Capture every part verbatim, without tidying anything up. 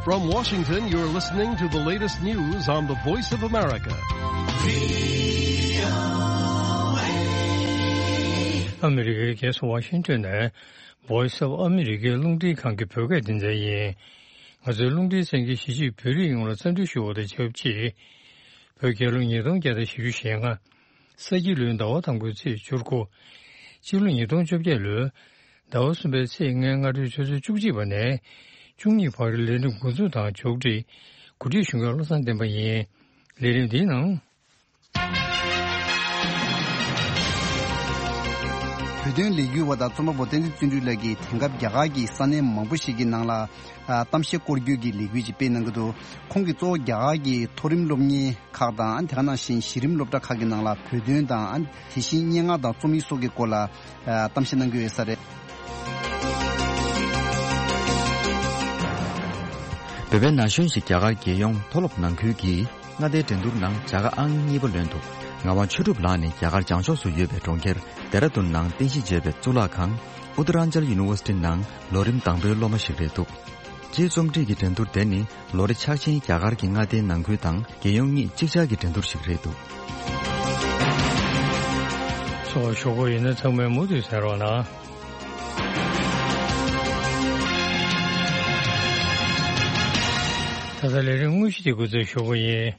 From Washington, you're listening to the latest news on the Voice of America. ཨ་མི་རི་ཀའི་རྒྱལ་ས་ཝ་ཤིང་ཏོན་ནས་Voice of America རླུང་འཕྲིན་ཁང་གི་བོད་སྐད་སྡེ་ཚན་ཡིན། ང་ཚོའི་རླུང་འཕྲིན་གསན་མཁན་གཞིས་བྱེས་བོད་རིགས་ཡོངས་ལ་འཚམས་འདྲི་ཞུ་བ་དང་ཆབས་ཅིག་བོད་རྒྱལ་ལོ་ཉིས་སྟོང་བརྒྱ་དང་བཞི་བཅུ་ཞེ་ལྔ། ས་ཁྱི་ལོའི་ཟླ་བ་དང་པོའི་ཚེས་བཅུ་དགུ། སྤྱི་ལོ་ཉིས་སྟོང་བཅོ་བརྒྱད་ལོའི་ཟླ་བ་གསུམ་པའི་ཚེས་ལྔའི་སྔ་དྲོའི་ཆུ་ཚོད་བཅུ་གཅིག་པ་ནས་བཅུ་གཉིས་བར་ལས་རིམ་འགོ་འཛུགས་དང་མཇུག་སྒྲིལ། གོ་སྒྲིག་ཞུ་མཁན་བློ་བཟང་བསྟན་པ་ཡིན། ལས་རིམ་འདིའི་ནང་། བོད་དོན་ལས་འགུལ་བ་དང་རྩོམ་པ་པོ་བསྟན་འཛིན་བརྩོན་འགྲུས་ལགས་ཀྱིས་དེང་སྐབས་རྒྱ་གར་གྱི་ས་གནས་མང་པོ་ཞིག་གི་ནང་ལ་ཨ་གཏམ་བཤད་སྐོར་སྐྱོད་ཀྱི་ལས་འགུལ་ཅིག་སྤེལ་གནང་གི་འདུག་ཁོང་གིས་གཙོ་བོ་རྒྱ་གར་གྱི་མཐོ་རིམ་སློབ་གཉེར་ཁག་དང་། དེ་ག་ནང་བཞིན་གཞི་རིམ་སློབ་གྲྭ་ཁག་གི་ནང་ལ་བོད་དོན་དང་། དེ་བཞིན་སྙན་ངག་དང་རྩོམ་ཡིག་སོགས་ཀྱི་སྐོར་ལ་ཨ་གཏམ་བཤད་གནང་གི་ཡོད་ས་རེད། བོད་པའི་ན་གཞོན་ཞིག་རྒྱ་གར་རྒྱལ་ཡོངས་མཐོ་སློབ་ནང་ཁུལ་གྱི་མངའ་སྡེའི་འགྲན་བསྡུར་ནང་བྱ་དགའ་ཨང་གཉིས་པ་ལོན་འདུག་ངག་དབང་ཆོས་གྲུབ་ལགས་ནི་རྒྱ་གར་བྱང་ཕྱོགས་སུ་ཡོད་པའི་གྲོང་ཁྱེར་ལྡེ་ར་ལྡུན་ནང་རྟེན་གཞི་བྱས་པའི་གཙུག་ལག་ཁང་Uttaranchal University ནང་ལོ་རིམ་དང་པོའི་སློབ་མ་ཞིག་རེད་འདུག་སྤྱིའི་རྩོམ་སྒྲིག་གི་འགྲན་བསྡུར་དེ་ནི་ལོ་རེ་འཆར་ཅན་རྒྱ་གར་གྱི་མངའ་སྡེའི་ནང་ཁུལ་དང་རྒྱལ་ཡོངས་གཉིས་གཅིག་ཆར་གྱི་འགྲན་བསྡུར་ཞིག་རེད་འདུག་ཚོགས་ཞུ་སྒོ་ཡིན་ན་ཚང་མས་མུ་མཐུད་གསན་རོགས་གནང་། ད་ལྟ་ལས་རིམ་དངོས་གཞི་དེ་འགོ་འཛུགས་ཞུ་སྒོ་ཡིན།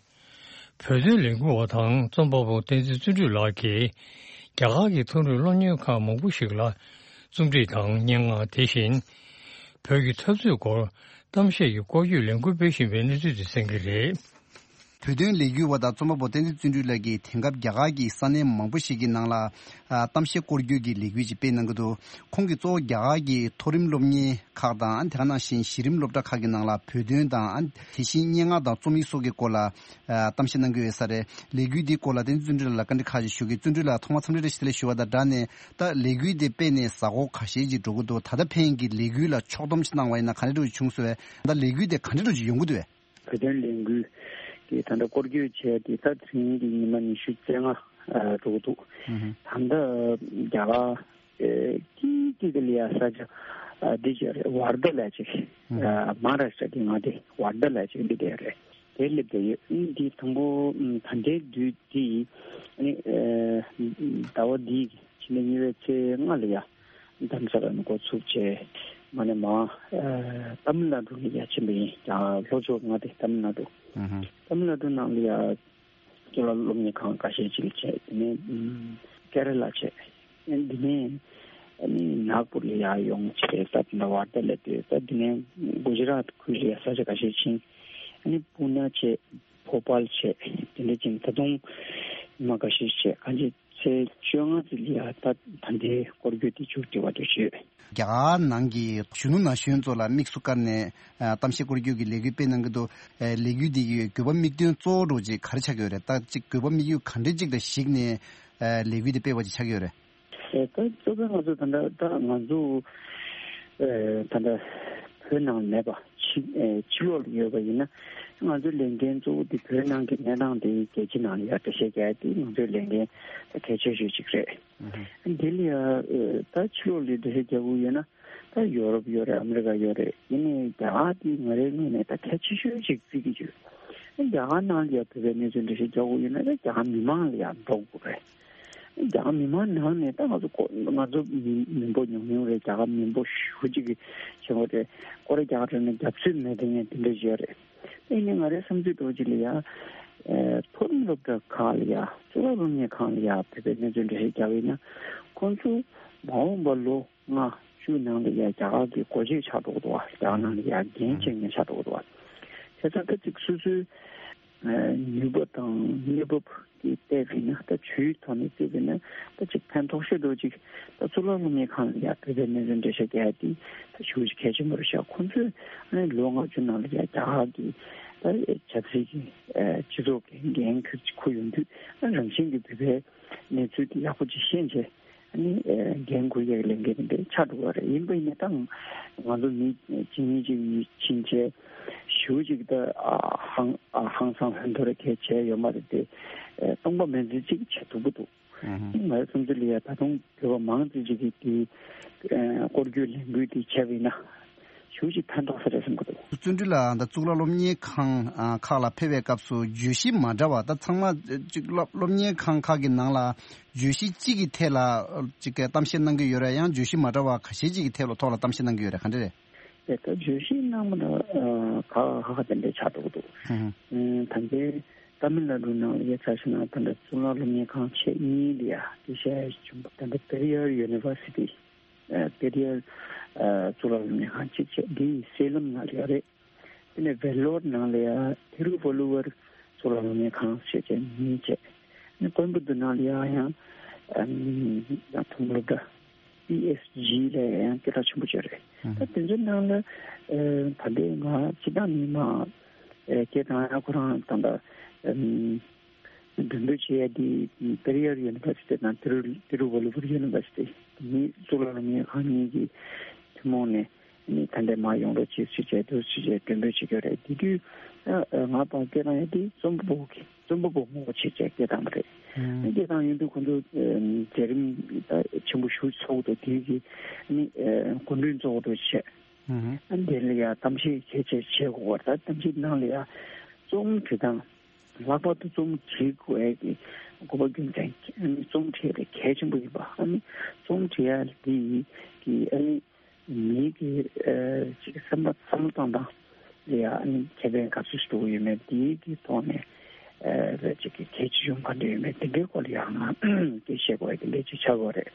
བོད་དོན་ལས་འགུལ་བ་དང་རྩོམ་པ་པོ་བསྟན་འཛིན་བརྩོན་འགྲུས་ལགས་ཀྱིས་རྒྱ་གར་གྱི་མཐོ་རིམ་སློབ་གཉེར་ཁང་མང་པོ་ཞིག་ལ་རྩོམ་སྒྲིག་དང་སྙན་ངག་དེ་བཞིན་བོད་ཀྱི་འཐབ་རྩོད་སྐོར་གཏམ་བཤད་ཀྱི་སྐོར་སྐྱོད་ལས་འགུལ་སྤེལ་བཞིན་པའི་གནས་ཚུལ་དེ་གསན་གྱི་རེད། བོད་དོན་ལས་འགུལ་བ་དང་རྩོམ་པ་པོ་བསྟན་འཛིན་བརྩོན་འགྲུས་ལགས་ཀྱིས་དེང་སྐབས་རྒྱ་གར་གྱི་ས་གནས་མང་པོ་ཞིག་གི་ནང་ལ་ཨ་གཏམ་བཤད་སྐོར་སྐྱོད་ཀྱི་ལས་འགུལ་ཅིག་སྤེལ་གནང་གི་འདུག་ཁོང་གིས་གཙོ་བོ་རྒྱ་གར་གྱི་མཐོ་རིམ་སློབ་གཉེར་ཁག་དང་། དེ་ག་ནང་བཞིན་གཞི་རིམ་སློབ་གྲྭ་ཁག་གི་ནང་ལ་བོད་དོན་དང་། དེ་བཞིན་སྙན་ངག་དང་རྩོམ་ཡིག་སོགས་ཀྱི་སྐོར་ལ་ཨ་གཏམ་བཤད་གནང་གི་ཡོད་ས་རེད། ལས་འགུལ་འདིའི་སྐོར་ལ་བསྟན་འཛིན་བརྩོན་འགྲུས་ལགས་ལ་བཀའ་འདྲི་ཁག་ཅིག་ཞུ་གི། བརྩོན་འགྲུས་ལགས་ཐོག་མར་འཚམས་འདྲི་བཀྲ་ཤིས་བདེ་ལེགས་ཞུ་བ་དང་སྦྲགས་ནས། ད་ལས་འགུལ་འདི་སྤེལ་ནས་གཟའ་འཁོར་ཁ་ཤས་ཅིག་འགྲོ་གི་འདུག་ད་ལྟ་ཕན་གྱི་ལས་འགུལ་ལ་ཕྱོགས་བསྡོམས་ཤིག་གནང་བ་ཡིན་ན་ག་འདྲ་འདྲ་བོ་བྱུང་སོང་བས། ད་ལས་འགུལ་དེ་ག་འདྲ་འདྲ་བོ་ཅིག་ཡོང་གི་འདུག་བས། བོད་དོན་ལས་འགུལ་གྱི་ད་ལྟ་སྐོར་སྐྱོད་བྱས་ཏེ་ད་དེ་རིང་གི་ཉི་མ་ཉི་ཤུ་རྩ་ལྔ་ཨ་འགྲོ་གི་འདུག་ཨུ་ཧུ། ད་ལྟ་རྒྱ་གར་ཨེ་ཀི་ཀི་གི་ལ་ཡ་ས་ཆ་ཨ་འདི་ཅིག་རེད། ཝར་དྷ་ལབ་ཅིག་ཨུ་ཧུ། ཨ་མ་ཧཱ་རཱ་ཤི་ཊ་གི་མངའ་སྡེ་ཝར་དྷ་ལབ་ཅིག་འདི་དེ་རེད། དེ་སླེབས་བསྡད་ཡོད། ཨ་ནི་འདི་དང་པོ་ཨ་ད་ལྟའི་དུས་འདི་ཨ་ནི་ཨེ་ཟླ་བ་འདིའི་ཕྱི་ཟླ་གཉིས་པའི་ཚེས་ལྔ་ལ་ཡ། རྡ་རམ་ས་ལ་ནས་འགོ་ཚུགས་བྱས་མ་ནས་མ་ཨ་ཏཱ་མིལ་ནཱ་ཌུ་ལ་ཡ་ཕྱིན་པ་ཡིན། ཀྱང་ལྷོ་ཕྱོགས་མངའ་སྡེ་ཏཱ་མིལ་ནཱ་ཌུ། ཨུ་ཧུ། ཏཱ་མིལ་ནཱ་ཌུ་ནང་ལ་ཡ་གཙུག་ལག་སློབ་གཉེར་ཁང་ཁ་ཤས་ཅིག་ལ་བྱས། དེ་ནས་ཨམ་ཀེ་ར་ལ་བྱས། དེ་ནས་ཨ་ནི་ནཱག་པུར་ལ་ཡ་ཡོང་བྱས། ད་དེ་འདྲ་ཝར་དྷ་ལ་བསྡད། ད་དེ་ནས་གུ་ཇི་རཱཏ་ཁུལ་ལ་ཡ་ས་ཆ་ཁ་ཤས་ཕྱིན། ཨ་ནི་པུ་ན་བྱས། ཕོ་པཱལ་བྱས། དེ་འདྲ་ཅིག་ད་དུང་ཉི་མ་ཁ་ཤས་བྱས། གང་ཅི་ཚེས་བཅོ་ལྔ་ཚེས་ལ་ཡ་ད་ད་ལྟའི་སྐོར་སྐྱོད་དེ་མཇུག་སྒྲིལ་བ་འདྲ་ཞུས། རྒྱ་གར་ནང་གི་གཞོན་ནུ་ན་གཞོན་ཚོ་ལ་དམིགས་སུ་བཀར་ནས་ཨ་གཏམ་བཤད་སྐོར་སྐྱོད་ཀྱི་ལས་འགུལ་སྤེལ་གནང་གི་འདུག་ཨ་ལས་འགུལ་འདི་གི་དགོས་པ་དམིགས་དོན་གཙོ་བོ་འདྲ་བོ་ཅིག་ག་རེ་ཆགས་ཀྱི་ཡོད་རེད། ད་ཅིག་དགོས་པ་དམིགས་ཡུལ་ག་འདྲ་ཅིག་ལ་གཞིགས་ནས་ཨ་ལས་འགུལ་འདི་སྤེལ་བ་ཅིག་ཆགས་ཀྱི་ཡོད་རེད། ཨེ་ད་གཙོ་བོ་ང་ཚོ་ད་ལྟ་ད་ང་ཚོ་ཨེ་ད་ལྟ་བོད་ནང་མེད་པ་ཕྱི་ཨེ་ཕྱི་ལོགས་ལ་ཡོད་པ་ཡིན་ན། ང་ཚོའི་ལས་འགན་གཙོ་བོ་དེ་བོད་ནང་གི་གནས་སྟངས་དེ་རྒྱལ་སྤྱི་ནང་ལ་ཡ་འགྲེལ་བཤད་རྒྱག་ཡ་དེ་ང་ཚོའི་ལས་འགན་ད་གལ་ཆེ་ཤོས་ཅིག་རེད། ཨུ་ཧུ། འདི་ལ་ཡ་ཨེ་ད་ཕྱི་ལོགས་ལ་འགྲེལ་བཤད་རྒྱག་དགོས་ཡོད་ན། ད་ཡོ་རོབ་ཡོད་རེད། ཨ་མི་རི་ཀ་ཡོད་རེད། ཡིན་ནའི་རྒྱ་གར་དེ་ང་རའི་ངོས་ནས་ད་གལ་ཆེ་ཤོས་ཅིག་བརྩི་གི་ཡོད། རྒྱ་གར་ནང་ལ་ཡ་བོད་པའི་གནས་ཚུལ་འགྲེལ་བཤད་རྒྱག་དགོས་ཡོད་ན། ད་རྒྱ་གར་མི་མང་ལ་ཡ་འགྲོ་དགོས་རེད། རྒྱ་གར་མི་མང་ནང་ནས་ད་ང་ཚོ་ཁོ་ང་ཚོ་མི་མི་འབོར་ཉུང་ཉུང་རེད། རྒྱ་གར་མི་འབོར་ཞེ་པོ་ཅིག་གི་ཆེན་པོ་རེད། སྐོར་ར་རྒྱག་འགྲོ་ན་རྒྱབ་སྐྱོར་མེད་དེ་ངས་དེ་འདྲ་བཤད་རེད། ཡིན་ནའི་ང་རའི་བསམ་ཚུལ་འདྲ་བོ་ཅིག་ལ་ཡ། ཨེ་མཐོ་རིམ་སློབ་གྲྭ་ཁག་ལ་ཡ། གཙུག་ལག་སློབ་གཉེར་ཁང་ལ་ཡ་བོད་པའི་གནས་ཚུལ་འགྲེལ་བཤད་རྒྱག་པ་ཡིན་ན། ཁོང་ཚོ་མ་འོངས་པ་ལོ་ལྔ་བཅུ་ནང་ལ་ཡ་རྒྱ་གར་གྱི་སྒོ་འབྱེད་ཆགས་འགྲོ་གི་འདུག་བ། རྒྱ་གར་ནང་ལ་ཡ་འགན་འཁྱེར་མཁན་ཆགས་འགྲོ་གི་འདུག་བ། བྱས་ཙང་ད་ཅིག་སོ་སོའི་ཨ་ནུས་པ་དང་གནས་བབ་ཀྱི་བལྟས་པ་ཡིན་ན། ད་ཆོས་ཐོག་ནས་བལྟས་པ་ཡིན་ན། ད་ཅིག་ཕན་ཐོགས་ཤོས་འདྲ་བོ་ཅིག་ད་གཙུག་ལག་སློབ་གཉེར་ཁང་ལ་ཡ་བོད་པའི་གནས་ཚུལ་འགྲེལ་བཤད་རྒྱག་ཡ་དེ་ད་ཞེ་པོ་ཅིག་གལ་ཆེན་པོ་རེད་ཤག་ཁོང་ཚོས་ཨ་ནི་ལོ་ལྔ་བཅུ་ནང་ལ་ཡ་རྒྱ་གར་གྱི་ད་ཆབ་སྲིད་ཀྱི་ཨ་སྤྱི་ཚོགས་ཀྱི་འགན་འཁུར་འཁུར་ཡོང་དུས། ཨ་རང་བཞིན་གྱིས་བོད་པའི་གནས་ཚུལ་དེ་ཡག་པོ་ཅིག་ཤེས་བྱས། ཨ་ནི་ཨེ་འགན་འཁུར་ཡག་གི་ལས་འགན་དེ་འདྲ་ཆགས་འགྲོ་གི་རེད། ཡིན་པ་ཡིན་ན་ད་ང་ཚོ་མི་གཅིག་གཉིས་གཅིག་གཉིས་ཕྱིན་བྱས་ཞེ་པོ་ཅིག་ད་ཨ་ཧང་ཨ་ཧང་སང་ཧོན་ཐོར་གལ་བྱས་ཡོད་མ་རེད་དེ། ཨེ་སྟོང་པ་མིན་ཙམ་ཅིག་བྱེད་ཐུབ་ཀྱི་འདུག་ཨུ་ཧུ། ང་ཚོ་བསམ་ཚུལ་ལ་ཡ་ད་དུང་བོད་པ་མང་ཙམ་ཅིག་གིས་དེ་ཨེ་སྐོར་སྐྱོད་ལས་འགུལ་དེ་བྱས་པ་ཡིན་ན། ཞེ་པོ་ཅིག་ཕན་ཐོགས་ས་རེད་བསམ་གྱི་འདུག། བརྩོན་འགྲུས་ལགས། ད་གཙུག་ལག་སློབ་གཉེར་ཁང་ཨ་ཁག་ལ་ཕེབས་པའི་སྐབས་སུ་བརྗོད་གཞི་མ་འདྲ་བ། ད་ཚང་མ་ཅིག་སློབ་སློབ་གཉེར་ཁང་ཁག་གི་ནང་ལ་བརྗོད་གཞི་གཅིག་གི་ཐད་ལ་ཅིག་གཏམ་བཤད་གནང་གི་ཡོད་རེད། ཡང་བརྗོད་གཞི་མ་འདྲ་བ་ཁ་ཤས་ཅིག་གི་ཐད་ལ་ཐོག་ལ་གཏམ་བཤད་གནང་གི་ཡོད་རེད། ག་འདྲ་རེད། དེ་ལྟར་བརྗོད་གཞི་གནང་བ་ལ་ཨ་ག་ཧ་ཧ་དེ་འདྲའི་ཆགས་འགྲོ་གི་འདུག། ཧུམ་ཧུམ། ཨ་ད་ལྟའི་ཏཱ་མིལ་ནཱ་ཌུ་ནང་ལ་ཡ་ཆ་བཞག་ན། ད་ལྟ་གཙུག་ལག་སློབ་གཉེར་ཁང་ཆེ་གཉིས་ལ་ཡ་དེ་བཞིན་བྱུང་བ། ད་ལྟ་པེ་རི་ཡར་ཡུ་ནི་ཝར་སི་ཊི། ཨ་པེ་རི་ཡར་ཨ་གཙུག་ལག་སློབ་གཉེར་ཁང་གཅིག་བྱས། འདི་སེ་ལམ་ནང་ལ་ཡོད་རེད། དེ་ནས་ཝེ་ལོར་ནང་ལ་ཡ་ཐི་རུ་ཝ་ལུ་ཝར་གཙུག་ལག་སློབ་གཉེར་ཁང་ཞེས་བྱས་གཉིས་བྱས། ཨ་ནི་ཀོའེམ་བུ་ཏུར་ནང་ལ་ཡ་ཡང་ཨ་ཡང་ཐུམ་སློབ་གྲྭ་པི་ཨེས་ཇི་ལ་ཡང་སྐད་གྲགས་ཆེན་པོ་བྱས་རེད། ད་དེ་ཚོའི་ནང་ལ་ཨ་ད་ལྟའི་ང་སྤྱི་བཏང་ནས་མ་ཨ་སྐད་བཏང་ཡ་ཁོ་རང་ད་ལྟ་ཨ་མགྲོན་འབོད་བྱེད་ཡ་དེ་པེ་རི་ཡར་ཡུ་ནི་ཝར་སི་ཊི་དང་ཏི་རུ་ཏི་རུ་ཝ་ལུ་ཝར་ཡུ་ནི་ཝར་སི་ཊི་གཉིས། གཙུག་ལག་སློབ་གཉེར་ཁང་གཉིས་ཀྱི་ཐུན་མོང་ནས་ནི་ད་ལྟའི་མར་ཡོང་རོགས་བྱེད་ཟེར་བྱས་འདུག་ཟེར་བྱས་མགྲོན་འབོད་བྱེད་ཀྱི་རེད། དེ་དུས་ཨ་ཨ་ང་ཕར་སྐད་བཏང་ཡ་དེ་རྩོམ་པ་པོ་གི་རྩོམ་པ་པོ་ངོ་བོ་བྱས་བྱས་སྐད་བཏང་བ་རེད། ཨ་སྐད་བཏང་ཡོང་དུས་ཁོང་ཚོ་ཨ་མཛད་རིམ་ད་ཆེན་པོ་ཞེ་པོ་ཚོགས་འདུག། དེའི་གི་ནི་ཨ་སྐུ་མགྲོན་གཙོ་བོ་དུ་བྱས། ཨ་དེ་ལ་ཡ་གཏམ་བཤད་གལ་ཆེ་བྱེད་དགོས་པ། ད་གཏམ་བཤད་ནང་ལ་ཡ་རྩོམ་འབྲི་སྟངས། ལྷག་པར་དུ་རྩོམ་བྲིས་དགོས་ཀྱི་དགོས་པ་རྒྱུ་མཚན་ཨ་ནི་རྩོམ་བྲིས་ཡ་དེ་གལ་ཆེན་པོ་ཡིན་པ། ཨ་ནི་རྩོམ་བྲིས་ཡ་འདི་གི་ཨ་ནི་མིའི་གི་ཨ་ཅིག་གི་བསམ་པ་བསམ་བློ་གཏོང་སྟངས་ལ་ཡ་ཨ་ནི་ཁེ་ཕན་ག་ཚོད་ཞིག་འདུག་ཡོད་མེད། འདིའི་གི་ཐོག་ནས་ཨ་ཅིག་གི་གལ་ཆེ་ཆུང་ག་འདྲ་ཡོད་མེད། དེ་འདྲའི་སྐོར་ལ་ཡང་ང་སྐད་བཤད་དགོས་ཡ་དེ་འདྲ་ཅིག་ཆགས་ཀྱི་ཡོད་རེད།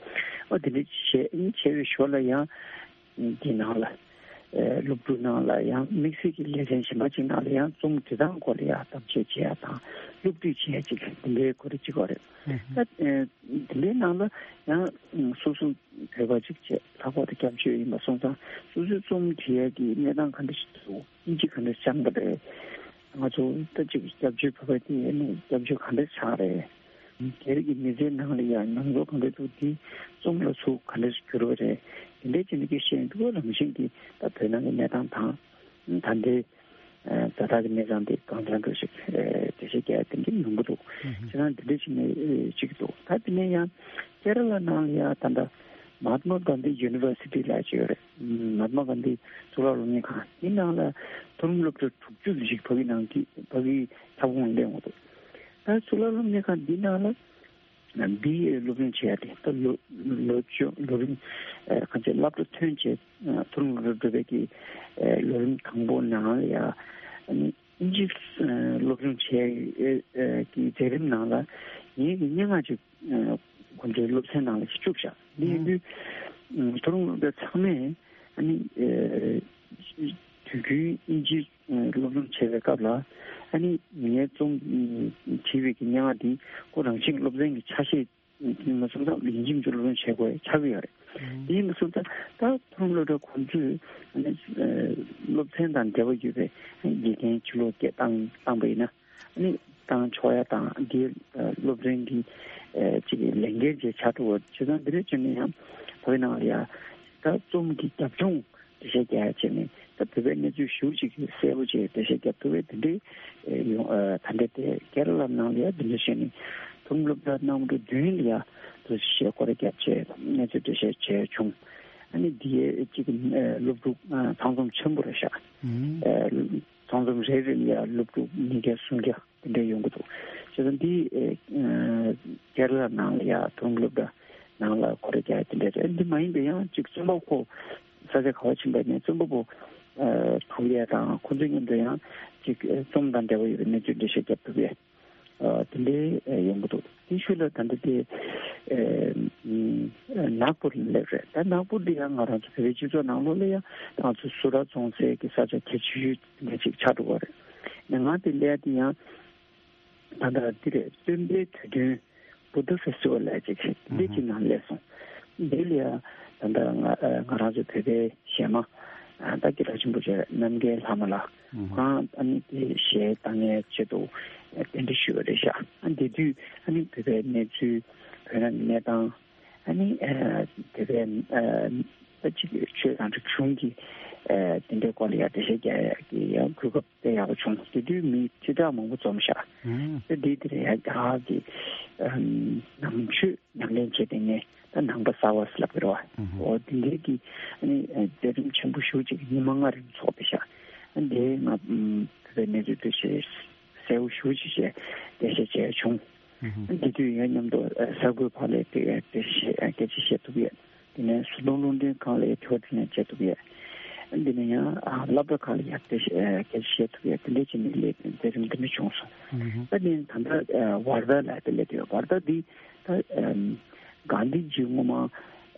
ཨོ་དེ་འདྲ་ཅིག་བྱས། ཨ་ནི་བྱས་པའི་ཞོར་ལ་ཡང་འདི་ནང་ལ་ཨ་སློབ་ཕྲུག་ནང་ལ་ཡང་དམིགས་བསལ་གྱི་ལེ་ཚན་གཞན་པ་ཅིག་ནང་ལ་ཡང་རྩོམ་འབྲི་སྟངས་སྐོར་ལ་ཡང་གཏམ་བཤད་བྱེད་ཡ་དང་སློབ་ཁྲིད་བྱེད་ཡ་ཅིག་དེ་འདྲའི་སྐོར་ཅིག་ཡོད་རེད། ད་ཨ་དེ་འདྲའི་ནང་ལ་ཡང་སོ་སོ་བོད་པ་ཅིག་བྱས། ལྷག་པར་དུ་སྐྱབས་བཅོལ་ཡིན་པ་སོང་ཙང་སོ་སོའི་རྩོམ་འབྲི་ཡ་གི་གནས་སྟངས་ག་འདྲ་ཞིག་འདུག། དབྱིན་ཇི་ག་འདྲ་སྦྱངས་པ་རེད། ང་ཚོ་ད་ཅིག་སྐྱབས་བཅོལ་བོད་པ་དེ་ནི་སྐྱབས་བཅོལ་ག་འདྲ་ཆགས་རེད། སྒེར་གྱི་མི་ཚེའི་ནང་ལ་ཡང་མྱོང་ཚོར་ག་འདྲ་འདུག། དེ་རྩོམ་ལ་ཚུར་ག་འདྲ་འགྱུར་བ་རེད། དེ་འདྲའི་ཅིག་ནི་སྐད་བཤད་འདུག། རང་བཞིན་གྱིས་ད་བོད་ནང་གི་གནས་སྟངས་དང་ད་ལྟའི་ད་ལྟ་གི་གནས་སྟངས་དེ་གང་འཚམ་འདྲ་ཞིག་འགྲེལ་བཤད་རྒྱག་ཡ་དེ་འདྲ་ཡོང་གི་འདུག། ཁྱེད་རང་དེ་འདྲ་ཞིག་ནས་ཅིག་འདུག། ད་དེ་ནས་ཡང་ཀེ་ར་ལ་ནང་ལ་ཡང་ད་ལྟ་མ་ཧཱ་ཏྨ་གྷན་དྷི་ཡུ་ནི་ཝར་སི་ཊི་ལབ་ཅིག་ཡོད་རེད། མ་ཧཱ་ཏྨ་གྷན་དྷི་གཙུག་ལག་སློབ་གཉེར་ཁང་དེ་ནང་ལ་མཐོ་རིམ་སློབ་གྲྭ་དྲུག་ཅུ་ཞིག་ཕ་གི་ནང་གི་ཕ་གི་ཁྱབ་ཁོངས་སླེབས་ཡོང་གི་འདུག། ད་གཙུག་ལག་སློབ་གཉེར་ཁང་འདི་ནང་ལ་བི་ཨེ་སློབ་སྦྱོང་བྱེད་ཡ་དེ་ད་ལོ་ལོ་བཅུ་ལོ་རིམ་ཨ་ག་ཚོད་སློབ་གྲྭ་ཐོན་བྱས་མཐོ་རིམ་སློབ་གྲྭ་འགྲོ་བའི་གི་ཨ་ལོ་རིམ་དང་པོ་ནང་ལ་ཡ་ཨ་ནི་དབྱིན་ཇི་ཨ་སློབ་སྦྱོང་བྱེད་ཡ་གི་མཛད་རིམ་ནང་ལ་ངེད་ཀྱི་སྙན་ངག་ཅིག་ཨ་ཁོང་ཚོའི་སློབ་ཚན་ནང་ལ་ཞིག་བཅུག་བཞག། འདི་ཡིན་དུས་ཨ་མཐོ་རིམ་སློབ་གྲྭ་ཚང་མས་ཨ་ནི་ཨ་དུས་རྒྱུན་དབྱིན་ཇི་ཨ་སློབ་སྦྱོང་བྱེད་པའི་སྐབས་ལ་ཨ་ནི་ངའི་རྩོམ་ཨ་བྲིས་པའི་གི་སྙན་ངག་འདི་ཁོ་རང་བཞིན་སློབ་ཚན་གྱི་ཆ་ཤས་ཨ་མ་སོང་ཙང་ཡིན་གཅིག་མིན་གཅིག་སློབ་སྦྱོང་བྱེད་དགོས་ཆགས་ཀྱི་ཡོད་རེད། དེ་ཡིན་པ་སོང་ཙང་ད་མཐོ་རིམ་སློབ་གྲྭ་ཁོང་ཚོས་ཨ་ནི་ཨ་སློབ་ཚན་དང་འབྲེལ་བ་ཡོད་པའི་དགེ་རྒན་ཕྱི་ལོགས་སྐད་བཏང་བཏང་པ་ཡིན་ན། ཨ་ནི་བཏང་ཆོག་ཡ་དང་འདིའི་ཨ་སློབ་ཚན་འདི་ཨ་ཅིག་ལས་འགན་ཅིག་ཆགས་འགྲོ་བ། བྱས་ཙང་འདི་འདྲ་བྱས་ནས་ཡང་བོད་ནང་ལ་ཡ་ད་རྩོམ་གྱི་རྒྱབ་ལྗོངས་འགྲེལ་བཤད་རྒྱག་ཡ་བྱས་ནས་ད་བོད་པའི་གནས་ཚུལ་ཞེ་པོ་ཅིག་གསལ་པོ་བྱས་འགྲེལ་བཤད་རྒྱབ་ཐུབ་པའི་དེ་འདྲའི་ཨ་ཡོང་ཨ་ད་ལྟ་དེ་ཀེ་ར་ལ་ནང་ལ་ཡ་འདི་འདྲ་བྱས་ནས་མཐོ་རིམ་སློབ་གྲྭ་རྣམ་གྲངས་བདུན་ལ་ཡ་འདུ་བྱས་སྐོར་ར་བརྒྱབ་བྱས་གནས་ཚུལ་འགྲེལ་བཤད་བྱས་བྱུང་། ཨ་ནི་འདི་ཡའི་གཅིག་ཨ་སློབ་ཕྲུག་ཨ་ཚང་འཛོམས་ཆེན་པོ་རེད་ཤག། ཨ་ཚང་འཛོམས་རེ་རེ་ལ་ཡ་སློབ་ཕྲུག་ཉིས་བརྒྱ་སུམ་བརྒྱ་དེ་འདྲ་ཡོང་གི་འདུག། བྱས་ཙང་འདི་ཨ་ཀེ་ར་ལ་ནང་ལ་ཡ་མཐོ་རིམ་སློབ་གྲྭ་ནང་ལ་སྐོར་ར་རྒྱག་ཡ་དེ་འདྲ་རེད། འདི་མ་ཡིན་པའི་ཡང་གཅིག་རྩོམ་པ་པོ་ས་ཆ་ག་བ་ཕྱིན་པ་ནས་རྩོམ་པ་པོ་ཨ་ཐུག་ཡ་དང་ཁོང་ཚོ་མཉམ་དུ་ཡང་གཅིག་ཨ་རྩོམ་དང་འབྲེལ་བ་ཡོད་པའི་གནས་ཚུལ་འགྲེལ་བཤད་རྒྱབ་ཐུབ་ཡ། ཨ་དེ་འདྲའི་ཨ་ཡོང་གི་འདུག། དེའི་ཤུལ་ལ་ད་ལྟ་དེ་ཨ་ཨ་ནག་པུར་ལ་སླེབས་རེད། ད་ནག་པུར་འདི་ཡང་ང་རང་ཚོ་བོད་པའི་སྤྱི་ཚོགས་ནང་ལོགས་ལ་ཡང་ང་ཚོ་སུ་ར་རྫོང་སའི་གི་ས་ཆ་གལ་ཆེ་ཤོས་འདི་ཅིག་ཆགས་འགྲོ་བ་རེད། ང་དེ་སླེབས་དེ་ཡང་ད་ལྟ་འདི་རེད། སྟོན་པའི་དུས་སྟོན་Buddha Festival་ལ་ཅིག་འདི་ཅིག་ནང་སླེབས་སོང་། འདི་ལ་ཡང་ད་ལྟ་ང་ཨ་ང་རང་ཚོ་བོད་པའི་གཞས་མ་ཨ་ད་སྐད་གྲགས་ཆེན་པོ་བྱས་རྣམ་རྒྱལ་ལྷ་མོ་ལགས་ཁོང་ཨ་ནི་དེ་གཞས་བཏང་མཁན་ཆེད་དུ་ཨ་གདན་འདྲེན་ཞུས་པ་རེད་ཤག། ཨ་འདི་དུས་ཨ་ནི་བོད་པའི་གནས་ཚུལ་བོད་ནང་གི་གནས་སྟངས་ཨ་ནི་ཨ་བོད་པའི་ཨ་ད་ཅིག་ཆོས་དང་རིག་གཞུང་གི་ཨ་དེ་འདྲའི་སྐོར་ལ་ཡང་འགྲེལ་བཤད་རྒྱག་ཡ་གི་ཡང་གོ་སྐབས་དཔེ་ཡག་པོ་བྱུང་། དེ་དུས་མི་ཁྲི་ཕྲག་མང་པོ་འཛོམས་ཤག། ཨ་དེ་དེ་རེད། ཡ་གི་ཨ་ནང་ཆོས་ཉམས་ལེན་བྱེད་བསྡད་མཁན། ད་ ནང་པ་གསར་བ་ཟེར་ལབ་ཀྱི་རེད་བ། ཨོ་དེ་འདྲའི་གི་ཨ་ནི་མཛད་རིམ་ཆེན་པོ་ཞེ་ཅིག་ཉི་མ་ལྔ་རིང་ཚོགས་པའི་ཤག་འདི་ང་བོད་པའི་གནས་ཚུལ་དེ་ཞེ་གསལ་པོ་ཞེ་ཅིག་བྱས་འགྲེལ་བཤད་བྱས་བྱུང་། འདི་དུས་ཡང་མཉམ་དུ་གསར་འགོད་པ་ལ་དེ་དེ་བཤད་སྐད་ཆ་བཤད་ཐུབ་ཡོད། དེ་ནས་བཟོ་ཚོང་རླུང་འཕྲིན་ཁང་ལ་དྲི་བ་དྲིས་ལན་བྱེད་ཐུབ་ཡོད། འདི་ནས་ཡང་སློབ་གྲྭ་ཁག་ལ་ཡང་དེ་སྐད་ཆ་བཤད་ཐུབ་ཡོད། དེ་འདྲས་བྱས་ནས་ལས་མཛད་རིམ་འདི་འདྲ་བྱུང་སོང་། ད་ནི་ད་ལྟ་ཝར་དྷ་ལ་དེ་སླེབས་ཡོད། ཝར་དྷ་འདི་ད་གྷན་དྷི་ཇི་སྔོན་མ་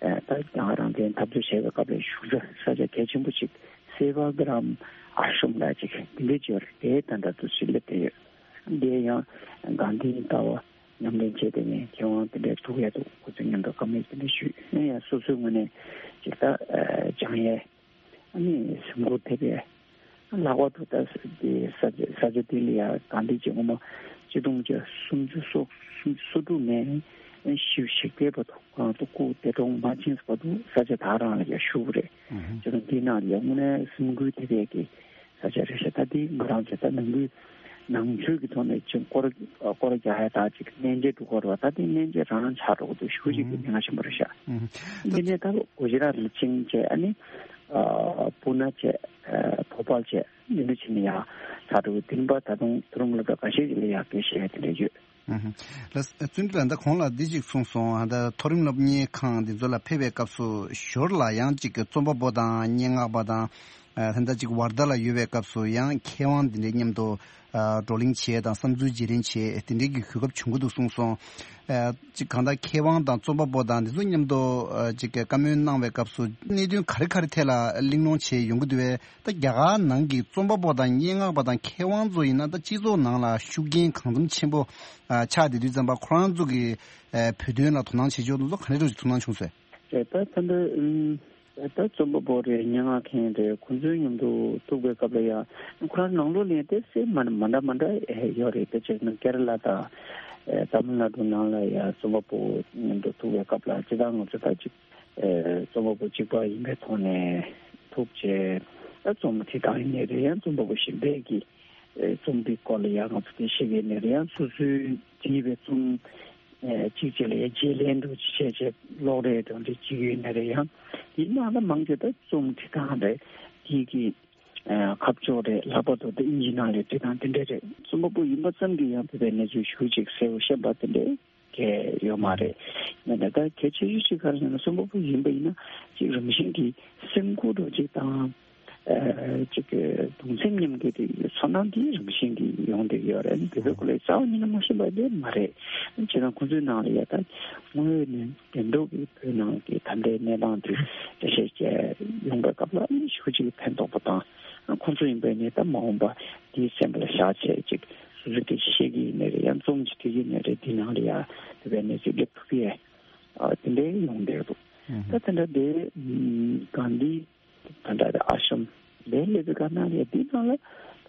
ད་རྒྱ་གར་རང་བཙན་འཐབ་རྩོད་བྱས་པའི་སྐབས་ལ་བཞུགས་ས་ས་ཆ་གལ་ཆེན་པོ་ཅིག་སེ་ཝ་གྷ་རམ་ཨ་ཤྲམ་ལ་ཅིག་དེ་འདྲས་ཅིག་ཡོད་རེད། དེ་ད་ལྟ་དུ་ཅིག་སླེབས་བསྡད་ཡོད། འདི་ཡང་གྷན་དྷིའི་ལྟ་བ་ཉམས་ལེན་བྱས་ཏེ་ནས་མཁས་དབང་དེ་འདྲའི་ཐུག་ཡ་འདུག་ཁོ་ཚོའི་མཉམ་དུ་བཀའ་མོལ་དེ་འདྲ་ཞུས་ནས་ཡང་སོ་སོའི་ངོས་ནས་ཅིག་ད་སྦྱང་ཡས་ཨ་ནི་སེམས་ཁུར་ཐེབས་ཡས། ལྷག་པར་དུ་ད་དེ་ས་ཆ་ས་ཆ་དེ་ལ་ཡང་གྷན་དྷི་ཇི་སྔོན་མ་ཆིག་སྟོང་དགུ་བརྒྱ་སུམ་ཅུ་སོ་སུམ་ཅུ་སོ་དྲུག་ནས་བཞི་བཅུ་ཞེ་བརྒྱད་བར་དུ་ཁོ་རང་ཚོ་སྐུ་འདས་གྲོངས་མ་ཕྱིན་བར་དུ་ས་ཆ་ད་རང་ལ་ཡང་བཞུགས་པ་རེད། ཅིག་དེ་ནང་ལ་ཡང་དངོས་གནས་སེམས་ཁུར་ཐེབས་ཡས་ཀྱི་ས་ཆ་རེད་ཤག་ད་དེ་ང་རང་ཚོ་ད་ནང་ཁུལ་ནང་ཆོས་ཀྱི་ཐོག་ནས་ཅིག་སྐོར་སྐོར་རྒྱག་ཡ་ད་ཅིག་གནས་མཇལ་འགྲོ་གི་རེད་བ། ད་དེ་གནས་མཇལ་རང་ཆགས་འགྲོ་གི་འདུག་ཞེ་ཅིག་གི་ཉེན་ཁ་ཆེན་པོ་རེད་ཤག་འདི་ནས་ད་གུ་ཇི་རཱཏ་ལ་ཕྱིན་བྱས་ཨ་ནི་པུ་ན་བྱས་བྷོ་པལ་བྱས་འདི་འདྲ་ཕྱིན་ནས་ཡར་ཆགས་འགྲོ་གི་འདུག་ད་དུང་མཐོ་རིམ་སློབ་གྲྭ་ཁ་ཤས་ཅིག་ལ་ཡར་སྐད་བཤད་ཡ་དེ་འདྲ་ཡོད། ལགས་བརྩོན་འགྲུས་ལགས། ད་གོང་ལ་འདི་ཅིག་གསུངས་སོང་། ད་མཐོ་རིམ་སློབ་གཉེར་ཁང་འདི་ཚོ་ལ་ཕེབས་པའི་སྐབས་སུ་ཞོར་ལ་ཡང་ཅིག་རྩོམ་པ་པོ་དང་སྙན་ངག་པ་དང་ད་ལྟ་ཅིག་ཝར་དྷ་ལ་ཡོད་པའི་སྐབས་སུ་ཡང་མཁས་དབང་འདི་འདྲའི་མཉམ་དུ་བགྲོ་གླེང་བྱེད་དང་བསམ་ཚུལ་བརྗེ་ལེན་བྱེད་དེ་འདྲའི་གི་གོ་སྐབས་བྱུང་གི་འདུག་གསུངས་སོང་། ཅིག་གང་ལྟར་མཁས་དབང་དང་རྩོམ་པ་པོ་དང་འདི་ཚོ་མཉམ་དུ་ཅིག་བཀའ་མོལ་གནང་བའི་སྐབས་སུ་གནད་དོན་ག་རེ་ག་རེ་ཐད་ལ་གླེང་སློང་བྱས་ཡོང་གི་འདུག་པས། ད་རྒྱ་གར་ནང་གི་རྩོམ་པ་པོ་དང་སྙན་ངག་པ་དང་མཁས་དབང་ཚོ་ཡིན་ན་ད་སྤྱི་ཚོགས་ནང་ལ་ཤུགས་རྐྱེན་གང་འཚམ་ཆེན་པོ་ཨ་ཆགས་བསྡད་དུས་ཙམ་པ་ཁོ་རང་ཚོ་གི་ཨ་བོད་དོན་ལ་དོ་སྣང་བྱེད་ཕྱོགས་དེ་ཚོ་ག་འདྲ་འདྲ་ཞིག་ཐུགས་སྣང་བྱུང་སོང་། རེད། ད་ད་འདི་ཨུམ་ད་རྩོམ་པ་པོ་རེད། སྙན་ངག་མཁན་རེད། ཁོང་ཚོའི་མཉམ་དུ་ཐུག་པའི་སྐབས་ལ་ཡང་ཁོ་རང་ནང་ལོགས་ལ་ཡང་ཏོག་ཙམ་མ་མ་འདྲ་མ་འདྲ་ཡོད་རེད། དཔེ་བྱས་ན་ཀེ་ར་ལ་དང་ཨེ་ཏ་མིལ་ནཱ་ཌུ་ནང་ལ་ཡང་རྩོམ་པ་པོ་མཉམ་དུ་ཐུག་པའི་སྐབས་ལ་སྤྱིར་བཏང་ང་ཚོ་ད་ཅིག་ཨེ་རྩོམ་པ་པོ་གཅིག་པ་ཡིན་པའི་ཐོག་ནས་ཐུག་བྱས་ད་རྩོམ་བྲིས་སྟངས་ཡིན་ནའི་རེད། ཡང་རྩོམ་པ་པོ་གཞན་པས་ཀྱིས་ཨེ་རྩོམ་འདིའི་སྐོར་ལ་ཡང་ང་ཚོ་དེ་བཤད་ཀྱི་ཡིན་ནའི་རེད། ཡང་སོ་སོའི་བྲིས་པའི་རྩོམ་ཨེ་གཅིག་གཅིག་ལ་ཡང་བརྗེ་ལེན་འདྲ་ཅིག་བྱས་བྱས་ཀློག་རེས་འདྲ་འདྲ་བྱེད་ཀྱི་ཡོད་ནའི་རེད། ཡང་དེའི་ནང་ལ་མང་ཆེ་ད་རྩོམ་བྲིས་སྟངས་རེད། དེའི་གི་ཨ་ཁ་ཕྱོགས་རེད། ལྷག་པར་དུ་དེ་ཨིན་ཇི་ནང་ལ་བྲིས་སྟངས་དེ་འདྲ་རེད། རྩོམ་པ་པོ་ཡིན་པ་ཙམ་གྱིས་ཡང་བོད་པའི་གནས་ཚུལ་ཞེ་ཅིག་གསལ་པོ་ཤེས་པ་དེ་འདྲ་གང་ཡང་ཡོད་མ་རེད། ཡིན་ནའི་ད་གལ་ཆེ་ཤོས་ཅིག་ག་རེ་ཟེར་ན་རྩོམ་པ་པོ་ཡིན་པ་ཡིན་ན་ཅིག་རང་བཞིན་གྱིས་སེམས་ཁུར་འདྲ་ཅིག་དང་ཨ་ཅིག་གདུང་སེམས་མཉམ་སྐྱེད་དེ་ཚོར་སྣང་དེ་རང་བཞིན་གྱིས་ཡོང་བསྡད་ཡོད་རེད། བོད་པའི་སྐོར་ལ་རྩ་བ་ཉིད་ནས་མ་ཤེས་པ་དེ་མ་རེད། བྱས་ཙང་ཁོང་ཚོའི་ནང་ལ་ཡ་ད་དངོས་ཡོད་ནས་བདེན་མདོག་གི་བོད་ནང་གི་ད་ལྟའི་གནས་སྟངས་དེ་འགྲེལ་བཤད་བྱས་ཡོང་པའི་སྐབས་ལ་ཨ་ནི་ཞེ་ཅིག་ཕན་ཐོགས་པ་དང་། ཁོང་ཚོ་ཡིན་པས་ནི་ད་མ་འོངས་པ་དེའི་སེམས་ལ་བཞག་བྱས་ཅིག་སོ་སོས་སྐད་ཆ་བཤད་ཀྱི་ཡིན་ནའི་རེད། ཡང་རྩོམ་ཅིག་བྲིས་ཀྱི་ཡིན་ནའི་རེད། དེའི་ནང་ལ་ཡ་དེ་བས་ནས་ཅིག་སླེབས་ཐུབ་ཀྱི་ཡ་དེ་འདྲའི་ཡོང་བསྡད་འདུག་ད་དེ་འདྲ་དེ་གྷན་དྷི་ད་ལྟ་ཨ་ཤམ་ལས་སླེབས་པའི་སྐབས་ནང་ལ་དེའི་ནང་ལ་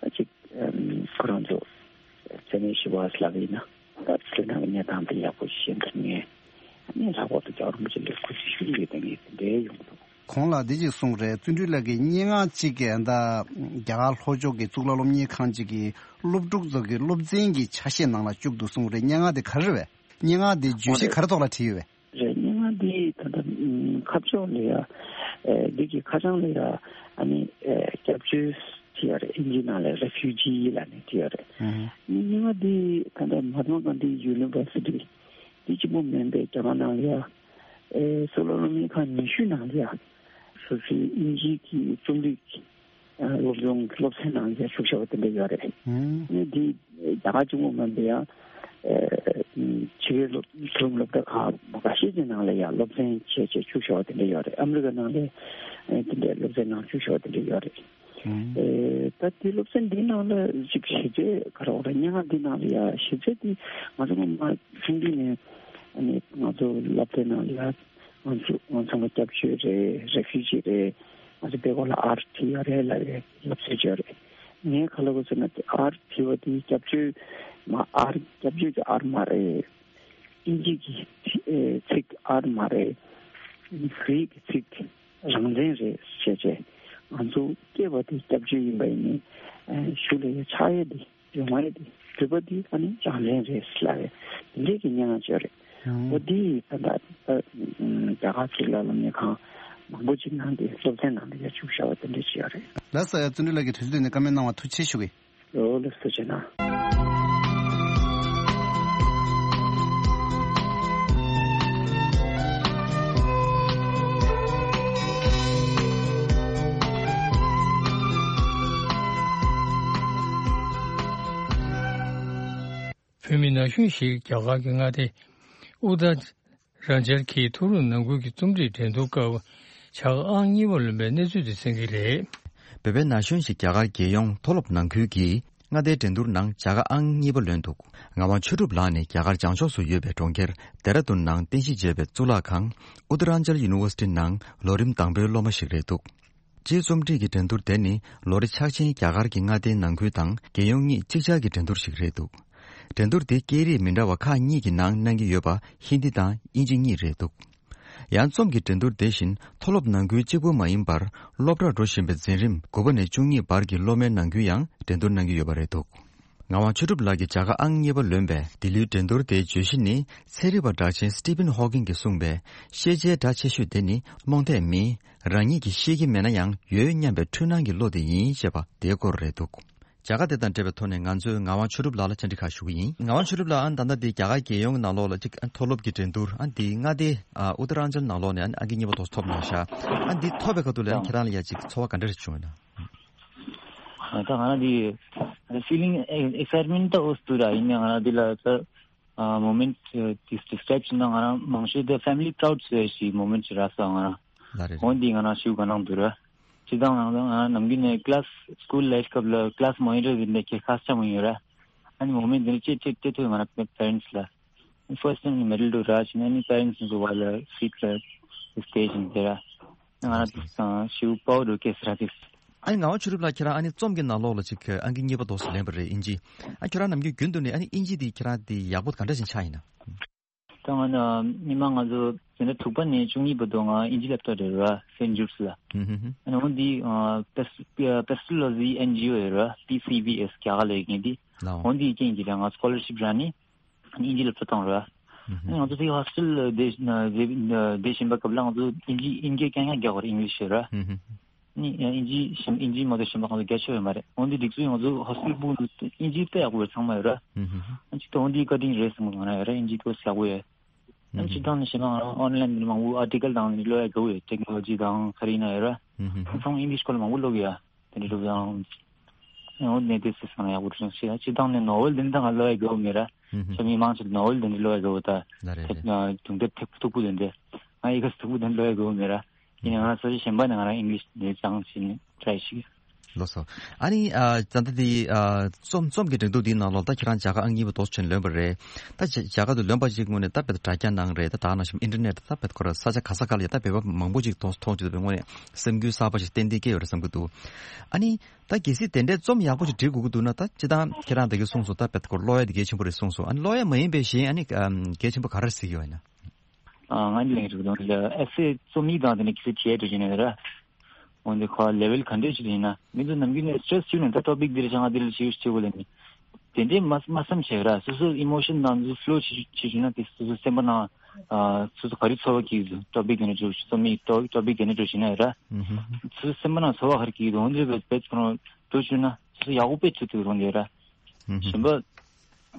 ད་ཅིག་ཁོ་རང་ཚོ་མཚན་གནས་ཞུ་བ་ལབ་ཡིན་ན་ད་བོད་ནང་གི་གནས་སྟངས་དེ་ཡག་པོ་ཤེས་མཁན་ངས་ཨ་ནི་ལྷག་པར་དུ་རྒྱལ་བ་རིན་པོ་ཆེ་ལ་གུས་བརྩི་ཞུ་གི་ཡོད་དེ་ངས་དེ་འདྲའི་ཡོང་འདུག་གོང་ལ་འདི་ཅིག་གསུངས་རེད། བརྩོན་འགྲུས་ལགས་ཀྱིས་སྙན་ངག་ཅིག་གི་ད་རྒྱ་གར་ལྷོ་ཕྱོགས་ཀྱི་གཙུག་ལག་སློབ་གཉེར་ཁང་ཅིག་གི་སློབ་ཕྲུག་ཚོ་གི་སློབ་ཚན་གྱི་ཆ་ཤས་ནང་ལ་བཅུག་འདུག་གསུངས་རེད། སྙན་ངག་དེ་ག་རེ་རེད་པས། སྙན་ངག་དེ་བརྗོད་གཞི་ག་རེ་ཐོག་ལ་བྲིས་ཡོད་པས། རེད། སྙན་ངག་འདི་ད་ལྟ་ཁ་ཕྱོགས་ལ་ཡ་ཨེ་འདི་གི་ཁ་བྱང་ལ་ཡ་ཨ་ནི་ཨེ་སྐྱབས་བཅོལ་བྲིས་ཡོད་རེད། ཨིན་ཇི་ནང་ལ་རེ་ཕུ་ཇི་ལབ་ནས་བྲིས་ཡོད་རེད། ཨ་ནི་སྙན་ངག་འདི་ད་ལྟ་མ་ཧཱ་ཏ་མ་གྷན་དྷི་ཡུ་ནི་ཝར་སི་ཊི་འདི་གཅིག་པོ་མིན་པའི་རྒྱ་གར་ནང་ལ་ཡ་ཨེ་གཙུག་ལག་སློབ་གཉེར་ཁང་ཉི་ཤུ་ནང་ལ་ཡ་སོ་སོའི་ཨིན་ཇིའི་གི་རྩོམ་རིག་སློབ་སྦྱོང་སློབ་ཚན་ནང་ལ་བཞུགས་བཞག་པ་དེ་འདྲ་ཡོད་རེད། ཨ་ནི་འདི་རྒྱ་གར་གཅིག་པོ་མིན་པའི་ཡང་ཕྱི་རྒྱལ་སློབ་མཐོ་རིམ་སློབ་གྲྭ་ཁག་ཁ་ཤས་ཀྱི་ནང་ལ་ཡང་སློབ་ཚན་བྱས་བྱས་བཅུག་བཞག་པ་དེ་འདྲ་ཡོད་རེད། ཨ་མི་རི་ཀ་ནང་ལ་དེ་འདྲའི་སློབ་ཚན་ནང་བཅུག་བཞག་པ་དེ་འདྲ་ཡོད་རེད། ད་དེ་སློབ་ཚན་འདིའི་ནང་ལ་ཅིག་གཞི་རྩའི་ག་རེ་རེད། སྙན་ངག་འདིའི་ནང་ལ་ཡང་གཞི་རྩ་དེ་ང་ཚོ་སྔོན་མ་ཆུང་དུས་ནས་ཨ་ནི་ང་ཚོ་སློབ་གྲྭའི་ནང་ལ་ཡང་ང་ཚོ་ང་ཚང་མ་སྐྱབས་བཅོལ་རེད། རེ་ཕུ་ཇི་རེད། ང་ཚོ་བོད་སྐད་ལ་ཨར་བྲིས་ཡོད་རེད་ལབ་ཡས་ལབ་ཚོད་ཅིག་ཡོད་རེད། ངས་ག་ལབ་དགོས་ཟེར་ན་ཨར་བྲིས་པ་དེ་སྐྱབས་བཅོལ་མ་ཨར་སྐྱབས་བཅོལ་གྱི་ཨར་མ་རེད། ཨིན་ཇི་གི་ཚིག་ཨར་མ་རེད། གྷི་རིག་གི་ཚིག་རང་བཙན་རེད་ཟེར་བྱས་ང་ཚོ་སྐྱེས་པ་དེ་སྐྱབས་བཅོལ་ཡིན་པ་ཡིན་ནའི་གཞུག་ལ་ཡ་ཆགས་ཡས་དེ། ཡོང་བ་རེད། དེ་འགྲུལ་པ་འདི་ཨ་ནི་རང་བཙན་རེད་ལབ་རེད། དེ་འདྲས་ཀྱི་སྙན་ངག་ཅིག་རེད། ཨོ་འདི་ད་ལྟ་ད་ རྒྱ་གར་གྱི་ལ་ལ་ནས་གང་མང་པོ་ཅིག་ནང་དེ་སློབ་ཚན་ནང་དེ་ཡར་བཅུག་བཞག་པ་དེ་འདྲ་ཅིག་ཡོད་རེད། ལགས་སོ། ཡ་བརྩོན་འགྲུས་ལགས་ཀྱིས་དུས་ཚོད་དེ་ནས་བཀའ་མོལ་གནང་བ་ཐུགས་རྗེ་ཆེ་ཞུ་གི། ལོ་ལེགས་སོ་བྱས་ན། བོད་མི་ན་གཞོན་ཞིག་རྒྱ་གར་གྱི་མངའ་སྡེ་ཨུ་ཏར་རན་ཅལ་གྱི་མཐོ་སློབ་ནང་ཁུལ་གྱི་རྩོམ་སྒྲིག་འགྲན་བསྡུར་སྐབས་བྱ་དགའ་ཨང་གཉིས་པ་ལོན་པའི་གནས་ཚུལ་དེ་གསན་གྱི་རེད། བོད་པའི་ན་གཞོན་ཞིག་རྒྱ་གར་རྒྱལ་ཡོངས་མཐོ་སློབ་ནང་ཁུལ་གྱི་མངའ་སྡེའི་འགྲན་བསྡུར་ནང་བྱ་དགའ་ཨང་གཉིས་པ་ལོན་འདུག་ངག་དབང་ཆོས་གྲུབ་ལགས་ནི་རྒྱ་གར་བྱང་ཕྱོགས་སུ་ཡོད་པའི་གྲོང་ཁྱེར་ལྡེ་ར་ལྡུན་ནང་རྟེན་གཞི་བྱས་པའི་གཙུག་ལག་ཁང་ཨུ་ཏ་རན་ཅལ་ཡུ་ནི་ཝར་སི་ཊི་ནང་ལོ་རིམ་དང་པོའི་སློབ་མ་ཞིག་རེད་འདུག་སྤྱིའི་རྩོམ་སྒྲིག་གི་འགྲན་བསྡུར་དེ་ནི་ལོ་རེ་འཆར་ཅན་རྒྱ་གར་གྱི་མངའ་སྡེའི་ནང་ཁུལ་དང་རྒྱལ་ཡོངས་གཉིས་གཅིག་ཆར་གྱི་འགྲན་བསྡུར་ཞིག་རེད་འདུག་འགྲན་བསྡུར་དེ་སྐད་རིགས་མི་འདྲ་བ་ཁག་གཉིས་ཀྱི་ནང་གནང་གི་ཡོད་པ་ཧིན་དི་དང་དབྱིན་ཇི་གཉིས་རེད་འདུག་ཡང་རྩོམ་གྱི་འགྲན་བསྡུར་དེ་བཞིན་མཐོ་སློབ་ནང་ཁུལ་གཅིག་པུ་མ་ཡིན་པར་སློབ་གྲྭར་འགྲོ་བཞིན་པའི་འཛིན་རིམ་དགུ་པ་ནས་བཅུ་གཉིས་བར་གྱི་སློབ་མའི་ནང་ཁུལ་ཡང་འགྲན་བསྡུར་གནང་གི་ཡོད་པ་རེད་འདུག་ངག་དབང་ཆོས་གྲུབ་ལགས་ཀྱིས་བྱ་དགའ་ཨང་གཉིས་པ་ལོན་པའི་འདི་ལོའི་འགྲན་བསྡུར་དེའི་བརྗོད་གཞི་ནི་ཚན་རིག་པ་གྲགས་ཅན་སི་ཏི་ཕིན་ཧོ་ཀིན་གྱིས་གསུངས་པའི་ཤེས་བྱའི་སྒྲ་ཆེ་ཤོས་དེ་ནི་རྨོངས་དད་མིན། རང་ཉིད་ཀྱིས་ཤེས་ཀྱི་མེད་ན་ཡང་ཡོད་སྙམ་པའི་འཁྲུལ་སྣང་གི་བློ་དེ་ཡིན་ཅེས་པ་དེའི་སྐོར་རེད་འདུག་བྱ་དགའ་དེ་དང་འབྲེལ་བའི་ཐོག་ནས་ང་ཚོས་ངག་དབང་ཆོས་གྲུབ་ལགས་ལ་བཅར་འདྲི་ཁག་ཞུ་གི་ཡིན། ངག་དབང་ཆོས་གྲུབ་ལགས་ཨ་ནི་ད་ལྟ་འདི་རྒྱ་གར་རྒྱལ་ཡོངས་ཀྱི་ནང་ལོགས་ལ་གཅིག་མཐོ་སློབ་ཀྱི་འགྲན་བསྡུར་ཨ་འདི་མངའ་སྡེ་ཨ་ཨུ་ཏ་རན་ཅལ་ནང་ལོགས་ནས་ཨ་ནི་ཨང་ཀི་གཉིས་པ་དེ་ཚོ་ཐོབ་གནང་ཤག་ཨ་འདི་ཐོབ་པའི་ཁ་ཐུག་ལ་ཨ་ནི་ཁྱེད་རང་ལ་ཡ་གཅིག་ཚོར་བ་ག་འདྲ་རེ་བྱུང་ཡོད་ན། ད་ང་རང་འདི་feeling excitement ད་འོ་སྟུ་ར་ཡིན་ནའང་ང་རང་འདི་ལ་ད་moment དེ་describe བྱས་ན་ང་རང་མང་ཤོས་ད་family proud ཟེར་ཞིག་moment ཞིག་རག་སོང་ང་རང་། ལ་རེད། འོ་འདི་ང་རང་ཞུ་ག་ནང་འདུག་ར། སྤྱིར་བཏང་ང་རང་ནམ་རྒྱུན་ནས་class school life སྐབས་ལ་class monitor ཡིན་པའི་ཁྱེད་ཁ་ཆ་མ་ཡོད་ར། ཨ་ནི་moment འདི་ནས་ཅེས་ཅེས་ཅེས་ཐོས་ང་རང་parents ལ། First time ནི་medal དུ་རག་བྱས་ནས་ནི་parents ཚོ་བ་ལ་feet ལ་stage ནས་དེ་ར། ང་རང་དེ་སང་ཞིའུ་པའོ་རུ་ཀེ་སི་ར་དེ། ཨ་ནི་ངག་དབང་ཆོས་གྲུབ་ལགས་ཁྱེད་རང་ཨ་ནི་རྩོམ་གྱི་ནང་ལོགས་ལ་ཅིག་ཨང་ཀི་གཉིས་པ་དེ་ཚོ་ལེན་པ་རེད་ཨིན་ཇི། ཨ་ཁྱེད་རང་ནམ་རྒྱུན་རྒྱུན་དུ་ནས་ཨ་ནི་ཨིན་ཇི་དེ་ཁྱེད་རང་དེ་ཡག་པོ་ག་འདྲ་ཞིག་ཆགས་ཡིན་ན། ད་ང་ནི་མི་མང་ང་ཚོ་འཛིན་གྲྭ་དྲུག་པ་ནས་བཅུ་གཉིས་བར་དུ་ང་ཨིན་ཇི་སློབ་གྲྭ་རེད་ར་Saint Jude's ལ། ཨ་ནི་འོ་འདི་Pes- Pestalozzi N G O ཡོད་ར་P C B S རྒྱ་གར་ལ་ཡོད་མཁན་འདི། འོ་འདི་རྐྱེན་གྱིས་ལ་ང་scholarship རག་ནི། ཨིན་ཇི་སློབ་གྲྭ་བཏང་རེད། ཨ་ནི་ང་ཚོ་དེ་ཧོ་སི་ཊེལ་བསྡད་བསྡད་བསྡད་བཞིན་པ་སྐབས་ལ་ང་ཚོ་ཨིན་ཇི་ཨིན་སྐད་རྐྱང་རྐྱང་རྒྱག་དགོས་རེད་ཨིང་ལིཤ་ཡོད་ར། ཨ་ནི་ཨིན་ཇི་ཞིམ་ཨིན་ཇི་མ་གཏོགས་གཞན་པ་ང་ཚོ་རྒྱ་ཆེ་བ་མ་རེད། འོན་ཏེ་སྒྲིག་འཛུགས་ང་ཚོ་ཧོ་སི་ཊེལ་སྤུ་ཨིན་ཇི་དཔེ་ཡག་པོ་རེད་ཚང་མ་ཡོད་ར། ཨ་ནི་ཅིག་ཏུ་འོན་ཏེ་བཀའ་དྲིན་རེད་བསམ་གི་ང་རང་ཡོད་ར་ཨིན་ཇི་ཏོ་ཡག་པོ་ཡོད། ཨ་ནི་སྤྱིར་བཏང་ནས་བཤད་ན་ང་རང་ཨོན་ལན་ནས་མང་པོ་ཨར་ཊི་ཀལ་དང་ནི་ཀློག་ཡ་དགའ་བོ་ཡོད་ཊེག་ནོ་ལོ་ཇི་དང་ག་རེ་ཡིན་ན་ཡོད་ར། ཚང་མ་ཨིང་ལིཤ་སྐོར་ལ་མང་པོ་ཀློག་ཡ། དེ་འདྲ་འདུག་ཡང་། འོ་ནས་དེ་སྲིད་སང་ཡག་པོ་བྱུང་ཞེས་སྤྱིར་བཏང་ནས་ནོ་ཝེལ་དེ་འདྲ་ང་ཀློག་ཡ་དགའ་བོ་མེད་ར། ཨུ་ཧུམ། ཆོས་མི་མང་ཆེ་ནོ་ཝེལ་དེ་འདྲ་ཀློག་ཡ་དགའ་བོ་ད། ལ་རེད་རེད། དེབ་དུང་དེབ་ཐེག་ཐུག་པོ་དེ་འདྲ། ང་ཡི་གེ་ཐུག་པོ་དེ་འདྲ་ཀློག་ཡ་དགའ་བོ་མེད་ར། ཡིན་ནའང་ང་རང་ས་ཆ་གཞན་པ་ནས་ང་རང་ཨིང་ལིཤ་དེ་སྦྱངས་བྱས་ནས་ཊི་རའི་བྱེད་ཀྱི། ལགས་སོ། ཨ་ནི་ཨ་ད་ལྟ་དེ་ཨ་རྩོམ་རྩོམ་གྱི་འགྲན་བསྡུར་འདིའི་ནང་ལོགས་ད་ཁྱེད་རང་བྱ་དགའ་ཨང་གཉིས་པ་དེ་ཚོ་ལོན་པ་རེད། ད་བྱ་བྱ་དགའ་དེ་ལོན་པ་ཅིག་དངོས་གནས་ད་དཔེ་དྲ་རྒྱ་ནང་རེད་ད་དེ་ནང་བཞིན་ཨིན་ཊར་ནེཊ་ད་དཔེ་ཁོ་ར་ས་ཆ་ག་ས་ག་ལ་ཡ་ད་དཔེ་པ་མང་པོ་ཅིག་དེ་ཚོ་མཐོང་བྱེད་དུས་དངོས་གནས་སེམས་འགུལ་གསར་པ་ཞིག་ཏན་ཏན་སྐྱེ་ཡོད་རེད་བསམ་གྱི་འདུག་ཨ་ནི། ད་གལ་སྲིད་དེ་འདྲའི་རྩོམ་ཡག་པོ་ཞིག་འབྲི་དགོས་ཀྱི་འདུག་ན་ད་སྤྱིར་བཏང་ཁྱེད་རང་ད་གིན་གསུངས་སོང་ད་དཔེ་ཀློག་ཡ་དེ་གལ་ཆེན་པོ་རེད་གསུངས་སོང་ཨ་ནི་ཀློག་ཡ་མ་ཡིན་པའི་གཞན་ཨ་ནི་གལ་ཆེན་པོ་ག་རེ་གཟིགས་ཡོད་ན། ང་ནི་ལན་རིག་དང་ཨེ་སེ་རྩོམ་ཡིག་དང་དེ་ནས་གལ་སྲིད་བྲིས་ཡ་འགྲོ་བཞིན་ཡོད་ན་ར། འོན་ཏེ་ཁོ་ལེ་ཝེལ་ག་འདྲས་ཞིག་ཡིན་ན་མི་ཚོ་ནམ་རྒྱུན་ནས་སི་ཊེ་རེ་སི་བྱུང་ནས་ད་ཊོ་པིག་འདི་རེད་ཤག་ང་འདི་ལ་ཞིབ་ཞིབ་བྱེད་དགོས་ལབ་ནས། དེ་འདྲའི་མ་མ་བསམ་བྱས་ར་སོ་སོ་ཨི་མོ་ཤན་དང་ཚོ་ཕི་ལོ་བྱེད་བྱེད་བྱུང་ན་དེ་སོ་སོ་སེམས་པ་ནང་སོ་སོ་ག་རེ་ཚོར་བ་སྐྱེ་གི་འདུག་ཊོ་པིག་དེ་འདྲ་འགྲོ་རྩོམ་ཡིག་ཊོ་ཊོ་པིག་དེ་འདྲ་འགྲོ་བཞིན་ན་ཡོད་ར། སོ་སོ་སེམས་པ་ནང་ཚོར་བ་ག་རེ་སྐྱེ་གི་འདུག་འོན་ཏེ་བེད་ཁོ་རང་འགྲོ་བྱུང་ན་སོ་སོ་ཡག་པོ་དཔེ་ཐུབ་ཐུབ་རང་རེད་ར། གཞན་པ་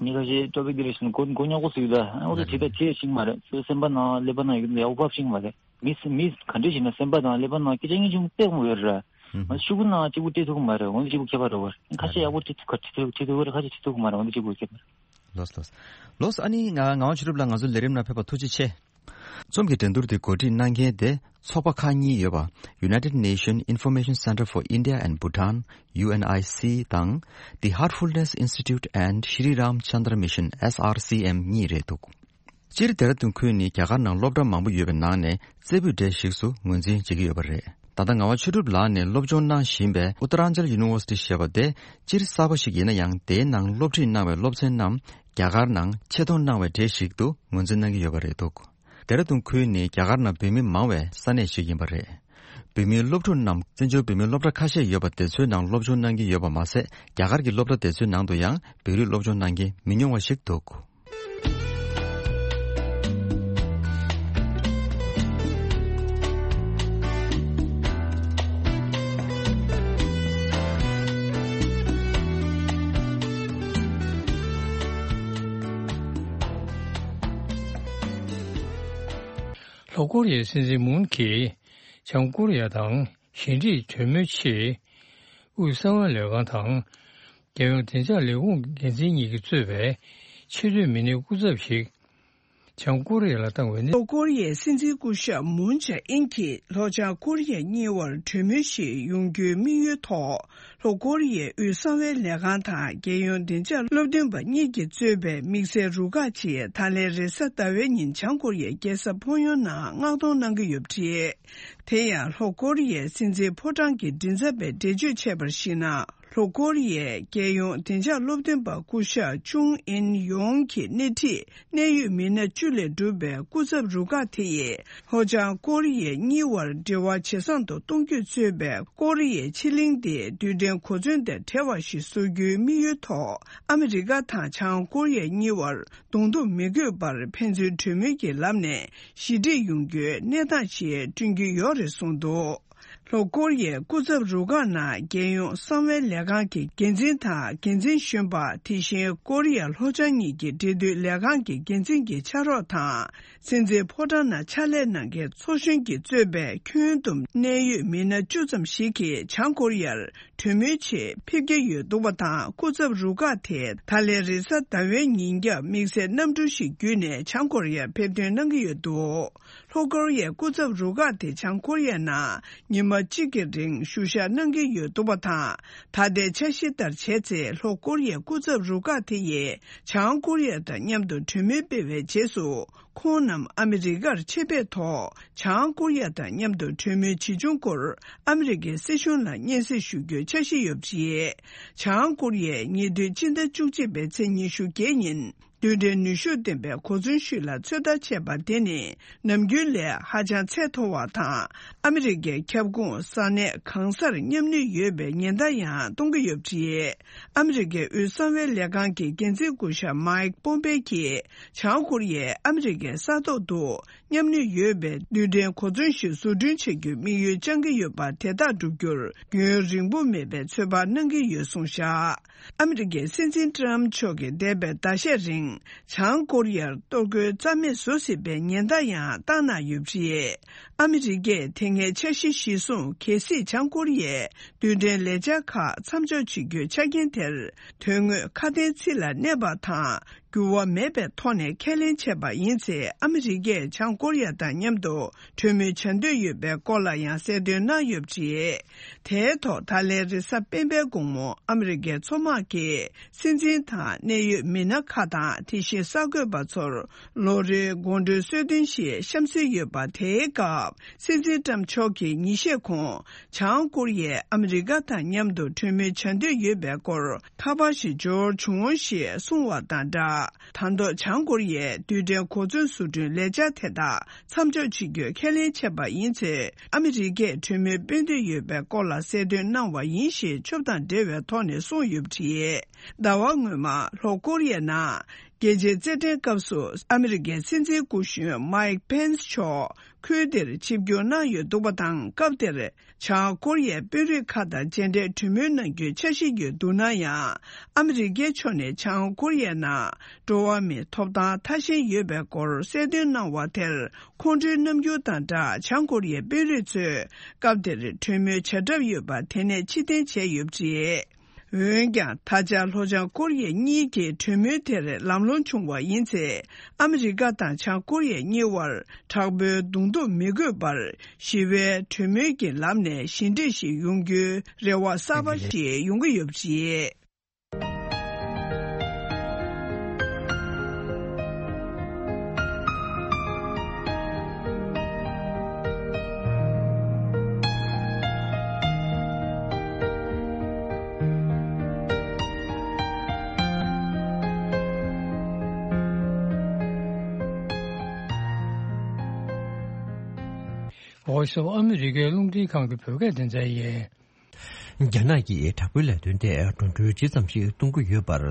མི་ཁ་ཤས་ཊོ་པིག་དེ་རེ་བཞིན་མགོ་མགོ་རྙོག་པོ་ཟིག་ཡོད་ད་འོ་ད་དེ་ད་དེ་ཤིང་མ་རེད་སོ་སོ་སེམས་པ་ནང་ཀླད་པ་ནང་ཡོད་ཡག་པོ་ཕབ་ཤིང་མ་རེད། མི་མི་ག་འདྲ་ཞིག་ན་སེམས་པ་དང་ཀླད་པ་ནང་སྐད་ཆ་ངན་ཆུང་དཔེ་མང་ཡོད་རེད། ང་ཤུ་གུ་ནང་གཅིག་པུ་སྤྲད་ཐུབ་ཀྱི་མ་རེད་འོན་ཏེ་གཅིག་པུ་ཁྱད་པར་རེད་བར་ཁ་ཤས་ཡག་པོ་སྤྲད་ཐུབ་ཁ་ཁྲིད་ཐུབ་ཁྲིད་ཐུབ་རེད་ཁ་ཤས་ཁྲིད་ཐུབ་ཀྱི་མ་རེད་འོན་ཏེ་གཅིག་པུ་ཁྱད་པར། ལོས་ལོས། ལོས་ཨ་ནི་ང་ངག་དབང་ཆོས་གྲུབ་ལགས་ང་ཚོའི་ལས་རིམ་ནང་ཕེབས་པར་ཐུགས་རྗེ་ཆེ། རྩོམ་གྱི་འགྲན་བསྡུར་དེ་གོ་སྒྲིག་གནང་མཁན་དེ་ཚོགས་པ་ཁག་གཉིས་ཡོད་པ་United Nations Information Centre for India and Bhutan U N I C དང་The Heartfulness Institute and Shri Ram Chandra Mission S R C M གཉིས་རེད་འདུག་སྤྱིར་ལྡེ་ར་ལྡུན་ཁུལ་ནི་རྒྱ་གར་ནང་སློབ་གྲྭ་མང་པོ་ཡོད་པའི་ནང་ནས་རྩེ་ཕུད་གྲས་ཤིག་ཏུ་ངོས་འཛིན་བྱེད་ཀྱི་ཡོད་པ་རེད། ད་ལྟ་ངག་དབང་ཆོས་གྲུབ་ལགས་ནས་སློབ་སྦྱོང་གནང་བཞིན་པའི་ཨུ་ཏ་རན་ཅལ་ཡུ་ནི་ཝར་སི་ཊི་ཞེས་པ་དེ་སྤྱིར་གསར་པ་ཞིག་ཡིན་ན་ཡང་དེའི་ནང་སློབ་ཁྲིད་གནང་བའི་སློབ་ཚན་རྣམས་རྒྱ་གར་ནང་ཆེད་གཏོང་གནང་བའི་གྲས་ཤིག་ཏུ་ངོས་འཛིན་གནང་གི་ཡོད་པ་རེད་འདུག་ལྡེ་ར་ལྡུན་ཁུལ་ནི་རྒྱ་གར་ནང་བོད་མི་མང་བའི་ས་གནས་ཤིག་ཡིན་པ་རེད། བོད་མིའི་སློབ་ཕྲུག་རྣམས་བཙན་བྱོལ་བོད་མིའི་སློབ་གྲྭ་ཁ་ཤས་ཡོད་པ་དེ་ཚོའི་ནང་སློབ་སྦྱོང་གནང་གི་ཡོད་པ་མ་ཟད་རྒྱ་གར་གྱི་སློབ་གྲྭ་དེ་ཚོའི་ནང་དུ་ཡང་བོད་རིགས་སློབ་སྦྱོང་གནང་མཁན་མི་ཉུང་བ་ཞིག་འདུག་ལྷོ་ཀོ་རི་ཡའི་སྲིད་འཛིན་མུན་གྱིས་བྱང་ཀོ་རི་ཡ་དང་ཞི་འགྲིག་གྲོས་མོལ་ཆེད། དབུས་གསང་བའི་ལས་ཁང་དང་། རྒྱལ་ཡོངས་བདེ་འཇགས་ལས་ཁུངས་འགན་འཛིན་གཉིས་ཀྱིས་གཙོས་པའི་ཕྱི་སྡོད་མི་སྣའི་སྐུ་ཚབ་ཞིག་བྱང་ཀོ་རི་ཡ་ལ་བཏང་བའི་གནས། ལྷོ་ཀོ་རི་ཡའི་སྲིད་འཛིན་སྐུ་ཞབས་མུན་ཇེ་ཨིན་གྱིས་ལྷོ་བྱང་ཀོ་རི་ཡ་གཉིས་བར་གྲོས་མོལ་ཞིག་ཡོང་རྒྱུའི་དམིགས་ཡུལ་ཐོག་ལྷོ་ཀོ་རི་ཡའི་དབུས་གསང་བའི་ལས་ཁང་དང་རྒྱལ་ཡོངས་བདེ་འཇགས་སློབ་སྟོན་པ་གཉིས་ཀྱིས་གཙོས་པའི་དམིགས་བསལ་རུ་ཁག་ཅིག་ད་ལན་རེས་གཟའ་ཟླ་བའི་ཉིན་བྱང་ཀོ་རི་ཡའི་རྒྱལ་ས་ཕོང་ཡོན་ནང་མངགས་གཏོང་གནང་གི་ཡོད་པ་རེད། དེ་ཡང་ལྷོ་ཀོ་རི་ཡའི་སྲིད་འཛིན་ཕོ་བྲང་གི་མགྲིན་ཚབ་པས་འགྲེལ་བརྗོད་བྱས་པར་གཞིགས་ན། ལྷོ་ཀོ་རི་ཡའི་རྒྱལ་ཡོངས་བདེ་འཇགས་སློབ་སྟོན་པ་སྐུ་ཞབས་ཅུང་ཨིན་ཡོང་གིས་སྣེ་ཁྲིད་གནད་ཡོད་མི་སྣ་བཅུ་ལས་གྲུབ་པའི་སྐུ་ཚབ་རུ་ཁག་དེ་ཡིས་ལྷོ་བྱང་ཀོ་རི་ཡའི་གཉིས་བར་འབྲེལ་བ་ཇེ་བཟང་དུ་གཏོང་རྒྱུ་གཙོས་པའི་ཀོ་རི་ཡའི་ཕྱེད་གླིང་དེ་རྡུལ་ཕྲན་གོ་མཚོན་དང་བྲལ་བ་ཞིག་བཟོ་རྒྱུའི་དམིགས་ཡུལ་ཐོག་ཨ་མི་རི་ཀ་དང་བྱང་ཀོ་རི་ཡ་གཉིས་བར་གདོང་ཐུག་མི་དགོས་པར་ཕན་ཚུན་གྲོས་མོལ་གྱི་ལམ་ནས་ཞི་འགྲིག་ཡོང་རྒྱུའི་གནས་སྟངས་ཤིག་བསྐྲུན་གྱི་ཡོད་རེད་གསུངས་འདུག་ལྷོ་ཀོ་རི་ཡའི་སྐུ་ཚབ་རུ་ཁག་ནང་རྒྱལ་ཡོངས་གསང་བའི་ལས་ཁང་གི་འགན་འཛིན་དང་འགན་འཛིན་གཞོན་པ། དེ་བཞིན་ཀོ་རི་ཡ་ལྷོ་བྱང་གཉིས་ཀྱི་འབྲེལ་མཐུད་ལས་ཁང་གི་འགན་འཛིན་གྱི་ཕྱག་རོགས་དང་། སྲིད་འཛིན་ཕོ་བྲང་ནང་ཕྱག་ལས་གནང་མཁན་ཚོགས་གཞོན་གྱིས་གཙོས་པའི་ཁྱོན་བསྡོམས་གནད་ཡོད་མི་སྣ་བཅུ་ཙམ་ཞིག་གིས་བྱང་ཀོ་རི་ཡར་གྲོས་མོལ་ཆེད་ཕེབས་ཀྱི་ཡོད་འདུག་པ་དང་། སྐུ་ཚབ་རུ་ཁག་དེ་ད་ལན་རེས་གཟའ་ཟླ་བའི་ཉིན་རྒྱབ་དམིགས་བསལ་གནམ་གྲུ་ཞིག་བརྒྱུད་ནས་བྱང་ཀོ་རི་ཡར་ཕེབས་ཐོན་གནང་གི་ཡོད་འདུག་ལྷོ་ཀོ་རི་ཡའི་སྐུ་ཚབ་རུ་ཁག་དེ་བྱང་ཀོ་རི་ཡ་ནང་ཉི་མ་གཅིག་གི་རིང་བཞུགས་ཞག་གནང་གི་ཡོད་འདུག་པ་དང་། ད་ལྟའི་འཆར་གཞི་ལྟར་བྱས་ཚེ། ལྷོ་ཀོ་རི་ཡའི་སྐུ་ཚབ་རུ་ཁག་དེ་ཡིས་བྱང་ཀོ་རི་ཡ་དང་མཉམ་དུ་གྲོས་མོལ་སྤེལ་བའི་རྗེས་སུ། ཁོང་རྣམས་ཨ་མི་རི་ཀར་ཆེད་ཕེབས་ཐོག་བྱང་ཀོ་རི་ཡ་དང་མཉམ་དུ་གྲོས་མོལ་ཇི་བྱུང་སྐོར་ཨ་མི་རི་ཀའི་སྲིད་གཞུང་ལ་སྙན་སེང་ཞུ་རྒྱུའི་འཆར་གཞི་ཡོད་པ་རེད། བྱང་ཀོ་རི་ཡས་ཉེ་དུས་སྤྱི་ཟླ་བཅུ་གཅིག་པའི་ཚེས་ཉི་ཤུ་བརྒྱད་ཉིན། རྡུལ་ཕྲན་ནུས་ཤུགས་ལྡན་པའི་གོ་མཚོན་ཞིག་ལ་ཚོད་ལྟ་བྱས་པ་དེ་ནི། ནམ་རྒྱུན་ལས་ཧ་ཅང་ཚད་མཐོ་བ་དང་། ཨ་མི་རི་ཀའི་ཁྱབ་ཁོངས་ས་གནས་གང་སར་མཉམ་ནུས་ཡོད་པའི་ཉེན་བརྡ་ཡང་གཏོང་གི་ཡོད་པ་རེད། ཨ་མི་རི་ཀའི་དབུས་གསང་བའི་ལས་ཁང་གི་འགན་འཛིན་སྐུ་ཞབས་མཱིག་པོམ་པེ་གྱིས། བྱང་ཀོ་རི་ཡས་ཨ་མི་རི་ཀའི་ས་ཐོག་ཏུ་མཉམ་ནུས་ཡོད་པའི་རྡུལ་ཕྲན་གོ་མཚོན་ཞིག་བཟོ་སྐྲུན་བྱ་རྒྱུའི་དམིགས་ཡུལ་བཅངས་ཀྱི་ཡོད་པ་དེ་དག་བསྒྲུབ་རྒྱུར་རྒྱུན་རིང་པོ་མེད་པའི་ཚོད་དཔག་གནང་གི་ཡོད་གསུངས་བཞག་ཨ་མི་རི་ཀའི་སྲིད་འཛིན་ཏྲམ་མཆོག་གིས་འདས་པའི་ཟླ་ཤས་རིང་། བྱང་ཀོ་རི་ཡར་གཏོར་རྒོལ་རྩ་མེད་བཟོ་སྲིད་པའི་ཉེན་བརྡ་ཡང་བཏང་གནང་ཡོད་པ་རེད། ཨ་མི་རི་ཀས་དེ་སྔའི་འཆར་གཞི་གཞིར་བཟུང་གལ་སྲིད་བྱང་ཀོ་རི་ཡས་རྡུལ་ཕྲན་ལས་འཆར་ཁག་མཚམས་འཇོག་བྱེད་རྒྱུའི་ཆ་རྐྱེན་དེར། དོན་དངོས་ཁ་དན་ཚིག་ལ་གནས་པ་དང་། འགྱུར་བ་མེད་པའི་ཐོག་ནས་ཁས་ལེན་བྱས་པ་ཡིན་ཚེ། ཨ་མི་རི་ཀས་བྱང་ཀོ་རི་ཡ་དང་མཉམ་དུ་གྲོས་མོལ་བྱ་འདོད་ཡོད་པའི་སྐོར་ལ་ཡང་གསལ་སྟོན་གནང་ཡོད་པ་རེད། དེའི་ཐོག་ད་ལན་རེས་གཟའ་སྤེན་པའི་དགོང་མོ་ཨ་མི་རི་ཀའི་མཚོ་དམག་གིས་སྲིད་འཛིན་དང་གནད་ཡོད་མི་སྣ་ཁག་དང་། དེ་བཞིན་གསར་འགོད་པ་ཚོར་ལོ་རེའི་དགོང་དྲོའི་གསོལ་སྟོན་ཞིག་གཤམ་གསལ་ཡོད་པ། དེའི་སྐབས་སྲིད་འཛིན་ཏྲམ་མཆོག་གིས་ཉིན་ཤས་གོང་། བྱང་ཀོ་རི་ཡས་ཨ་མི་རི་ཀ་དང་མཉམ་དུ་གྲོས་མོལ་བྱ་འདོད་ཡོད་པའི་སྐོར་ཁ་པར་ཞིག་འབྱོར་བྱུང་ཞེས་གསུངས་བ་དང་སྦྲགས། ད་ཐོག་བྱང་ཀོ་རི་ཡས་རྡུལ་ཕྲན་གོ་མཚོན་བཟོ་སྐྲུན་ལས་འཆར་དེ་དག་མཚམས་འཇོག་བྱེད་རྒྱུའི་ཁས་ལེན་བྱས་པ་ཡིན་ཚེ། ཨ་མི་རི་ཀས་གྲོས་མོལ་སྤེལ་འདོད་ཡོད་པའི་སྐོར་ལ་གསལ་སྟོན་གནང་བ་ཡིན་ཞེས་ཆོབ་དང་འབྲེལ་བའི་ཐོག་ནས་གསུངས་ཡོད་པ་རེད། ཟླ་བ་སྔོན་མ་ལྷོ་ཀོ་རི་ཡའི་ནང་རྒྱལ་སྤྱིའི་རྩེད་འགྲན་སྐབས་སུ་ཨ་མི་རི་ཀའི་སྲིད་འཛིན་སྐུ་གཞོན་མཱིག་པེན་སི་མཆོག་ཁུལ་དེར་ཆིབས་བསྒྱུར་གནང་ཡོད་འདུག་པ་དང་། སྐབས་དེར་བྱང་ཀོ་རི་ཡའི་དཔོན་རིགས་ཁག་དང་མཇལ་འཕྲད་གྲོས་མོལ་གནང་རྒྱུའི་འཆར་གཞི་ཡོད་འདུག་ན་ཡང་། ཨ་མི་རི་ཀའི་ཕྱོགས་ནས་བྱང་ཀོ་རི་ཡའི་ནང་འགྲོ་བ་མིའི་ཐོབ་ཐང་ཐ་ཞན་ཡོད་པའི་སྐོར་གསལ་སྟོན་གནང་བ་དེར་ཁོང་ཁྲོའི་རྣམ་འགྱུར་དང་སྦྲགས། བྱང་ཀོ་རི་ཡའི་དཔོན་རིགས་ཚོས་སྐབས་དེར་གྲོས་མོལ་བྱ་གྲབས་ཡོད་པ་དེ་ནས་ཕྱིར་འཐེན་བྱས་ཡོད་པ་རེད། འོན་ཀྱང་། ད་ཆ་ལྷོ་བྱང་ཀོ་རི་ཡ་གཉིས་ཀྱི་གྲོས་མོལ་དེར་ལམ་ལྷོང་བྱུང་བ་ཡིན་ཚེ། ཨ་མི་རི་ཀ་དང་བྱང་ཀོ་རི་ཡ་གཉིས་བར་དྲག་པོའི་གདོང་ཐུག་མི་དགོས་པར། ཞི་བའི་གྲོས་མོལ་གྱི་ལམ་ནས་ཞི་འགྲིག་ཞིག་ཡོང་རྒྱུའི་རེ་བ་གསར་པ་ཞིག་ཡོང་གི་ཡོད་པ་རེད། Voice of America རླུང་འཕྲིན་ཁང་གི་བོད་སྐད་སྡེ་ཚན་ཡིན། རྒྱ་ནག་གིས་དྲག་པོའི་ལས་དོན་ཐད་འགྲོ་གྲོན་ཇི་ཙམ་ཞིག་གཏོང་གི་ཡོད་པར།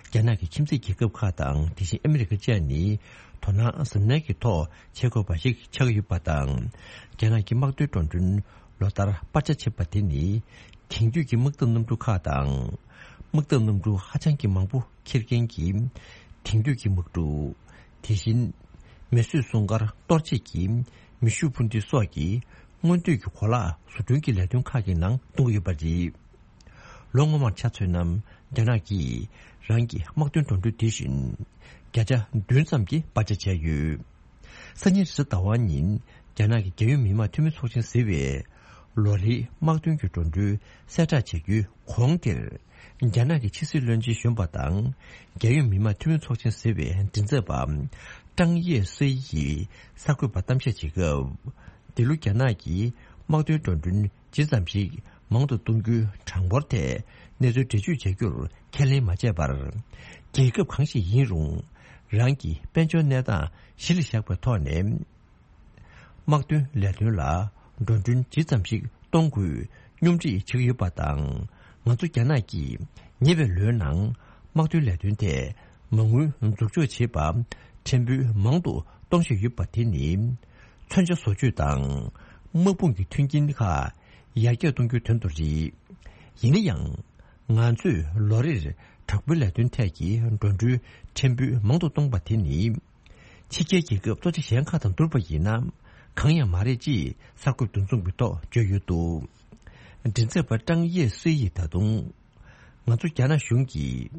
རྒྱ་ནག་གི་ཁྱིམ་མཚེས་རྒྱལ་ཁབ་ཁག་དང་། དེ་བཞིན་ཨ་མི་རི་ཀ་བཅས་ནི་དོ་སྣང་གཟབ་ནན་གྱི་ཐོག་བྱེད་དགོས་པ་ཞིག་ཆགས་ཀྱི་ཡོད་པ་དང་། རྒྱ་ནག་གི་དམག་དོན་འགྲོ་གྲོན་ལོ་ལྟར་སྤར་ཆ་བྱེད་པ་དེ་ནི། དེང་དུས་ཀྱི་དམག་འཐབ་གནམ་གྲུ་ཁག་དང་། དམག་འཐབ་གནམ་གྲུ་ཧ་ཅང་གི་མང་པོ་འཁྱེར་མཁན་གྱི་དེང་དུས་ཀྱི་དམག་གྲུ། དེ་བཞིན་མེ་གསོད་སྲུང་སྐར་གཏོར་བྱེད་ཀྱི་ མེ་ཤུགས་འཕུར་མདེལ་སོགས་ཀྱི་སྔོན་སྡོད་ཀྱི་གོ་ལག་བཟོ་སྐྲུན་གྱི་ལས་དོན་ཁག་གི་ནང་གཏོང་གི་ཡོད་པ་རེད། ལོ་སྔོན་མར་ཆ་མཚོན་ན། རྒྱ་ནག་གིས་རང་གི་དམག་དོན་འགྲོ་གྲོན་དེ་བཞིན་བརྒྱ་ཆ་བདུན་ཙམ་གྱི་སྤར་ཆ་བྱས་ཡོད། སང་ཉིན་རེས་གཟའ་ཟླ་བ་ཉིན་རྒྱ་ནག་གི་རྒྱལ་ཡོངས་མི་དམངས་འཐུས་མི་ཚོགས་ཆེན་ཟེར་བས། ལོ་རེའི་དམག་དོན་གྱི་འགྲོ་གྲོན་གསལ་བསྒྲགས་བྱ་རྒྱུའི་གོང་དེར། རྒྱ་ནག་གི་ཕྱི་སྲིད་བློན་ཆེན་གཞོན་པ་དང་། རྒྱལ་ཡོངས་མི་དམངས་འཐུས་མི་ཚོགས་ཆེན་ཟེར་བའི་མགྲིན་ཚབ་པ་ཀྲང་ཡེ་སེ་ཡིས་གསར་འགོད་པར་གཏམ་བཤད་བྱེད་སྐབས། འདི་ལོ་རྒྱ་ནག་གིས་དམག་དོན་འགྲོ་གྲོན་ཇི་ཙམ་ཞིག་མང་དུ་གཏོང་རྒྱུའི་གྲངས་འབོར་ཐད་གནས་ཚུལ་འགྲེལ་བརྗོད་བྱ་རྒྱུར་ཁས་ལེན་མ་བྱས་པར། རྒྱལ་ཁབ་གང་ཞིག་ཡིན་རུང་། རང་གི་དཔལ་འབྱོར་གནས་སྟངས་གཞི་ལ་བཞག་པའི་ཐོག་ནས། དམག་དོན་ལས་དོན་ལ་འགྲོ་གྲོན་ཇི་ཙམ་ཞིག་གཏོང་དགོས་སྙོམས་སྒྲིག་བྱེད་ཀྱི་ཡོད་པ་དང་། ང་ཚོ་རྒྱ་ནག་གིས་ཉེ་བའི་ལོའི་ནང་དམག་དོན་ལས་དོན་ཐད་མ་དངུལ་འཛུགས་འཇོག་བྱེད་པ་ཕྲན་བུ་མང་དུ་གཏོང་བཞིན་ཡོད་པ་དེ་ནི། མཚོན་ཆ་བཟོ་བཅོས་དང་དམག་དཔུང་གི་མཐུན་རྐྱེན་ཁག་ཡར་རྒྱས་གཏོང་རྒྱུའི་དོན་དུ་རེད། ཡིན་ན་ཡང་། ང་ཚོས་ལོ་རེར་དྲག་པོའི་ལས་དོན་ཐད་ཀྱི་འགྲོ་གྲོན་ཕྲན་བུ་མང་དུ་གཏོང་བ་དེ་ནི། ཕྱི་རྒྱལ་རྒྱལ་ཁབ་གཙོ་ཆེ་གཞན་ཁག་དང་བསྡུར་བ་ཡིན་ན། གང་ཡང་མ་རེད་ཅེས་གསར་འགོད་འདུ་འཛོམས་ཀྱི་ཐོག་བརྗོད་ཡོད་འདུག་མགྲིན་ཚབ་པ་ཀྲང་ཡེ་སི་ཡིས་ད་དུང་། ང་ཚོ་རྒྱ་ནག་གཞུང་གིས།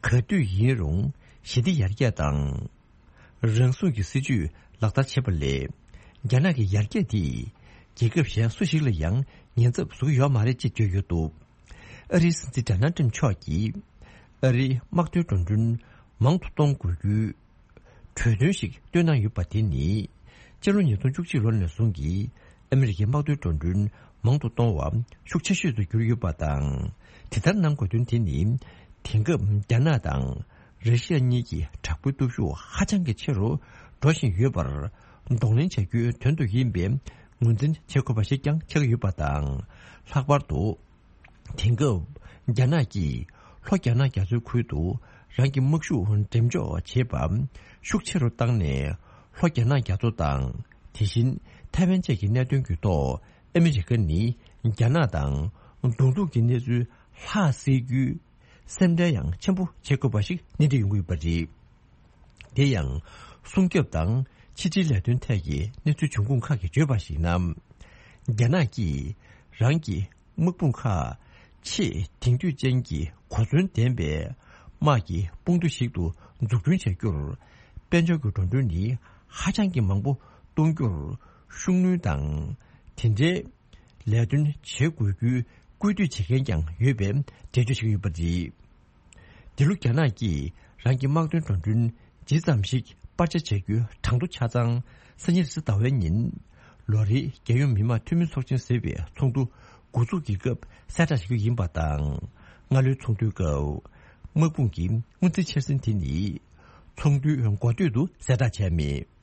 ག་དུས་ཡིན་རུང་ཞི་བདེ་ཡར་རྒྱས་དང་། རང་སྲུང་གི་སྲིད་ཇུས་ལག་བསྟར་བྱེད་པ་ལས། རྒྱ་ནག་གི་ཡར་རྒྱས་དེས། རྒྱལ་ཁབ་གཞན་སུ་ཞིག་ལ་ཡང་ཉེན་ཚབས་བཟོ་གི་ཡོད་མ་རེད་ཅེས་བརྗོད་ཡོད་འདུག་ཨ་རིའི་སྲིད་འཛིན་ཌོ་ནལ་ཊམ་མཆོག་གིས། ཨ་རིའི་དམག་དོན་འགྲོ་གྲོན་མང་དུ་གཏོང་དགོས་རྒྱུའི་གྲོས་མཐུན་ཞིག་བཏོན་གནང་ཡོད་པ་དེ་ནི། སྤྱི་ལོ་ཉིས་སྟོང་བཅུ་གཅིག་ལོ་ནས་བཟུང་གི་ཨ་མི་རི་ཀའི་དམག་དོན་འགྲོ་གྲོན་མང་དུ་གཏོང་བ་ཤུགས་ཆེ་ཤོས་སུ་གྱུར་ཡོད་པ་དང་། དེ་ལྟར་གནང་དགོས་དོན་དེ་ནི། དེང་སྐབས་རྒྱ་ནག་དང་། ར་ཤི་ཡ་གཉིས་ཀྱི་དྲག་པོའི་སྟོབས་ཤུགས་ཧ་ཅང་གི་ཆེ་རུ་འགྲོ་བཞིན་ཡོད་པར་གདོང་ལེན་བྱ་རྒྱུའི་དོན་དུ་ཡིན་པའི་ངོས་འཛིན་བྱེད་དགོས་པ་ཞིག་ཀྱང་ཆགས་ཡོད་པ་དང་། ལྷག་པར་དུ། དེང་སྐབས་རྒྱ་ནག་གིས་ལྷོ་རྒྱ་ནག་རྒྱ་མཚོའི་ཁུལ་དུ་རང་གི་དམག་ཤུགས་འགྲེམས་འཇོག་བྱེད་པ་ཤུགས་ཆེ་རུ་བཏང་ནས། ལྷོ་རྒྱ་ནག་རྒྱ་མཚོ་དང་། དེ་བཞིན་ཐའེ་ཝན་བཅས་ཀྱི་གནད་དོན་གྱི་ཐོག་ཨ་མི་རི་ཀ་ནི་རྒྱ་ནག་དང་གདོང་ཐུག་གི་གནས་ཚུལ་ལྷག་སེལ་རྒྱུའི་སེམས་ཁྲལ་ཡང་ཆེན་པོ་བྱེད་དགོས་པ་ཞིག་གནས་འདྲི་ཡོང་གི་ཡོད་པ་རེད། དེ་ཡང་། སྲུང་སྐྱོབ་དང་ཕྱི་འབྲེལ་ལས་དོན་ཐད་ཀྱི་གནས་ཚུལ་འབྱུང་ཁུངས་ཁག་གིས་བརྗོད་པར་གཞིགས་ན། རྒྱ་ནག་གིས་རང་གི་དམག་དཔུང་ཁག་ཆེས་དེང་དུས་ཅན་གྱི་གོ་མཚོན་ལྡན་པའི་དམག་གི་དཔུང་སྡེ་ཞིག་ཏུ་འཛུགས་སྐྲུན་བྱ་རྒྱུར། དཔལ་འབྱོར་གྱི་འགྲོ་གྲོན་ནི་ཧ་ཅང་གི་མང་པོ་གཏོང་རྒྱུར་ཤུགས་སྣོན་དང་། དེ་འདྲའི་ལས་དོན་བྱེད་དགོས་རྒྱུའི་སྐུལ་འདེད་བྱེད་མཁན་ཀྱང་ཡོད་པའི་འགྲེལ་བརྗོད་བྱེད་ཀྱི་ཡོད་པ་རེད། འདི་ལོ་རྒྱ་ནག་གིས་རང་གི་དམག་དོན་འགྲོ་གྲོན་ཇི་ཙམ་ཞིག་སྤར་ཆ་བྱ་རྒྱུའི་གྲངས་ཐོ་ཆ་ཚང་སང་ཉིན་རེས་གཟའ་ཟླ་བའི་ཉིན། ལོ་རེའི་རྒྱལ་ཡོངས་མི་དམངས་འཐུས་མི་ཚོགས་ཆེན་ཟེར་བའི་ཚོགས་འདུ་འགོ་འཛུགས་ཀྱི་སྐབས་གསལ་བསྒྲགས་བྱ་རྒྱུ་ཡིན་པ་དང་། སྔ་ལོའི་ཚོགས་འདུའི་སྐབས། དམག་དཔུང་གི་སྔོན་རྩིས་འཆར་ཟིན་དེ་ནི། ཚོགས་འདུའི་འགོ་སྟོད་དུ་གསལ་བསྒྲགས་བྱས་མེད།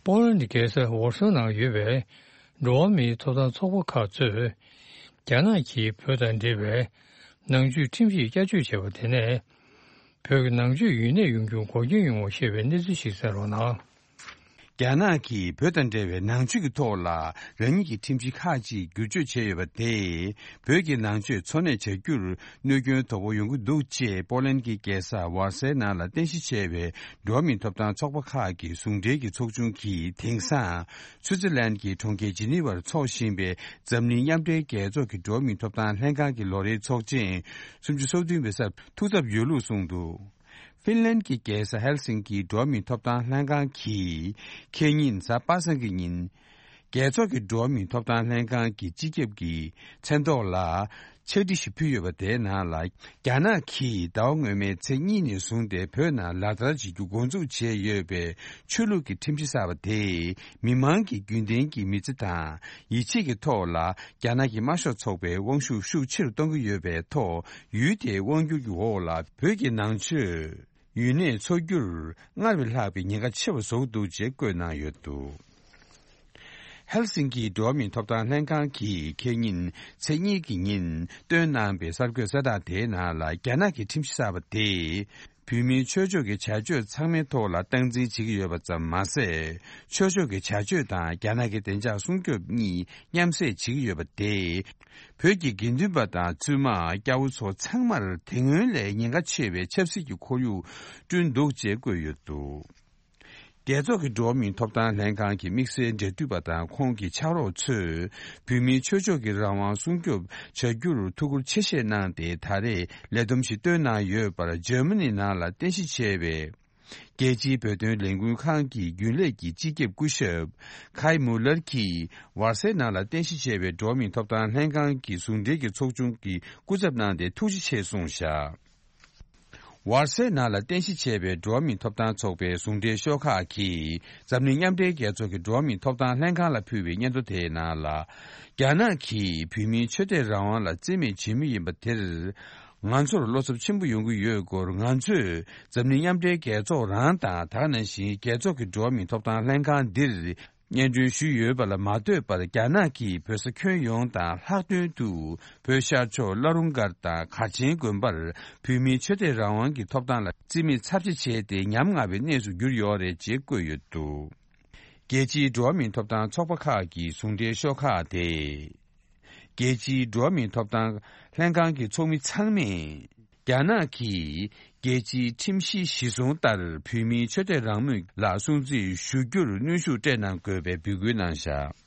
པོ་ལན་གྱི་རྒྱལ་ས་ཝར་སོ་ནང་ཡོད་པའི་འགྲོ་བ་མིའི་ཐོབ་ཐང་ཚོགས་པ་ཁག་ཚོས། རྒྱ་ནག་གིས་བོད་དང་འབྲེལ་བའི་ནང་ཆོས་ཁྲིམས་ཡིག་བསྐྱར་བཅོས་བྱས་པ་དེ་ནས། བོད་ཀྱི་ནང་ཆོས་ཡུན་གནས་ཡོང་རྒྱུར་འགོག་རྐྱེན་ཡོང་བ་ཤེས་པའི་གནས་ཚུལ་ཞིག་གསན་རོགས་གནང་། རྒྱ་ནག་གིས་བོད་དང་འབྲེལ་བའི་ནང་ཆོས་ཀྱི་ཐོག་ལ་རང་ཉིད་ཀྱི་ཁྲིམས་གཞི་ཁག་ཅིག་བསྒྱུར་བཅོས་བྱས་ཡོད་པ་དེས། བོད་ཀྱི་ནང་ཆོས་འཚོ་གནས་བྱ་རྒྱུར་གནོད་སྐྱོན་དོད་པོ་ཡོང་གི་འདུག་ཅེས་པོ་ལན་གྱི་རྒྱལ་ས་ཝར་སའི་ནང་ལ་རྟེན་གཞི་བྱས་པའི་འགྲོ་བ་མིའི་ཐོབ་ཐང་ཚོགས་པ་ཁག་གི་ཟུང་འབྲེལ་གྱི་ཚོགས་ཆུང་གིས། དེང་སང་སུའུ་ཙི་ལན་གྱི་གྲོང་ཁྱེར་ཇི་ནི་ཝར་འཚོགས་བཞིན་པའི་འཛམ་གླིང་མཉམ་འབྲེལ་རྒྱལ་ཚོགས་ཀྱི་འགྲོ་བ་མིའི་ཐོབ་ཐང་ལྷན་ཁང་གི་ལོ་རེའི་ཚོགས་ཆེན་སུམ་ཅུ་སོ་བདུན་པའི་སར་ཐུགས་འཚབ་ཡོད་ལུགས་གསུངས་འདུག་ཧྥིན་ལན་གྱི་རྒྱལ་ས་ཧེལ་སིང་ཀིའི་འགྲོ་བ་མིའི་ཐོབ་ཐང་ལྷན་ཁང་གིས། ཁེ་ཉིན་གཟའ་པ་སངས་ཀྱི་ཉིན། རྒྱལ་ཚོགས་ཀྱི་འགྲོ་བ་མིའི་ཐོབ་ཐང་ལྷན་ཁང་གི་སྤྱི་ཁྱབ་ཀྱི་མཚན་ཐོག་ལ། ཕྱག་བྲིས་ཤིག་ཕུལ་ཡོད་པ་དེའི་ནང་ལ། རྒྱ་ནག་གིས་ཟླ་བ་སྔོན་མའི་ཚེས་གཉིས་ནས་བཟུང་སྟེ་བོད་ནང་ལག་བསྟར་བྱེད་རྒྱུ་འགོ་འཛུགས་བྱས་ཡོད་པའི་ཆོས་ལུགས་ཀྱི་ཁྲིམས་གཞི་གསར་པ་དེས། མི་མང་གི་རྒྱུན་ལྡན་གྱི་མི་ཚེ་དང་ཡིད་ཆེས་ཀྱི་ཐོག་ལ། རྒྱ་ནག་གི་དམར་ཤོག་ཚོགས་པའི་དབང་ཤུགས་ཤུགས་ཆེ་རུ་གཏོང་གི་ཡོད་པའི་ཐོག་ཡུལ་དེའི་དབང་སྒྱུར་གྱི་འོག་ལ་བོད་ཀྱི་ནང་ཆོས་ཡུན་གནས་འཚོགས་རྒྱུར་སྔར་བས་ལྷག་པའི་ཉེན་ཁ་ཆེ་བ་བཟོ་གི་འདུག་ཅེས་བཀོད་གནང་ཡོད་འདུག་ཧེལ་སིང་ཀིའི་འགྲོ་བ་མིའི་ཐོབ་ཐང་ལྷན་ཁང་གིས་ཁེ་ཉིན་ཚེས་གཉིས་ཀྱི་ཉིན་བཏོན་གནང་པའི་གསར་འགོད་གསལ་བསྒྲགས་དེའི་ནང་ལ། རྒྱ་ནག་གི་ཁྲིམས་གཞི་གསར་པ་དེས་བོད་མིའི་ཆོས་ཕྱོགས་ཀྱི་བྱ་སྤྱོད་ཚང་མའི་ཐོག་ལ་སྟངས་འཛིན་བྱེད་ཀྱི་ཡོད་པ་ཙམ་མ་ཟད། ཆོས་ཕྱོགས་ཀྱི་བྱ་སྤྱོད་དང་རྒྱ་ནག་གི་བདེ་འཇགས་སྲུང་སྐྱོབ་གཉིས་མཉམ་བསྲེས་བྱེད་ཀྱི་ཡོད་པ་དེས། བོད་ཀྱི་དགེ་འདུན་པ་དང་བཙུན་མ། སྐྱ་བོ་ཚོ་ཚང་མར་དེ་སྔོན་ལས་ཉེན་ཁ་ཆེ་བའི་ཆབ་སྲིད་ཀྱི་ཁོར་ཡུག་བསྐྲུན་འདུག་ཅེས་བཀོད་ཡོད་འདུག། རྒྱལ་ཚོགས་ཀྱི་འགྲོ་བ་མིའི་ཐོབ་ཐང་ལྷན་ཁང་གི་དམིགས་བསལ་འབྲེལ་མཐུད་པ་དང་ཁོང་གི་ཕྱག་རོགས་ཚོས་བོད་མིའི་ཆོས་ཕྱོགས་ཀྱི་རང་དབང་སྲུང་སྐྱོབ་བྱ་རྒྱུར་ཐུགས་ཁུར་ཆེ་བཞེས་གནང་སྟེ། ད་རེས་ལས་བསྡོམས་ཤིག་བཏོན་གནང་ཡོད་པར། འཇར་མ་ནི་ནང་ལ་རྟེན་གཞི་བྱས་པའི་རྒྱལ་སྤྱིའི་བོད་དོན་ལས་འགུལ་ཁང་གི་རྒྱུན་ལས་ཀྱི་སྤྱི་ཁྱབ་སྐུ་ཞབས་ཁའི་མུ་ལར་གྱིས། ཝར་སའི་ནང་ལ་རྟེན་གཞི་བྱས་པའི་འགྲོ་བ་མིའི་ཐོབ་ཐང་ལྷན་ཁང་གི་ཟུང་འབྲེལ་གྱི་ཚོགས་ཆུང་གི་སྐུ་ཚབ་གནང་སྟེ་ཐུགས་རྗེ་ཆེ་གསུངས་བཞག། ཝར་སའི་ནང་ལ་རྟེན་གཞི་བྱས་པའི་འགྲོ་བ་མིའི་ཐོབ་ཐང་ཚོགས་པའི་ཟུང་འབྲེལ་ཤོག་ཁག་གིས་འཛམ་གླིང་མཉམ་འབྲེལ་རྒྱལ་ཚོགས་ཀྱི་འགྲོ་བ་མིའི་ཐོབ་ཐང་ལྷན་ཁང་ལ་ཕུལ་བའི་སྙན་ཐོ་དེའི་ནང་ལ། རྒྱ་ནག་གིས་བོད་མིའི་ཆོས་དད་རང་དབང་ལ་བརྩི་མེད་བྱེད་མུས་ཡིན་པ་དེར། ང་ཚོར་བློ་འཚབ་ཆེན་པོ་ཡོང་གི་ཡོད་སྐོར། ང་ཚོས་འཛམ་གླིང་མཉམ་འབྲེལ་རྒྱལ་ཚོགས་རང་དང་། ད་ག་ནང་བཞིན་རྒྱལ་ཚོགས་ཀྱི་འགྲོ་བ་མིའི་ཐོབ་ཐང་ལྷན་ཁང་འདིར། སྙན་སྒྲོན་ཞུས་ཡོད་པ་ལ་མ་ལྟོས་པར། རྒྱ་ནག་གིས་བོད་ས་ཁྱོན་ཡོངས་དང་ལྷག་དོན་དུ་བོད་ཤར་ཕྱོགས་བླ་རུང་སྒར་དང་གར་ཆེན་དགོན་པར་བོད་མིའི་ཆོས་དད་རང་དབང་གི་ཐོབ་ཐང་ལ་བརྩི་མེད་ཚབས་ཆེ་བྱས་ཏེ། ཉམ་ང་བའི་གནས་སུ་གྱུར་ཡོད་རེད་ཅེས་བཀོད་ཡོད་འདུག། རྒྱལ་སྤྱིའི་འགྲོ་བ་མིའི་ཐོབ་ཐང་ཚོགས་པ་ཁག་གི་ཟུང་འབྲེལ་ཤོག་ཁག་དེས། རྒྱལ་སྤྱིའི་འགྲོ་བ་མིའི་ཐོབ་ཐང་ལྷན་ཁང་གི་ཚོགས་མི་ཚང་མས། རྒྱ་ནག་གིས་རྒྱལ་སྤྱིའི་ཁྲིམས་གཞི་གཞིར་བཟུང་ལྟར་བོད་མིའི་ཆོས་དད་རང་མོས་ལ་སྲུང་བརྩི་ཞུ་རྒྱུར་གནོན་ཤུགས་སྤྲད་གནང་དགོས་པའི་འབོད་སྐུལ་གནང་བཞག།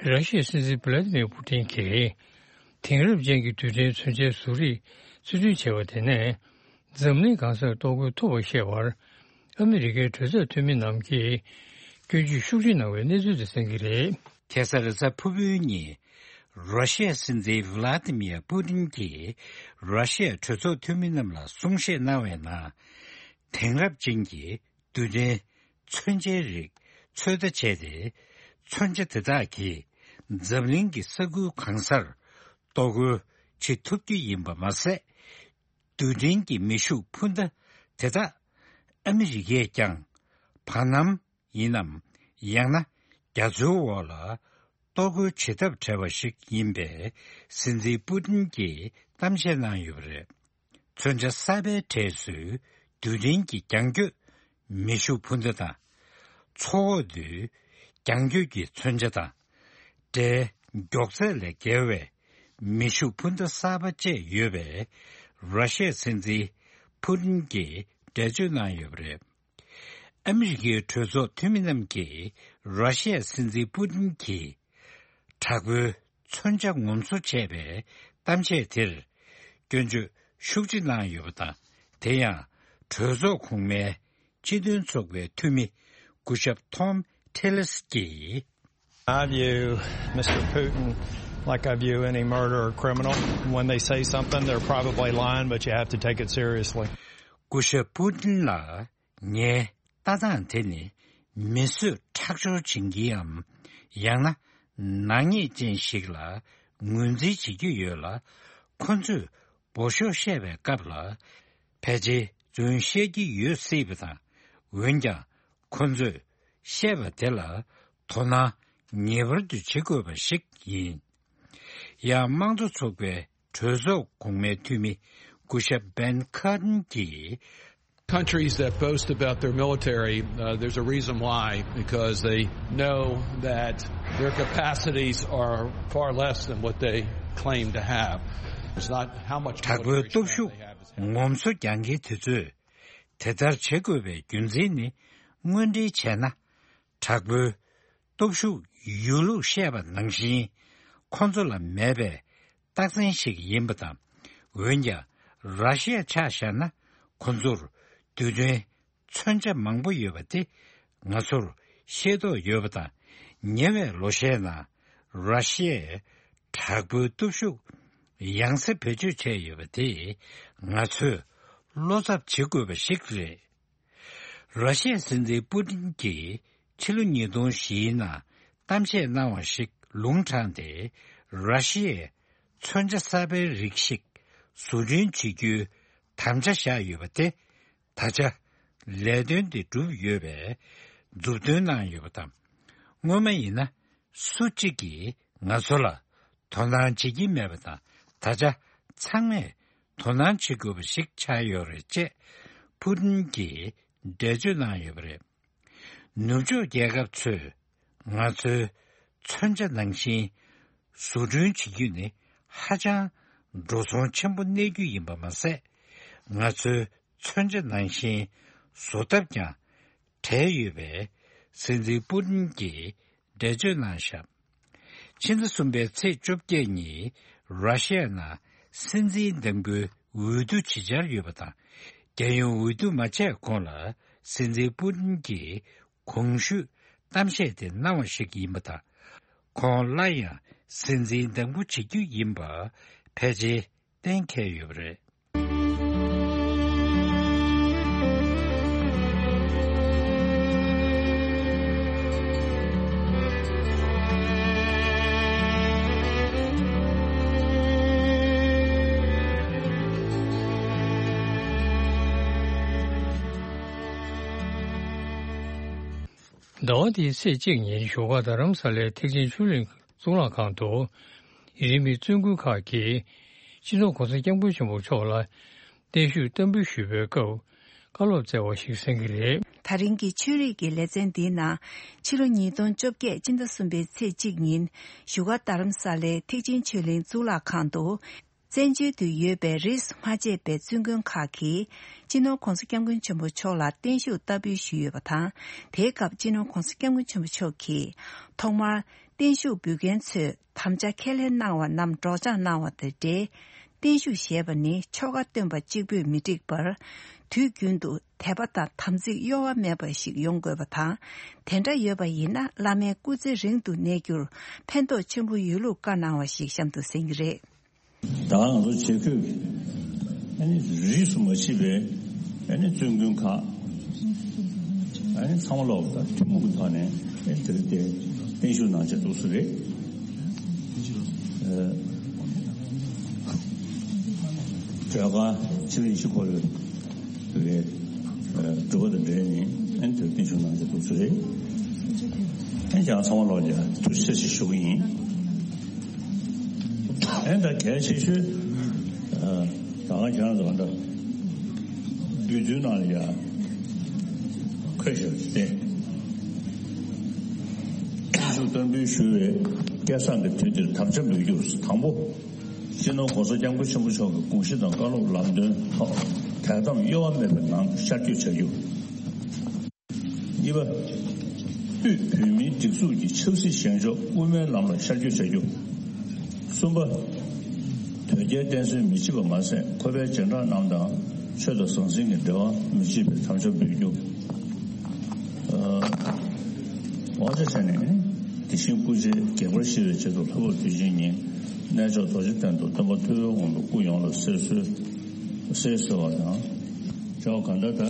ར་ཤི་ཡའི་སྲིད་འཛིན་བྷི་ལ་ཏི་མིར་པུ་ཏིན་གྱིས་དེང་རབས་ཅན་གྱི་རྡུལ་ཕྲན་མཚོན་ཆའི་བཟོ་རིག་རྩིས་སྤྲོད་བྱས་པ་དེ་ནས། འཛམ་གླིང་གང་སར་གཏོར་རྒོལ་ཐུབ་པར་བཤད་པར། ཨ་མི་རི་ཀའི་གྲོས་ཚོགས་འཐུས་མི་རྣམས་ཀྱིས་སྐྱོན་བརྗོད་ཤུགས་ཆེ་གནང་བའི་གནས་ཚུལ་དེ་གསན་གྱི་རེད། ཁ་སང་རེས་གཟའ་ཕུར་བུའི་ཉིན། ར་ཤི་ཡའི་སྲིད་འཛིན་ཝི་ལ་ཏི་མིར་པུ་ཏིན་གྱིས་ར་ཤི་ཡའི་གྲོས་ཚོགས་འཐུས་མི་རྣམས་ལ་གསུང་བཤད་གནང་བའི་ནང་། དེང་རབས་ཅན་གྱི་རྡུལ་ཕྲན་མཚོན་ཆའི་རིགས་ཚོད་ལྟ་བྱས་ཏེ། མཚོན་ཆ་དེ་དག་གིས་འཛམ་གླིང་གི་ས་ཁུལ་གང་སར་གཏོར་རྒོལ་བྱེད་ཐུབ་རྒྱུ་ཡིན་པ་མ་ཟད། རྡུལ་ཕྲན་གྱི་མེ་ཤུགས་འཕུར་མདའ་དེ་དག་ཨ་མི་རི་ཀས་ཀྱང་བར་སྣང་ཡིན་ནམ། ཡང་ན་རྒྱ་མཚོའི་འོག་ལ་གཏོར་རྒོལ་བྱེད་ཐབས་བྲལ་བ་ཞིག་ཡིན་པའི་སྲིད་འཛིན་པུ་ཏིན་གྱིས་གཏམ་བཤད་གནང་ཡོད་པ་རེད། མཚོན་ཆ་གསར་པའི་གྲས་སུ་རྡུལ་ཕྲན་གྱི་རྒྱང་སྐྱོད་མེ་ཤུགས་འཕུར་མདའ་དང་། མཚོ་འོག་ཏུ་རྒྱང་སྐྱོད་ཀྱི་མཚོན་ཆ་དང་། སྒྲའི་མགྱོགས་ཚད་ལས་བརྒལ་བའི་མེ་ཤུགས་འཕུར་མདའ་གསར་པ་བཅས་ཡོད་པའི་ར་ཤི་ཡའི་སྲིད་འཛིན་ཕུ་ཏིན་གྱིས་འགྲེལ་བརྗོད་གནང་ཡོད་པ་རེད། ཨ་མི་རི་ཀའི་གྲོས་ཚོགས་འཐུས་མི་རྣམས་ཀྱིས་ར་ཤི་ཡའི་སྲིད་འཛིན་པུ་ཏིན་གྱིས་དྲག་པོའི་མཚོན་ཆ་ངོམ་སོ་བྱས་པའི་གཏམ་བཤད་དེར་སྐྱོན་བརྗོད་ཤུགས་ཆེ་གནང་ཡོད་པ་དང་། དེ་ཡང་གྲོས་ཚོགས་གོང་མའི་སྤྱི་མཐུན་ཚོགས་པའི་འཐུས་མི་སྐུ་ཞབས་Tom Tillis གྱིས། I view Mister Putin like I view any murderer or criminal. When they say something, they're probably lying, but you have to take it seriously. སྐུ་ཞབས་པུ་ཏིན་ལགས། ངའི་ལྟ་སྟངས་དེ་ནི་མི་གསོད་ཁྲག་སྦྱོར་བྱེད་མཁན་ནམ། ཡང་ན་ནག་ཉེས་ཅན་ཞིག་ལ་ངོས་འཛིན་བྱེད་ཀྱི་ཡོད་ལ། ཁོ་ཚོས་འབོ་ཤོག་བཤད་པའི་སྐབས་ལ་ཕལ་ཆེར་རྫུན་བཤད་ཀྱི་ཡོད་སྲིད་པ་དང་། འོན་ཀྱང་ཁོ་ཚོས་བཤད་པ་དེ་ལ་དོ་སྣང་ངེས་པར་དུ་བྱེད་དགོས་པ་ཞིག་ཡིན། ཡང་དམངས་གཙོ་ཚོགས་པའི་གྲོས་ཚོགས་གོང་མའི་འཐུས་མི་སྐུ་ཞབས་Ben Cardin གྱིས། Countries that boast about their military, uh, there's a reason why, because they know that their capacities are far less than what they claim to have. It's not how much དྲག་པོའི་military སྟོབས་strength ཤུགས་they have, it's ངོམ་སོ་རྒྱག་མཁན་དེ་ཚོས་དེ་ལྟར་བྱེད་དགོས་པའི་རྒྱུ་མཚན་ནི། དངོས་འབྲེལ་བྱས་ན། དྲག་པོའི་སྟོབས་ཤུགས་ཡོད་ལུགས་བཤད་པ་ནང་བཞིན་ཁོ་ཚོ་ལ་མེད་པའི་རྟགས་མཚན་ཞིག་ཡིན་པ་དང་། འོན་ཀྱང་ར་ཤི་ཡ་ཆ་བཞག་ན་ཁོ་ཚོར་རྡུལ་ཕྲན་མཚོན་ཆ་མང་པོ་ཡོད་པ་དེ་ང་ཚོར་ཤེས་རྟོགས་ཡོད་པ་དང་། ཉེ་བའི་ལོ་ཤས་ནང་ར་ཤི་ཡས་དྲག་པོའི་སྟོབས་ཤུགས་ཡང་སེ་བེད་སྤྱོད་བྱས་ཡོད་པ་དེས་ང་ཚོས་ བློ་འཚབ་བྱེད་དགོས་པ་ཞིག་རེད། ར་ཤི་ཡའི་སྲིད་འཛིན་པུ་ཏིན་གྱིས་ཕྱི་ལོ་ཉིས་སྟོང་བཞིའི་ནང་གཏམ་བཤད་གནང་བ་ཞིག་ལུང་དྲངས་ཏེ། ར་ཤི་ཡས་མཚོན་ཆ་གསར་པའི་རིགས་ཤིག་བཟོ་སྐྲུན་བྱེད་རྒྱུའི་དམ་བཅའ་བཞག་ཡོད་པ་དེ། ད་ཆ་ལས་དོན་དེ་གྲུབ་ཡོད་པའི་མཛུབ་སྟོན་གནང་ཡོད་པ་དང་། སྔོན་མ་ཡིན་ན་སུ་གཅིག་གིས་ང་ཚོ་ལ་དོ་སྣང་བྱེད་ཀྱི་མེད་པ་དང་། ད་ཆ་ཚང་མས་དོ་སྣང་བྱེད་དགོས་པ་ཞིག་ཆགས་ཡོད་རེད་ཅེས་ཕུ་ཏིན་གྱིས་འགྲེལ་བརྗོད་གནང་ཡོད་པ་རེད། ནུབ་ཕྱོགས་རྒྱལ་ཁབ་ཚོས་ང་ཚོའི་མཚོན་ཆ་ནང་བཞིན་བཟོ་སྐྲུན་བྱེད་རྒྱུ་ནི་ཧ་ཅང་འགྲོ་སོང་ཆེན་པོ་གནས་རྒྱུ་ཡིན་པ་མ་ཟད། ང་ཚོའི་མཚོན་ཆ་ནང་བཞིན་བཟོ་ཐབས་ཀྱང་བྲལ་ཡོད་པས། སྲིད་འཛིན་པུ་ཏིན་གྱིས་འགྲེལ་བརྗོད་གནང་བཞག་ཕྱི་ཟླ་གསུམ་པའི་ཚེས་བཅོ་བརྒྱད་ཉིན་ར་ཤི་ཡ་ནང་སྲིད་འཛིན་འདེམས་བསྐོའི་འོས་བསྡུ་བྱེད་འཆར་ཡོད་པ་དང་། རྒྱལ་ཡོངས་འོས་བསྡུ་མ་བྱས་གོང་ལ་སྲིད་འཛིན་པུ་ཏིན་གྱིས་གོང་ཞུས་གཏམ་བཤད་དེ་གནང་བ་ཞིག་ཡིན་པ་དང་། ཁོང་སླར་ཡང་སྲིད་འཛིན་འདེམས་བསྐོ་བྱེད་རྒྱུ་ཡིན་པ་ཕལ་ཆེར་གཏན་འཁེལ་ཡོད་པ་རེད། ཟླ་བ་འདིའི་ཚེས་གཅིག་ཉིན་བཞུགས་སྒར་རྡ་རམ་ས་ལའི་ཐེག་ཆེན་ཆོས་གླིང་གཙུག་ལག་ཁང་དུ། ཡུན་རིང་མིའི་བཙུན་དགོན་ཁག་གིས་སྤྱི་ནོར་༸གོང་ས་༸སྐྱབས་མགོན་ཆེན་པོ་མཆོག་ལ་བརྟན་བཞུགས་བསྟར་འབུལ་ཞུས་པའི་སྐབས་བཀའ་སློབ་སྩལ་བ་ཞིག་གསན་གྱི་རེད། ད་རིང་གི་ཆོས་རིག་གི་ལེ་ཚན་འདིའི་ནང་ཕྱི་ལོ་ཉིས་སྟོང་བཅོ་བརྒྱད་སྤྱི་ཟླ་གསུམ་པའི་ཚེས་གཅིག་ཉིན་བཞུགས་སྒར་རྡ་རམ་ས་ལའི་ཐེག་ཆེན་ཆོས་གླིང་གཙུག་ལག་ཁང་དུ། བཙན་བྱོལ་དུ་ཡོད་པའི་རིས་སུ་མ་ཆད་པའི་བཙུན་དགོན་ཁག་གིས་སྤྱི་ནོར་༸གོང་ས་༸སྐྱབས་མགོན་ཆེན་པོ་མཆོག་ལ་བརྟན་བཞུགས་བསྟར་འབུལ་ཞུས་ཡོད་པ་དང་། དེའི་སྐབས་སྤྱི་ནོར་༸གོང་ས་༸སྐྱབས་མགོན་ཆེན་པོ་མཆོག་གིས་ཐོག་མར་བརྟན་བཞུགས་འབུལ་མཁན་ཚོས་དམ་བཅའ་ཁས་ལེན་གནང་བ་རྣམས་སྒྲོག་སྦྱང་གནང་བ་དང་འབྲེལ། བརྟན་བཞུགས་ཞེས་པ་ནི་ཆོ་ག་སྟོན་པ་གཅིག་པུས་མི་འགྲིག་པར། དུས་རྒྱུན་དུ་དད་པ་དང་དམ་ཚིག་གཡོ་བ་མེད་པ་ཞིག་ཡོང་དགོས་པ་དང་། དེ་འདྲ་ཡོད་པ་ཡིན་ན་བླ་མའི་སྐུ་ཚེ་རིང་དུ་གནས་རྒྱུར་ཕན་ཐོགས་ཆེན་པོ་ཡོད་ལུགས་བཀའ་གནང་བ་ཞིག་གཤམ་དུ་གསན་གྱི་རེད། ད་ང་ཚོ་བྱེས་འཁོད་ཀྱི་ཨ་ནི་རིས་སུ་མ་ཆད་པའི་ཨ་ནི་བཙུན་དགོན་ཁག་ཨ་ནི་ཚང་མ་ལོག་ད་ཐུན་མོང་གི་ཐོག་ནས་ཨ་ནི་དེ་རིང་དེ་བརྟན་བཞུགས་གནང་བྱས་འདུག་སེ་རེད། ཨ་གྲོས་ཁང་ཕྱི་ལ་ཡེ་ཤེས་འཁོར་ལོའི་སྒྲུབ་པ་དང་འབྲེལ་ནས་ཨ་ནི་དེ་རིང་བརྟན་བཞུགས་གནང་བྱས་འདུག་སེ་རེད། ཨ་ནི་ཀྱང་ཚང་མ་ལོག་ཀྱང་ཐུགས་རྗེ་ཆེ་ཞུ་གི་ཡིན། ཨེ་ད་གལ་ཆེ་ཤོས། ད་ག་ཁྱེད་རང་ཚོ་ད་འབུལ་རྡུལ་ནང་ལ་ཡ་འཁོད་བཞག་སྟེ། བརྟན་བཞུགས་བསྟར་འབུལ་ཞུ་བའི་སྐལ་བཟང་གི་དུས་འདིར་དམ་བཅའ་འབུལ་རྒྱུ་དང་པོ། སྤྱི་ནོར་༸གོང་ས་༸སྐྱབས་མགོན་ཆེན་པོ་མཆོག་གི་དགོངས་གཞི་དང་བཀའ་སློབ་ལམ་སྟོན་ཐོག་དད་དམ་གཡོ་བ་མེད་པའི་ངང་ཤར་བསྐྱོད་བྱ་རྒྱུ། གཉིས་པ། དབུས་བོད་མིའི་སྒྲིག་འཛུགས་ཀྱི་ཆབ་སྲིད་ཞེན་ཕྱོགས་དབུ་མའི་ལམ་ལ་ཤར་བསྐྱོད་བྱ་རྒྱུ། གསུམ་པ། དོལ་རྒྱལ་བསྟེན་གསོལ་མི་བྱེད་པ་མ་ཟད་ཁོ་པའི་རྗེས་འབྲང་རྣམས་དང་ཆོས་དང་ཟང་ཟིང་གི་འབྲེལ་བ་མི་བྱེད་པའི་དམ་བཅའ་འབུལ་རྒྱུ། དབང་ཆ་བྱས་ནས་དེ་བཞིན་སྐུ་ཕྱྭའི་དགྱེས་པར་ཞུ་བའི་ཆེད་དུ་ལྷག་པར་དུས་ཆེན་ཉིན་གནས་མཆོག་རྡོ་རྗེ་གདན་དུ་སྟོན་པ་ཐུབ་པའི་དབང་པོ་སྐུ་ཡོངས་ལ་གསོལ་གསོལ་གསོལ་གསོལ་བ་དང་། ཅོག་ག་འདྲ་ད།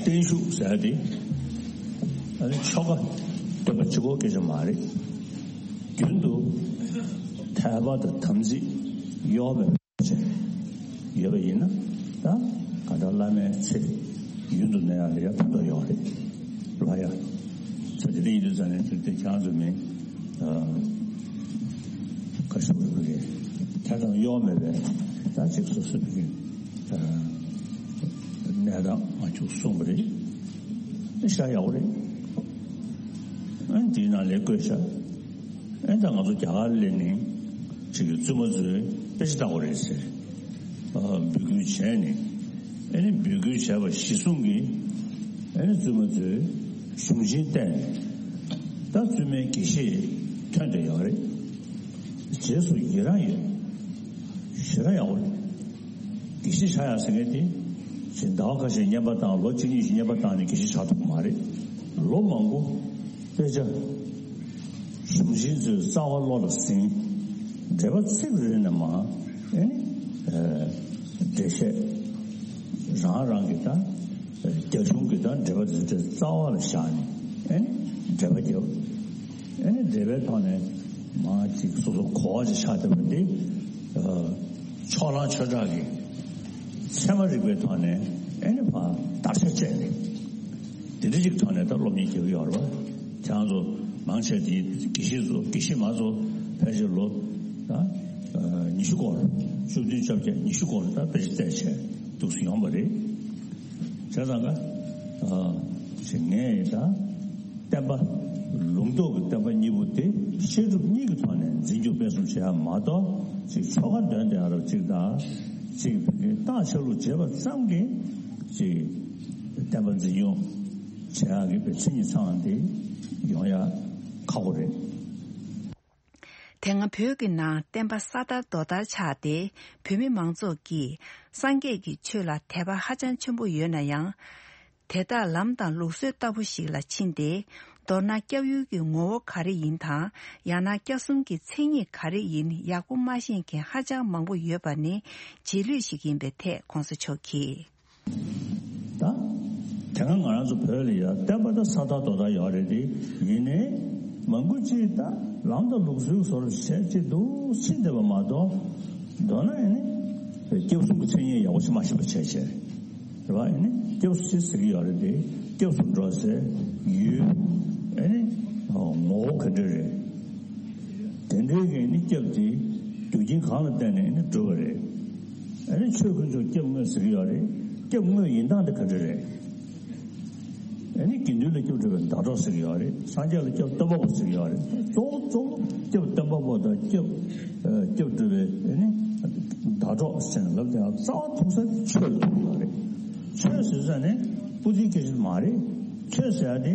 བརྟན་བཞུགས་ཟེར་ཏེ། ཨ་ནི་ཆོ་ག་སྟོན་པ་གཅིག་པོ་སྐད་ཆ་མ་རེད། རྒྱུན་དུ་དད་པ་དང་དམ་ཚིག་ཡོད་པའི་ཡོད་པ་ཡིན་ན་ད་ག་འདྲ་བླ་མའི་ཚེ་རྒྱུན་དུ་གནས་ཡག་ལ་ཡང་ཕན་ཐོགས་ཡོད་རེད། ལ་ཡ། ཚ་དེ་འདྲ་ཡིན་དུས་ཙང་ནས་དེ་དེ་ཁྱེད་རང་ཚོ་མིན། ཁ་ཤོར་བའི་ཕ་གི་ཐད་གཏོང་གཡོ་མེད་པའི་ད་ཅིག་སོ་སོའི་ཕ་གི་གནས་སྟངས་ང་ཚོས་གསུངས་པ་རེད། ཤ་ཡག་པོ་རེད། ཨ་ནི་དེའི་ནང་ལས་བཀོད་ཤག་ཨ་ནི་ད་ང་ཚོ་རྒྱ་གར་སླེབས་ནས་ཅིག་གི་བཙུན་མ་ཚོས་དཔེ་ཆ་ལྟ་དགོས་རེད་ཟེར། འབོད་སྐུལ་བྱས་ནས་ཨ་ནི་འབོད་སྐུལ་བྱས་པ་གཞིར་བཟུང་གིས་ཨ་ནི་བཙུན་མ་ཚོས་གཞུང་ཆེན་བསྟན་ནས་ད་བཙུན་མའི་དགེ་བཤེས་ཐོན་བསྡད་ཡོད་རེད། རྗེས་སུ་ཡི་རང་ཡོད། ཞེ་དྲག་ཡག་པོ་རེད། དགེ་བཤེས་ཆགས་ཡག་ཟེར་མཁན་དེ་ཅིག་ཟླ་བ་ཁ་ཤས་བསྙེན་པ་བཏང་ལོ་གཅིག་གཉིས་ཤིག་བསྙེན་པ་བཏང་ནས་དགེ་བཤེས་ཆགས་ཐུབ་ཀྱི་མ་རེད། ལོ་མང་པོ་དཔེ་ཆ་གཞུང་ཆེན་ཚོའི་རྩ་བ་བློ་ལ་ཟིན། འགྲེལ་པ་ཚིག་རེ་ནས་མ་ཨེ་ནི་འགྲེལ་བཤད་རང་རང་གི་ད་རྒྱ་གཞུང་གི་ད་འགྲེལ་པ་འདི་འདྲ་རྩ་བ་ལ་བཞག་ནས་ཨེ་ནི་འགྲེལ་པ་རྒྱབ། ཨེ་ནི་འགྲེལ་པའི་ཐོག་ནས་མ་ཅིག་སོ་སོ་གོ་བ་ཅིག་ཆགས་བསྡད་པ་འདི་ཕྱོགས་གླང་ཆོས་གྲགས་ཀྱི་ཚད་མ་རིག་པའི་ཐོག་ནས་ཨེ་ནི་ཕར་བརྡར་ཤ་བཅད་ནས་དེ་འདྲ་ཅིག་ཐོག་ནས་ད་སློབ་གཉེར་རྒྱག་གི་ཡོད་རེད་བ། ཁྱེད་རང་ཚོ་མང་ཆེ་དེ་དགེ་བཤེས་ཚོ་དགེ་བཤེས་མ་ཚོ་ཕལ་ཆེར་ལོ་ད་ཉི་ཤུ་སྐོར་བཅུ་བདུན་བཅོ་བརྒྱད་ཉི་ཤུ་སྐོར་ད་དཔེ་ཆ་བལྟས་བྱས་འདུག་སེ་ཡོང་བ་རེད། བྱས་ཙང་ཀ་ཨ་ཅིག་ངས་ད་བསྟན་པ་ལུང་རྟོགས་ཀྱི་བསྟན་པ་གཉིས་པོ་དེ་བཤད་སྒྲུབ་གཉིས་ཀྱི་ཐོག་ནས་འཛིན་སྐྱོང་སྤེལ་གསུམ་བྱེད་ཡ་མ་གཏོགས་ཅིག་ཆོ་ག་འདོན་བསྡད་ཡ་རབ་ཅིག་དང་ཅིག་བོད་ཀྱི་རྟགས་ཆ་ལུགས་བྱེད་པ་ཙམ་གྱིས་ཅིག་བསྟན་པ་འཛིན་སྐྱོང་བྱེད་ཡག་གི་བའི་མཚན་ཉིད་ཚང་དེ་ཡོང་ཡག་ཁག་པོ་རེད། དེ་སྔ་བོད་ཀྱི་ནང་བསྟན་པ་ས་དར་རྡོ་དར་ཆགས་ཏེ་བོད་མི་མང་ཚོགས་ཀྱིས་སངས་རྒྱས་ཀྱི་ཆོས་ལ་དད་པ་ཧ་ཅང་ཆེན་པོ་ཡོད་ན་ཡང་། དེ་དག་ལམ་དང་ལུགས་སྲོལ་ལྟ་བུ་ཞིག་ལ་ཕྱིན་ཏེ། མདོར་ན་སྐྱབས་ཡུལ་གྱི་ངོ་བོ་ག་རེ་ཡིན་དང་ཡང་ན་སྐྱབས་གསུམ་གྱི་མཚན་ཉིད་ག་རེ་ཡིན་ཡག་པོ་མ་ཤེས་མཁན་ཧ་ཅང་མང་པོ་ཡོད་པ་ནི་རྗེས་ལུས་ཤིག་ཡིན་པའི་ཐད་གོང་ས་མཆོག་གིས། ད་དེ་སྔ་ང་རང་ཚོ་བོད་ལ་ཡ་བསྟན་པ་ད་ས་དར་རྡོ་དར་ཡོད་རེད་དེ། ཡིན་ནའི་མང་པོ་ཅིག་ད་ལམ་དང་ལུགས་སྲོལ་བཟོ་འདྲ་བྱས་ཅིག་འདུག་ཕྱིན་བསྡད་པ་མ་གཏོགས། མདོར་ན་ཨེ་ནི་སྐྱབས་གསུམ་གྱི་མཚན་ཉིད་ཡག་པོ་ཞིག་མ་ཤེས་པ་བྱས་བྱས་རེད་བ། ཨེ་ནི་སྐྱབས་སུ་ཟེར་གྱི་ཡོད་རེད་དེ། སྐྱབས་སུ་འགྲོ་ཟེར་ཡུལ་ཨེ་ནི་ངོ་བོ་ག་འདྲ་རེད། དེ་འདྲའི་གི་ནི་སྐྱབས་དེ་རྒྱུ་རྐྱེན་གང་ལ་བརྟེན་ནས་ནི་འགྲུབ་པ་རེད། ཨ་ནི་ཆོས་དཀོན་མཆོག་སྐྱབས་དངོས་ཟེར་གྱི་ཡོད་རེད། སྐྱབས་དངོས་ཡིན་སྟངས་དེ་ག་འདྲ་རེད། ཨ་ནི་དགེ་འདུན་ལ་སྐྱབས་སྒྲུབ་པའི་ཟླ་གྲོགས་ཟེར་གྱི་ཡོད་རེད། སངས་རྒྱས་ལ་སྐྱབས་སྟོན་པ་པོ་ཟེར་གྱི་ཡོད་རེད། གཙོ་བོ་གཙོ་བོ་སྐྱབས་སྟོན་པ་པོ་དང་སྐྱབས་ཨ་སྐྱབས་སྒྲུབ་པའི་ཨ་ནི་ཟླ་གྲོགས་ཟེར་ནས་ལབ་དེ་རྩ་བ་ཐུག་ས་ཆོས་ལ་ཐུག་ཡོད་རེད། ཆོས་ཟེར་ས་ནི་པོ་ཏི་སྐད་ཆ་མ་རེད། ཆོས་ཟེར་ཡ་དེ་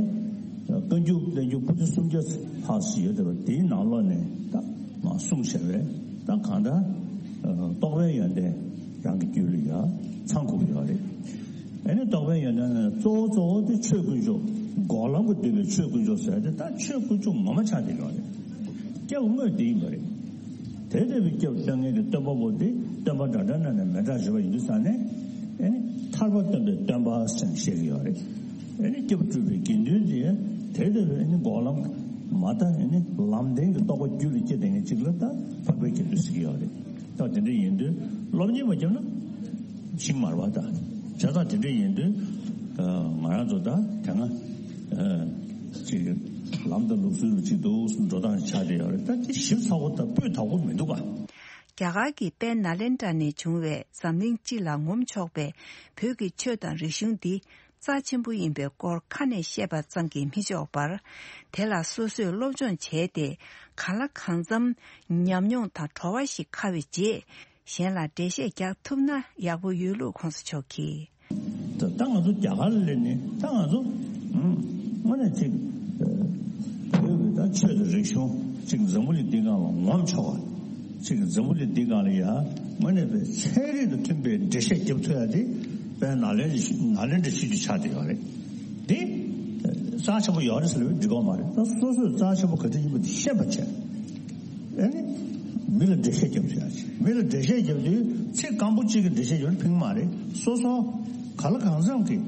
བཀའ་འགྱུར་བསྟན་འགྱུར་པོ་ཏི་སུམ་བརྒྱ་ལྷག་ཙམ་ཡོད་དེ་བ། དེའི་ནང་ལོགས་ནས་ད་མ་གསུངས་བྱས་པས་ད་གང་ལྟར་རྟོགས་པའི་ཡོན་ཏན་རང་གི་རྒྱུད་ལ་ཡ་ཚང་དགོས་ཀྱི་ཡོད་རེད། ཨ་ནི་རྟོགས་པའི་ཡོན་ཏན་ནི་གཙོ་བོ་གཙོ་བོ་དེ་ཆོས་དཀོན་མཆོག་འགོག་ལམ་གྱིས་བསྡུས་པའི་ཆོས་དཀོན་མཆོག་ཟེར་ཏེ་ད་ཆོས་དཀོན་མཆོག་ངོ་མ་ཆགས་བསྡད་ཡོད་རེད། སྐྱབས་དངོས་དེ་ཡིན་པ་རེད། དེ་ལྟ་བུའི་སྐྱབས་སྟོན་མཁན་གྱི་སྟོན་པ་པོ་དེ་སྟོན་པ་འདྲ་འདྲ་ན་ནས་མི་འདྲ་ཞུ་བ་ཡིན་དུས་ཙང་ནས་ཨ་ནི་ཐར་པ་སྟོན་པའི་སྟོན་པ་ཟེར་ནས་བཤད་ཀྱི་ཡོད་རེད། ཨ་ནི་སྐྱབས་སྒྲུབ་པའི་དགེ་འདུན་དེ་དེ་ལྟ་བུའི་ཨ་ནི་འགོག་ལམ་མ་ད་ཨ་ནི་ལམ་བདེན་གྱི་རྟོགས་པ་རྒྱུད་ལ་སྐྱེ་བསྡད་མཁན་ཅིག་ལ་ད་འཕགས་པའི་དགེ་འདུན་ཟེར་གྱི་ཡོད་རེད། ད་དེ་འདྲ་ཡིན་དུས་སློབ་གཉེར་མ་བརྒྱབ་ན་ཤིང་མར་བ་དང་བྱ་དང་དེ་འདྲ་ཡིན་དུས་ང་རང་ཚོ་ད་དེ་སྔ་ཅིག་ལམ་དང་ལུགས་སྲོལ་ལ་ཅིག་འདུག་འགྲོ་སྟངས་ཆགས་བསྡད་ཡོད་རེད། ད་དེ་ཞིབ་ཚགས་པོ་ད་སྤུས་དག་པོ་མི་འདུག་ག། རྒྱ་གར་གྱི་དཔལ་ནཱ་ལེནྡྲ་ནས་བྱུང་བའི་འཛམ་གླིང་སྤྱི་ལ་ངོམ་ཆོག་པའི་བོད་ཀྱི་ཆོས་དང་རིག་གཞུང་འདི་རྩ་ཆེན་པོ་ཡིན་པའི་སྐོར་ཁ་ནས་བཤད་པ་ཙམ་གྱིས་མི་ཆོག་པར། དེ་ལ་སོ་སོས་སློབ་སྦྱོང་བྱས་ཏེ་གང་ལ་གང་འཚམ་ཉམས་མྱོང་དང་བྲོ་བ་ཞིག་འཁར་བའི་རྗེས། གཞན་ལ་འགྲེལ་བཤད་རྒྱག་ཐུབ་ན་ཡག་པོ་ཡོད་ལུགས་གོང་ས་མཆོག་གིས། ད་ད་ང་ཚོ་རྒྱ་གར་ལ་སླེབས་ནས་ད་ང་ཚོ་དངོས་གནས་ཅིག་བོད་ཀྱི་ད་ཆོས་དང་རིག་གཞུང་ཅིག་འཛམ་བུ་གླིང་འདི་སྒང་ལ་ངོམ་ཆོག་པ་ཅིག་འཛམ་བུ་གླིང་འདི་སྒང་ལ་ཡ་དངོས་གནས་པའི་ཚན་རིག་དང་མཐུན་པའི་འགྲེལ་བཤད་རྒྱབ་ཐུབ་ཡ་དེ་དཔལ་ནཱ་ལེནྡྲ་ནཱ་ལེནྡྲ་ཆོས་བརྒྱུད་ཆགས་བསྡད་ཡོད་རེད། དེ་རྩ་ཆེན་པོ་ཡོད་རེད་ཟེར་ལབ་ཡོད་འགྲིག་གི་མ་རེད། ད་སོ་སོས་རྩ་ཆེན་པོ་ག་དེ་ཡིན་པ་དེ་ཤེས་པ་བྱས། ཨ་ནི་མི་ལ་འགྲེལ་བཤད་རྒྱབ་ཐུབ་ཡ་ཆེ། མི་ལ་འགྲེལ་བཤད་རྒྱབ་དུས་ཚིག་སྐམ་པོ་གཅིག་གི་འགྲེལ་བཤད་རྒྱབ་ན་ཕན་གི་མ་རེད། སོ་སོ་ག་ལ་གང་འཚམ་གྱི་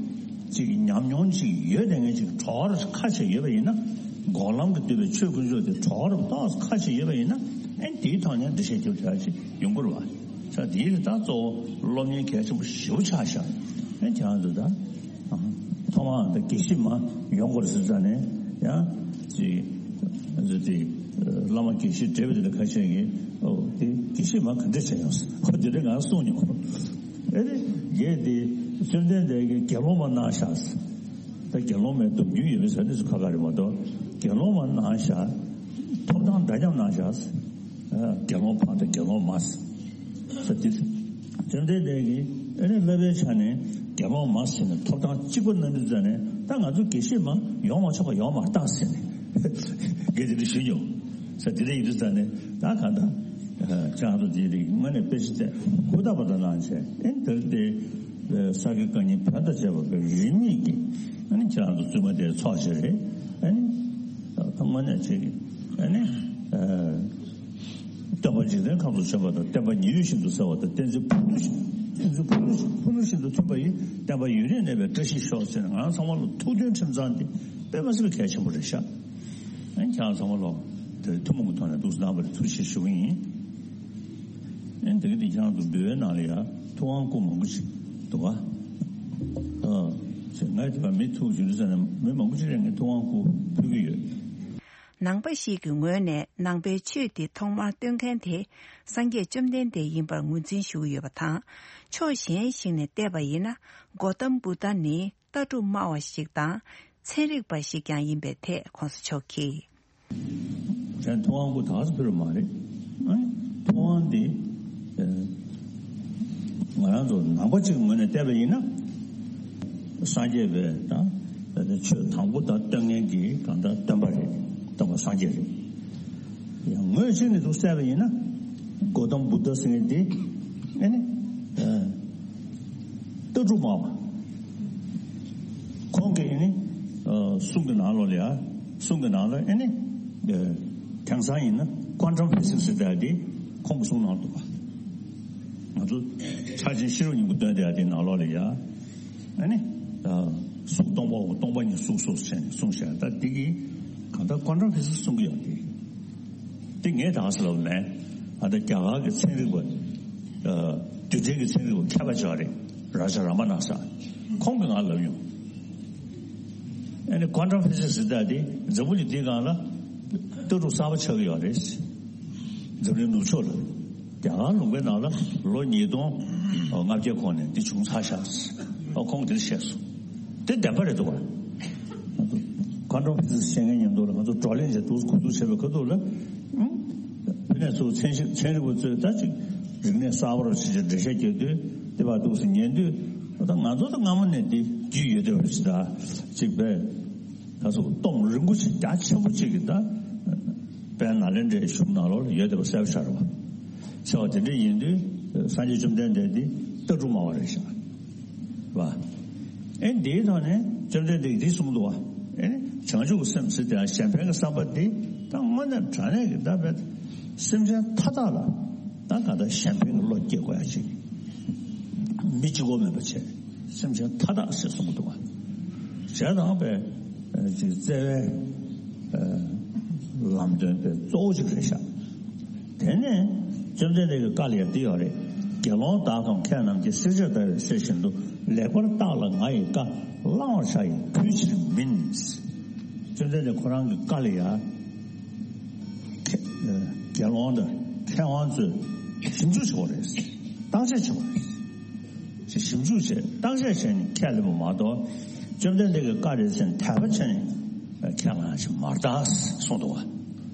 ཅིག་ཉམས་མྱོང་ཅིག་ཡོད་དེ་ངས་ཅིག་གྲོགས་རབ་ཁ་ཆེ་ཡོད་པ་ཡིན་ན། འགོག་ལམ་གྱིས་བསྡུས་པའི་ཆོས་དཀོན་མཆོག་དེ་གྲོགས་རབ་ཏོག་ཙམ་ཁ་ཆེ་ཡོད་པ་ཡིན་ན། ཨ་ནི་དེའི་ཐོག་ནས་འགྲེལ་བཤད་རྒྱབ་ཐུབ་ཡ་ཅིག་ཡོང་གི་རེད་བ། ས་དེའི་རིགས་ད་གཙོ་བོ་སློབ་གཉེར་གལ་ཆེན་པོ་ཞེ་པོ་ཆགས་ཤག་ཨ་ནི་ཁྱེད་རང་ཚོ་ད། ཐོག་མར་ད་དགེ་བཤེས་མ་ཡོང་དགོས་ཟེར་ཙང་ནས་ཡང་ཅིག་ཨ་ཙི་དེ་བླ་མ་དགེ་བཤེས་བགྲེས་པ་དེ་ལ་ཁ་ཤས་ཀྱིས་ཨོ་དེ་དགེ་བཤེས་མ་ག་འདྲ་བྱས་ཡོང་ཟེར་ཁོ་དེ་འདྲ་ང་གསུངས་མྱོང་། ཨེ་རེད་རྒན་དེ་བཅོམ་ལྡན་འདས་ཀྱིས་དགེ་སློང་མ་གནང་ཤག་ཟེར། ད་དགེ་སློང་མའི་སྡོམ་རྒྱུན་ཡོད་མེད་ཟེར་དེ་ཚོ་ཁ་ཁ་རེད་མ་གཏོགས་དགེ་སློང་མ་གནང་ཤག་ཐོབ་ཐང་འདྲ་མཉམ་གནང་ཤག་ཟེར། དགེ་སློང་ཕ་དང་དགེ་སློང་མ་ཟེར་དེ། བཅོམ་ལྡན་འདས་ཀྱིས་ཨ་ནི་བསླབ་པའི་ཆ་ནས་དགེ་སློང་མ་ཟེར་ནས་ཐོབ་ཐང་གཅིག་པ་གནང་དུས་ཙ་ནས་ད་ང་ཚོ་དགེ་བཤེས་མ་ཡོང་མ་ཆོག་པ་ཡོང་མ་བཏང་ཟེར་ནས་དགེ་དེ་འདྲ་ཞུས་མྱོང་ཟེར། དེ་འདྲ་ཡིན་དུས་ཙ་ནས་ད་གང་ལྟར་ཁྱེད་རང་ཚོ་དེའི་རིགས་དངོས་གནས་དཔེ་ཆ་བལྟས་ཧུར་ཐག་པ་དང་གནང་བྱས་ཨ་ནི་དེར་དེ་ས་དགེ་བཀའ་རྙིང་བོན་དང་བཅས་པ་པའི་རིས་མེད་ཀྱི་ཨ་ནི་ཁྱེད་རང་ཚོ་བཙུན་མ་དེ་ཚོགས་བྱས་རེད། ཨ་ནི་ད་དངོས་གནས་བྱས་ཀྱི་ཨ་ནི། སྟོན་པ་འཇིག་རྟེན་ཁམས་སུ་བྱོན་པ་དང་། བསྟན་པ་ཉི་འོད་བཞིན་དུ་གསལ་བ་དང་། བསྟན་འཛིན་ཕུ་ནུ་བཞིན། བསྟན་འཛིན་ཕུ་ནུ་བཞིན། ཕུ་ནུ་བཞིན་དུ་མཐུན་པ་ཡི། བསྟན་པ་ཡུན་རིང་གནས་པའི་བཀྲ་ཤིས་ཤོག་ཟེར་ནས། ང་རང་ཚང་མ་ལ་ཐུགས་མཐུན་ཁྲིམས་གཙང་དེ་དཔེ་མ་སྲིད་པའི་གལ་ཆེན་པོ་རེད་ཤག་ཨ་ནི་ཁྱེད་རང་ཚང་མ་ལ་དེ་ཐུན་མོང་གི་ཐོག་ནས་ཐུགས་སྣང་བར་ཐུགས་རྗེ་ཆེ་ཞུ་གི་ཡིན། ཨ་ནི་དེ་གི་དེ་ཁྱེད་རང་ཚོ་འབུལ་བའི་ནང་ལ་ཡ་ཐུབ་དབང་སྐུ་མང་པོ་ཅིག་འདུག་ག་ཨ་ཚེ་ང་དེ་བ་མི་ཐུག་བཞུགས་ས་ནས་མི་མང་པོ་ཅིག་ལ་ངས་ཐུབ་དབང་སྐུ་ཕུལ་གི་ཡོད། ནང་པ་ཞིག་གི་ངོས་ནས་ནང་པའི་ཆོས་འདི་ཐོག་མར་སྟོན་མཁན་དེ་སངས་རྒྱས་བཅོམ་ལྡན་འདས་ཡིན་པར་ངོས་འཛིན་ཞུ་གི་ཡོད་པ་དང་། ཕྱོགས་གཞན་ཞིག་ནས་བལྟས་པ་ཡིན་ན། གོ་ཏམ་བུདྡྷ་ནི་ལྟ་གྲུབ་སྨྲ་བ་ཞིག་དང་། ཚན་རིག་པ་ཞིག་ཀྱང་ཡིན་པའི་ཐད་གོང་ས་མཆོག་གིས། ཁྱེད་ཐུབ་དབང་སྐུ་དག་ས་ཕུལ་བ་མ་རེད། ཨ་ནི་ཐུབ་དབང་འདི་ཨ་ང་རང་ཚོ་ནང་པ་གཅིག་ངོས་ནས་བལྟས་པ་ཡིན་ན། སངས་རྒྱས་པའི་ད་ཆོས་དང་པོ་ད་སྟོན་མཁན་གྱི་གང་ལྟར་སྟོན་པ་རེད། སྟོན་པ་སངས་རྒྱས་རེད། ཡང་ངོས་གཅིག་ནས་འདུག་བལྟས་པ་ཡིན་ན། གོ་ཏམ་བུདྡྷ་ཟེར་མཁན་དེ་ཨ་ནི་ཨ་ལྟ་གྲུབ་སྨྲ་བ། ཁོང་གིས་ཨ་ནི་ཨ་གསུང་གི་ནང་ལོགས་ལ་ཡ། གསུང་གི་ནང་ལ་ཨ་ནི་ཨ་དེང་སང་ཡིན་ན་ཀོན་ཊམ་ཕི་ཟིག་སི་ཟེར་ཡ་དེ་ཁོང་གིས་གསུང་གནང་འདུག་པ། ང་ཚོ་ཕྱག་ཆེན་ཤེས་རབ་སྙིང་པོ་འདོན་བསྡད་ཡ་དེ་ནང་ལོགས་ལ་ཡ། ཨ་ནི་ད་གཟུགས་སྟོང་པའོ། སྟོང་པ་ཉིད་གཟུགས་སོ་ཟེར་ནས་གསུངས་བཞག་ད་འདི་གི་གང་ལྟར་ཀོན་ཊམ་ཕི་ཟིག་སི་གསུང་གི་ཡོད་དེ། འདི་ངས་ད་ག་ཟེར་ལབ་མེད། ཨ་ད་རྒྱ་གར་གྱི་ཚན་རིག་པ། ཨ་རྡུལ་ཕྲན་གྱི་ཚན་རིག་པ་མཁས་པ་ཅིག་རེད། རཱ་ཇ་ར་མ་ན་ས། ཁོང་གིས་ང་ལབ་ཡོང་། ཨ་ནི་ཀོན་ཊམ་ཕི་ཟིག་སི་ཟེར་ཡ་དེ་འཛམ་བུ་གླིང་འདིའི་སྒང་ལ་ལྟ་གྲུབ་གསར་པ་ཆགས་ཀྱི་ཡོད་རེད། འཛམ་གླིང་ནུབ་ཕྱོགས་ལ། རྒྱ་གར་ལུང་པའི་ནང་ལ་ལོ་ཉིས་སྟོང་ལྔ་བརྒྱ་གོང་ནས་འདི་བྱུང་ཚར་ཤག་ཨ་ཁོང་གིས་དེ་བཤད་སོང་། དེ་བདེན་པ་རེད་འདུག་བ། ཀོན་ཊམ་ཕི་ཟིག་སི་བཤད་མཁན་མཉམ་དུ་ལ་ང་ཚོ་བགྲོ་གླེང་བྱས་འདུག་གོ་འདུག་བྱས་པའི་ཁ་ཐུག་ལ། ཨང་། བོད་ནས་ཚུར་ཚན་ཞིབ་ཚན་རིག་པ་ཚོས་ད་ཅིག་རིག་གནས་གསར་པ་རུ་ཕྱིན་ཆད་འགྲེལ་བཤད་རྒྱག་དུས་དེ་བར་འདུག་སེ་ཉན་དུས། ད་ང་ཚོ་ད་སྔ་མོ་ནས་འདི་རྒྱུས་ཡོད་བསྡད་པ་ཞིག་ད་ཅིག་པས། ད་སོ་སྟོང་རིང་པོ་ཅིག་རྒྱ་ཆེན་པོ་ཅིག་གི་ད་དཔལ་ནཱ་ལེནྡྲའི་གཞུང་ནང་ལོགས་ལ་ཡོད་བསྡད་པ་གསལ་པོ་ཤར་བ། ཟེར་བ་དེ་འདྲ་ཡིན་དུས་སངས་རྒྱས་བཅོམ་ལྡན་འདས་འདི་ལྟ་གྲུབ་སྨྲ་བ་རེད་ཤག་བ། ཨེ་འདིའི་ཐོག་ནས་བཅོམ་ལྡན་འདས་ཀྱིས་འདི་གསུངས་འདུག་བ། ཨེ་བྱང་ཆུབ་ཀྱི་སེམས་ཟེར་དེ་གཞན་ཕན་གྱི་བསམ་པ་འདི་ད་དངོས་གནས་དྲང་གནས་ཀྱི་ད་བས་སེམས་ཅན་མཐའ་དག་ལ་ད་ག་ད་གཞན་ཕན་གྱི་བློ་སྐྱེ་དགོས་ཡ་ཅིག་མི་གཅིག་པོ་མིན་པ་བྱས། སེམས་ཅན་མཐའ་དག་ཟེར་གསུངས་འདུག་བ། བྱས་ཙང་པས་ཅིག་བརྩེ་བའི་ལམ་སྟོན་པའི་གཙོ་བོ་ཅིག་རེད་ཤག་དེ་ནས་བཅོམ་ལྡན་འདས་ཀྱི་བཀའ་ལ་ཡང་འདི་ཡོད་རེད། དགེ་སློང་དག་གམ་མཁས་རྣམས་ཀྱིས། བསྲེག་བཅད་བརྡར་བའི་གསེར་བཞིན་དུ། ལེགས་པར་བརྟགས་ལ་ང་ཡི་བཀའ། བླང་བར་བྱ་ཡི་གུས་ཕྱིར་མིན། བཅོམ་ལྡན་འདས་ཁོ་རང་གི་བཀའ་ལ་ཡང་དགེ་སློང་དང་མཁས་དབང་ཚོས་ཞིབ་འཇུག་བྱེད་དགོས་རེད། བརྟག་དཔྱད་བྱེད་དགོས་རེད། ཞིབ་འཇུག་བྱས་བརྟག་དཔྱད་བྱས་ནས་ཁས་ལེན་པ་མ་གཏོགས། བཅོམ་ལྡན་འདས་ཀྱི་བཀའ་རེད་ཟེར་ནས་དད་པ་བྱས་ནས་ཁས་བླངས་ཞིག་མ་རེད་ད་གསུངས་འདུག་བ།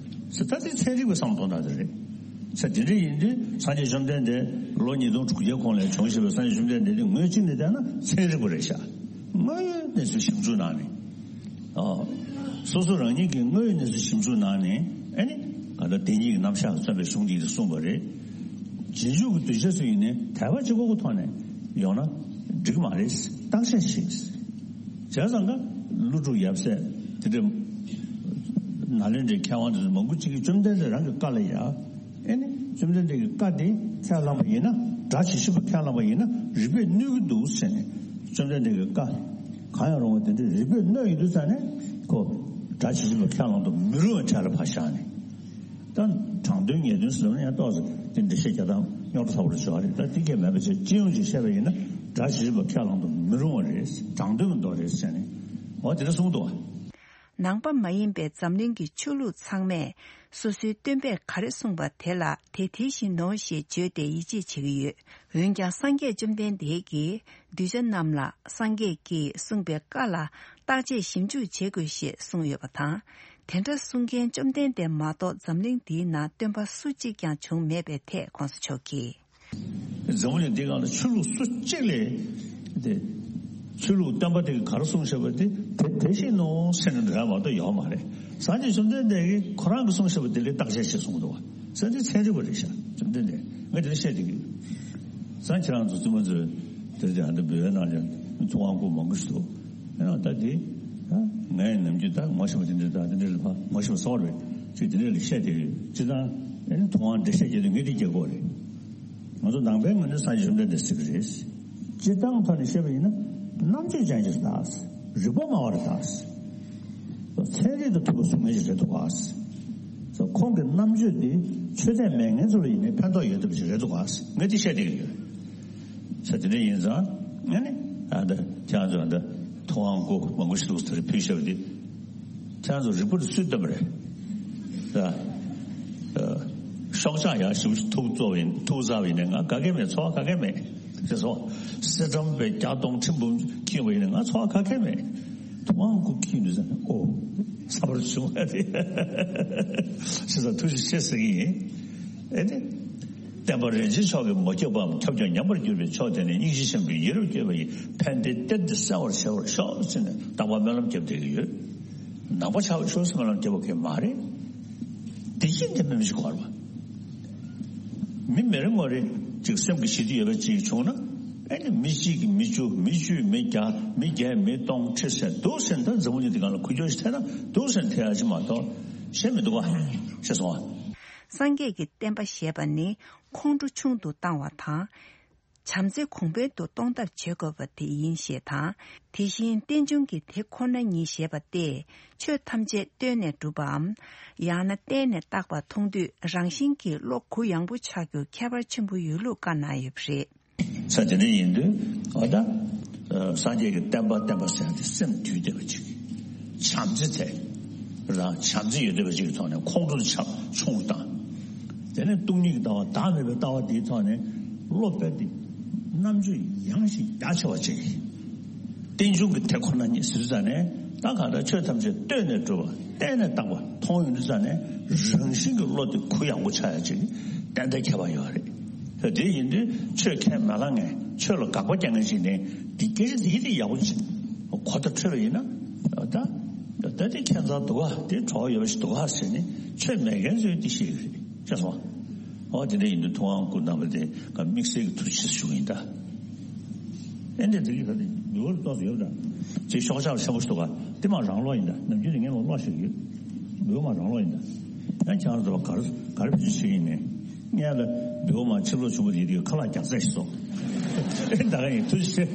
ཟེར་ད་དེ་ཚན་རིག་པའི་བསམ་བློ་གཏོང་སྟངས་དེ་རེད། ཟེར་དེ་འདྲ་ཡིན་དུས་སངས་རྒྱས་བཅོམ་ལྡན་འདས་ལོ་ཉིས་སྟོང་དྲུག་བརྒྱའི་གོང་ལ་བྱུང་ཞེས་པའི་སངས་རྒྱས་བཅོམ་ལྡན་འདས་དེ་ངོས་གཅིག་ནས་བལྟས་ན་ཚན་རིག་པ་རེད་ཤག་དངོས་ཡོད་གནས་ཚུལ་ཞིབ་འཇུག་གནང་ནས། ཨ། སོ་སོ་རང་ཉིད་ཀྱིས་དངོས་ཡོད་གནས་ཚུལ་ཞིབ་འཇུག་གནང་ནས་ཨ་ནི་ག་ད་བདེན་གཉིས་ཀྱི་རྣམ་གཞག་གིས་མཚོན་པའི་གཞུང་འདི་གསུངས་པ་རེད། རྗེས་འཇུག་གི་གདུལ་བྱ་ཚོ་ཡིན་ནའི་དད་པ་གཅིག་པོ་གི་ཐོག་ནས་ཡོང་ན་འགྲིག་མ་རེད། བརྟག་དཔྱད་བྱེད། བྱས་ཙང་ཀ་ཀླུ་སྒྲུབ་ཡབ་སྲས་དེ་འདྲ་ནཱ་ལེནྡྲའི་མཁས་དབང་དེ་ཚོ་མང་པོ་ཅིག་གིས་བཅོམ་ལྡན་འདས་རང་གི་བཀའ་ལ་ཡ། ཨེ་ནི་བཅོམ་ལྡན་འདས་ཀྱི་བཀའ་དེ་ཁས་བླངས་པ་ཡིན་ན། སྒྲ་ཇི་བཞིན་པ་ཁས་བླངས་པ་ཡིན་ན་རིགས་པས་གནོད་ཀྱི་འདུག་ཟེར་ནས། བཅོམ་ལྡན་འདས་ཀྱི་བཀའ་གང་ཡང་རུང་བ་དེ་འདྲ་རིགས་པས་གནོད་ཡོང་དུས་ཙང་ནས་ཁོ་སྒྲ་ཇི་བཞིན་པ་ཁས་བླངས་དུ་མི་རུང་བའི་གྲས་ལ་ཕར་བཞག་ནས། ད་དྲང་དོན་ངེས་དོན་ཟེར་ན་ཡང་ཏོག་ཙམ་དེ་འགྲེལ་བཤད་རྒྱག་སྟངས་རྙོག་དྲ་ཚ་པོ་རེ་བྱུང་བ་རེད། ད་དེ་གས་མེད་པ་བྱས་སྤྱི་ཡོངས་ཀྱིས་བཤད་པ་ཡིན་ན་སྒྲ་ཇི་བཞིན་པ་ཁས་བླངས་དུ་མི་རུང་བ་རེད། དྲང་དོན་མི་འདུག་རེད་ཟེར་ནས་འོ་དེ་འདྲ་གསུངས་འདུག་བ། ནང་པ་མ་ཡིན་པའི་འཛམ་གླིང་གི་ཆོས་ལུགས་ཚང་མས་སོ་སོའི་སྟོན་པས་ག་རེ་གསུངས་པ་དེ་ལ་དེ་དེ་བཞིན་ནོ་ཞེས་བརྗོད་དེ་ཡིད་ཆེས་བྱེད་ཀྱི་ཡོད། འོན་ཀྱང་སངས་རྒྱས་བཅོམ་ལྡན་འདས་ཀྱིས་གདུལ་བྱ་རྣམས་ལ་སངས་རྒྱས་ཀྱིས་གསུངས་པའི་བཀའ་ལ་བརྟག་དཔྱད་ཞིབ་འཇུག་བྱེད་དགོས་ཞེས་གསུངས་ཡོད་པ་དང་། དེ་འདྲ་གསུང་མཁན་བཅོམ་ལྡན་འདས་མ་གཏོགས་འཛམ་གླིང་འདིའི་ནང་སྟོན་པ་སུ་གཅིག་ཀྱང་བྱུང་མེད་པའི་ཐད་གོང་ས་མཆོག་གིས། འཛམ་བུ་གླིང་འདི་སྒང་ལ་ཆོས་ལུགས་སུ་གཅིག་ལས་དེ། ཆོས་ལུགས་སྟོན་པ་དེ་གིས་ག་རེ་གསུངས་བཞག་པ་དེ་དེ་དེ་བཞིན་ནོ་ཟེར་ནས་འདྲ་མ་གཏོགས་ཡོད་མ་རེད། སངས་རྒྱས་བཅོམ་ལྡན་འདས་ཀྱིས་ཁོ་རང་གིས་གསུངས་བཞག་པ་དེ་ལ་བརྟག་དཔྱད་བྱེད་གསུངས་འདུག་བ། ཟེར་དེ་ཚན་རིག་པ་རེད་ཤག་བཅོམ་ལྡན་འདས་ངས་དེ་ལ་བཤད་དེ་གི། སང་ཁྱེད་རང་ཚོ་བཙུན་མ་ཚོས་དེ་དེ་ཨ་འདི་འབོད་པའི་ནང་ལ་ཚོགས་དབང་སྐུ་མང་པོ་ཞིག་འདུག་ཨ་ད་དེ་ངས་ནམ་རྒྱུན་ད་ངོ་ཤེས་པ་དེ་འདྲ་ད་དེ་འདྲ་ལ་ཕ་ངོ་ཤེས་པ་སོགས་རེད་ཅིག་དེ་འདྲ་ལ་བཤད་དེ་གི་ཅི་ད། ཨ་ནི་ཐུབ་དབང་འགྲེལ་བཤད་བརྒྱབ་དུས་ངས་འདི་རྒྱག་དགོས་རེད། ང་ཚོ་ནང་པའི་ངོས་ནས་སངས་རྒྱས་བཅོམ་ལྡན་འདས་ཟེར་གྱི་རེད། སྤྱིར་བཏང་ཐོག་ནས་བཤད་པ་ཡིན་ན་རྣམ་དཔྱོད་ཅན་ཞིག་རེད་ད། རིག་པ་སྨྲ་བ་རེད་ད། ཚན་རིག་དང་མཐུན་པ་གསུང་མཁན་ཞིག་རེད་འདུག་ག། ཁོང་གི་རྣམ་དཔྱོད་འདི་ཆོས་དད་མེད་མཁན་ཚོ་ལ་ཡིན་ནའི་ཕན་ཐོགས་ཡོད་བསྡད་པ་ཞིག་རེད་འདུག་ག། ངས་འདི་བཤད་བསྡད་ཀྱི་ཡོད། ས་དེ་འདྲ་ཡིན་ཙང་ཨ་ནི་ཨ་ད་ཁྱེད་རང་ཚོ་ཨ་ད་ཐུབ་དབང་སྐུ་མང་པོ་ཞིག་འདུག་ཟེར་ཕུལ་བཞག་པ་འདི་ཁྱེད་རང་ཚོ་རིག་པ་འདི་སུས་བཏོན་པ་རེད། ད་ཨ་ཤོག་ཆག་ཡག་ཞིག་ཐུག་བཙོག་ཡིན་ཐུག་ཟ་བ་ཡིན་ནའི་ང་ག་གེ་མེད། ཚོར་བ་ག་གེ་མེད། ཅེས་སོ། གསེར་སྦྲམ་པའི་བརྒྱ་སྟོང་ཁྲི་འབུམ་འཁྱིལ་བ་ཡིན་ནའི་ང་ཚོར་བ་ག་གེ་མེད། ཐུབ་དབང་སྐུ་འཁྱིལ་ནས་ཟེར་ནས་ཨོ། ཚ་བར་བྱུང་བ་རེད། ཞེས་སོགས་ཐུགས་རྗེ་ཆེ་ཟེར་གྱི་ཡིན། ཨེ་ནི། བསྟན་པ་རིན་ཆེན་མཆོག་གིས་མ་ཁྱབ་པའམ་ཁྱབ་ཀྱང་ཉམས་པར་གྱུར་པའི་མཆོག་དེ་ནི་སྙིང་རྗེ་ཆེན་པོས་ཡིད་རབ་བསྐྱོད་པ་ཡི་ཕན་བདེའི་གཏེར་འདི་གསལ་བར་བྱེད་པར་ཤོག་ཟེར་ནས་རྟག་པར་སྨོན་ལམ་བརྒྱབ་བསྡད་ཀྱི་ཡོད། ནང་པ་ཆགས་པར་ཤོག་ཟེར་སྨོན་ལམ་བརྒྱབ་པ་གང་ཡང་མ་རེད། བདེ་སྐྱིད་ལྡན་པའི་མི་ཞིག་དགོས་རེད་པ། མི་མི་རེ་ངོ་རེ་ཅིག་སེམས་ཀྱི་ཞི་བདེ་ཡོད་པ་ཅིག་བྱུང་ན། ཨེ་ནི་མི་གཅིག་གིས་མི་བཅུ་མི་བཅུས་མི་བརྒྱ་མི་བརྒྱས་མི་སྟོང་ཁྲི་ཟེར་འདུག་ཟེར་ད་འཛམ་བུ་གླིང་འདི་སྒང་ལ་ཁུ་བྱུག་ཞིག་ཐེབས་ན་འདུག་ཟེར་ཐེབས་ཡ་ཅིག་མ་གཏོགས་གཞན་མི་འདུག་ག། ཤེས་སོང་ང་། སངས་རྒྱས་ཀྱི་བསྟན་པ་ཞེས་པ་ནི་ཁོང་ཁྲོ་ཆུང་དུ་བཏང་བ་དང་། བྱམས་བརྩེ་གོང་འཕེལ་དུ་གཏོང་ཐབས་བྱེད་དགོས་པ་དེ་ཡིན་ཞེས་དང་། དེ་བཞིན་རྟེན་འབྱུང་གི་དེ་ཁོ་ན་ཉིད་ཞེས་པ་སྟེ། ཆོས་ཐམས་ཅད་བརྟེན་ནས་གྲུབ་པའམ། ཡང་ན་བརྟེན་ནས་བཏགས་པ་མཐོང་དུས་རང་བཞིན་གྱིས་བློ་གུ་ཡངས་པོ་ཆགས་རྒྱུ་ཁྱད་པར་ཆེན་པོ་ཡོད་ལུགས་བཀའ་གནང་ཡོད་པ་རེད། ས་དེ་འདྲ་ཡིན་དུས་འོ་ད། སངས་རྒྱས་ཀྱི་བསྟན་པ་བསྟན་པ་ཟེར་ཡ་དེ་སེམས་དུལ་བསྡད་པ་ཅིག། བྱམས་བརྩེ་དེ། རང་བྱམས་བརྩེ་ཡོད་བསྡད་པ་ཅིག་གི་ཐོག་ནས་ཁོང་ཁྲོ་ཆགས་ཆུང་རུ་བཏང་། དེ་ནས་སྟོང་ཉིད་ཀྱི་ལྟ་བ་བདག་མེད་པའི་ལྟ་བ་དེའི་ཐོག་ནས་བློ་དཔེ་དེ་རྣམ་དཔྱོད་ཡངས་ཤིང་རྒྱ་ཆེ་བ་ཅིག། རྟེན་འབྱུང་གི་དེ་ཁོ་ན་ཉིད་ཟེར་ཙ་ནས་ད་གང་ལྟར་ཆོས་ཐམས་ཅད་བརྟེན་ནས་གྲུབ་པ་བརྟེན་ནས་བཏགས་པ་མཐོང་ཡོང་དུས་ཙ་ནས་རང་བཞིན་གྱི་བློ་དེ་གུ་ཡངས་པོ་ཆགས་ཡ་ཅིག་ཏན་ཏན་ཁྱད་པར་ཡོད་རེད། དེ་ཡིན་དུས་ཆོས་ཁས་མ་བླངས་མཁན་ཆོས་ལ་དགག་པ་རྒྱག་མཁན་ཞིག་ནས་འདི་སྐད་ཆ་འདི་འདི་ཡག་པོ་ཅིག་གོ་བརྡ་འཕྲོད་པ་ཡིན་ན་ད་ད་དེ་ཁྱད་མཚར་འདུག་ག། དེ་གྲོགས་ཡོད་པ་ཞིག་འདུག་ག་ཟེར་ནས་ཆོས་མེད་མཁན་ཚོས་འདི་ཤེས་ཀྱི་རེད། ཤེས་སོང་། ཨོ་དེ་འདྲ་ཡིན་དུས་ཐུབ་དབང་སྐུ་རྣམ་པ་དེ་ག་དམིགས་བསལ་གྱི་ཐུགས་རྗེ་ཆེ་ཞུ་གི་ཡིན་ད། ཨེ་འདྲ་དེ་གི་ད་དེ་འབུལ་བ་ཏོག་ཙམ་ཡོད་ད། ཅིག་ཤོག་ཆག་ཆེན་པོ་ཞིག་འདུག་ག། དེ་མ་རང་ལོག་ཡིན་ད། ནམ་རྒྱུན་དེ་ངས་མ་ལོག་ཤིག་ཡོད། འབུལ་བ་མ་རང་ལོག་ཡིན་ད། ཡང་ཁྱེད་རང་ཚོ་གར་གར་བེད་སྤྱོད་བྱེད་ཀྱི་ཡིན་ནས། ངས་ལ་འབུལ་བ་མ་ཕྱིར་ལོག་བྱུང་བ་དེ་དེ་ཁ་ལག་རྒྱག་ཚད་ཞིག་སོང་། ཨེ་ད་ག་ཡིན་ཐུགས་རྗེ་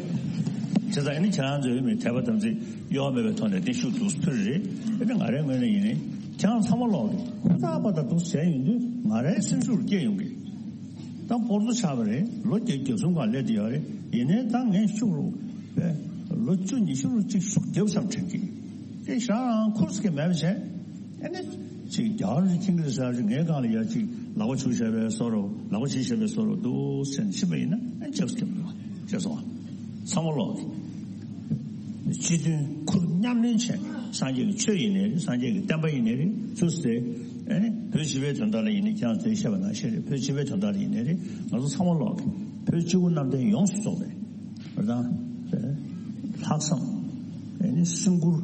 ཆེ། བྱས་ཙང་ཨེ་ནི་ཁྱེད་རང་ཚོའི་མི་དད་པ་དམ་ཚིག་གཡོ་བ་མེད་པའི་ཐོག་ནས་བརྟན་བཞུགས་འདུག་ཕུལ་རེད། ཨེ་ནི་ང་རའི་ངོས་ནས་ཡིན་ནི་ཁྱེད་རང་ཚང་མ་ལོག་གི་ཧུར་ཐག་པ་དང་འདུག་བྱས་ཡོང་དུས་ང་རའི་སེམས་ཤུགས་ལ་སྐྱེ་ཡོང་གི། ད་སྤོར་ཚོ་ཆགས་པ་རེད། ལོ་བརྒྱད་བརྒྱད་གསུམ་གང་སླེབས་དེ་ཡོད་རེད། ཡིན་ནའི་ད་ངས་ཤུགས་རུ་པས་ལོ་བཅུ་ཉི་ཤུ་རུ་གཅིག་ཤུགས་རྒྱབ་ཙམ་དྲན་གི། དེ་ཞག་རང་ཁུར་སྐད་མེད་པ་བྱས། ཨེ་ནི་ཅིག་རྒྱ་གར་ཅིག་ཁྱིམ་གྱི་ས་ཅིག་ངའི་སྒང་ལ་ཡ་ཅིག་ལག་པ་ཆུ་བྱས་པའི་བཟོ་རུ་ལག་པ་ཆུ་བྱས་པའི་བཟོ་རུ་འདུག་ཟེར་ནས་ཕྱིན་པ་ཡིན་ན་ཨེ་ཅེག་སྐད་མི་འདུག་བ་ཅེས་སོང་བ། ཚང་མ་ལོག་གི། སྤྱི་མཐུན་ཁུར་མཉམ་ལེན་བྱས་སངས་རྒྱས་ཀྱི་ཆོས་ཡིན་ནའི་རེད། སངས་རྒྱས་ཀྱི་བསྟན་པ་ཡིན་ནའི་རེད། ཚུར་ཟེར། ཨེ་ནི་བོད་སྤྱི་པའི་དོན་དག་ལ་ཡིན་ནའི་ཁྱེད་རང་ཚོས་བཤད་པ་ནང་བཞིན་རེད། བོད་སྤྱི་པའི་དོན་དག་ལ་ཡིན་ནའི་རེད། ང་ཚོ་ཚང་མ་ལོག་གི་བོད་སྤྱི་བོ་གནམ་བསྟན་ཡོངས་སུ་རྫོགས་པའི་རེད་དང་། ལྷག་བསམ། ཨེ་ནི་སེམས་ཁུར་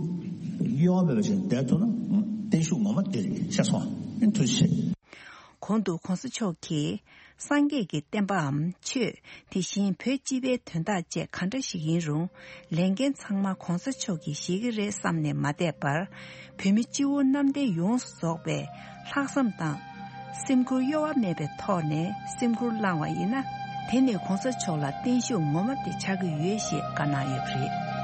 གཡོ་བ་མེད་པ་ཞིག་བསྡད་ཐུབ་ན་བརྟན་བཞུགས་ངོ་མ་དེ་རེད་ཤེས་སོང་། ཨེ་ཐུགས་རྗེ་ཆེ། གོང་དུ་གོང་ས་མཆོག་གིས་སངས་རྒྱས་ཀྱི་བསྟན་པའམ་ཆོས། དེ་བཞིན་བོད་སྤྱི་པའི་དོན་དག་བཅས་ག་འདྲ་ཞིག་ཡིན་རུང་ལས་འགན་ཚང་མ་གོང་ས་མཆོག་གིས་བཞེས་ཀྱི་རེད་བསམ་ནས་མ་བསྡད་པར། བོད་མི་སྤྱི་བོ་གནམ་བསྟན་ཡོངས་སུ་རྫོགས་པའི་ལྷག་བསམ་དང་། སེམས་ཁུར་གཡོ་བ་མེད་པའི་ཐོག་ནས་སེམས་ཁུར་བླངས་བ་ཡིན་ན། དེ་ནི་གོང་ས་མཆོག་ལ་བརྟན་བཞུགས་ངོ་མ་དེ་ཆགས་ཀྱི་ཡོད་ཞེས་བཀའ་གནང་ཡོད་པ་རེད།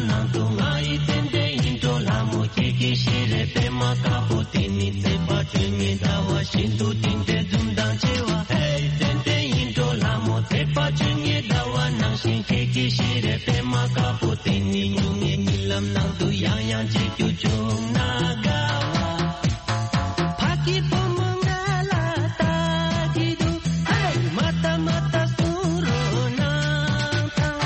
ནང་དུ་ང་ཡི་ཏན་ཏན་ཡིན་འགྲོ་ལྷ་མོ་ཁྱེད་ཀྱི་ཤེས་རེ་པད་མ་དཀར་པོ་དེ་ནི་བརྩེ་བ་སྤྲོས་ངེས་ཟླ་བ་བཞིན་དུ་དེ་འདྲའི་འཛུམ་མདངས་ཆེ་བ། ཧེ་ཏན་ཏན་ཡིན་འགྲོ་ལྷ་མོ་བརྩེ་བ་སྤྲོས་ངེས་ཟླ་བ་ནང་བཞིན་ཁྱེད་ཀྱི་ཤེས་རེ་པད་མ་དཀར་པོ་དེ་ནི་སྨྱུང་གནས་གཉིད་ལམ་ནང་དུ་ཡང་ཡང་མཇལ་རྒྱུ་བྱུང་ན་དགའ་བ། ཕ་གི་བུ་མོ་ང་ལ་ལྟ་གི་འདུག་ཧེ། མ་ལྟ་མ་ལྟ་གསུང་རོགས་གནང་དང་།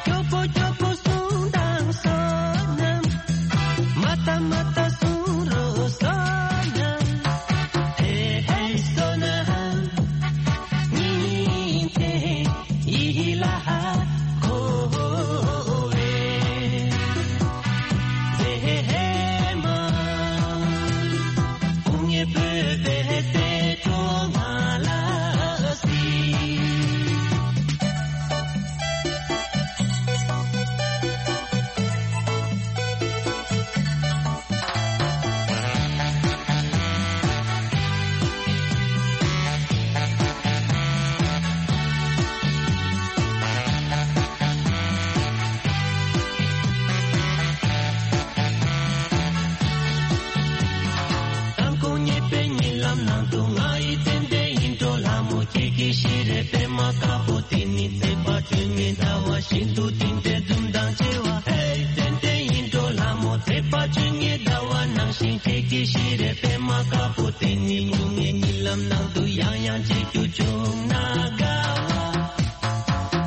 སྐྱོ་པོ་སྐྱོ་པོ་གསུང་དང་བསོད་ནམས། མ་ལྟ་མ་ལྟ་གསུང་རོགས་བསོད་ནམས། ཧེ་ཧེ་བསོད་ནམས། ཉིན་མཚན་ཡིད་ལ་འཁོར་བའི་མཛེས་མ། སྐུ་ངལ་བོད་པའི་སྲས་གྲོགས་མ་ལ་སྲིད། དང་ཁོང་ཉེས་པའི་གཉིད་ལམ་ནང་དུ་ང་ཡི་ཏན་ཏན་ཡིན་འགྲོ་ལྷ་མོ་ཁྱེད་ཀྱི་ཤེས་རེ་པད་མ་དཀར་པོ་དེ་ནི་བརྩེ་བ་སྤྲོས་ངེས་ཟླ་བ་བཞིན་དུ་དེ་འདྲའི་འཛུམ་མདངས་ཆེ་བ། ཧེ་ཏན་ཏན་ཡིན་འགྲོ་ལྷ་མོ་བརྩེ་བ་སྤྲོས་ངེས་ཟླ་བ་ནང་བཞིན་ཁྱེད་ཀྱི་ཤེས་རེ་པད་མ་དཀར་པོ་དེ་ནི་སྨྱུང་གནས་གཉིད་ལམ་ནང་དུ་ཡང་ཡང་མཇལ་རྒྱུ་བྱུང་ན་དགའ་བ།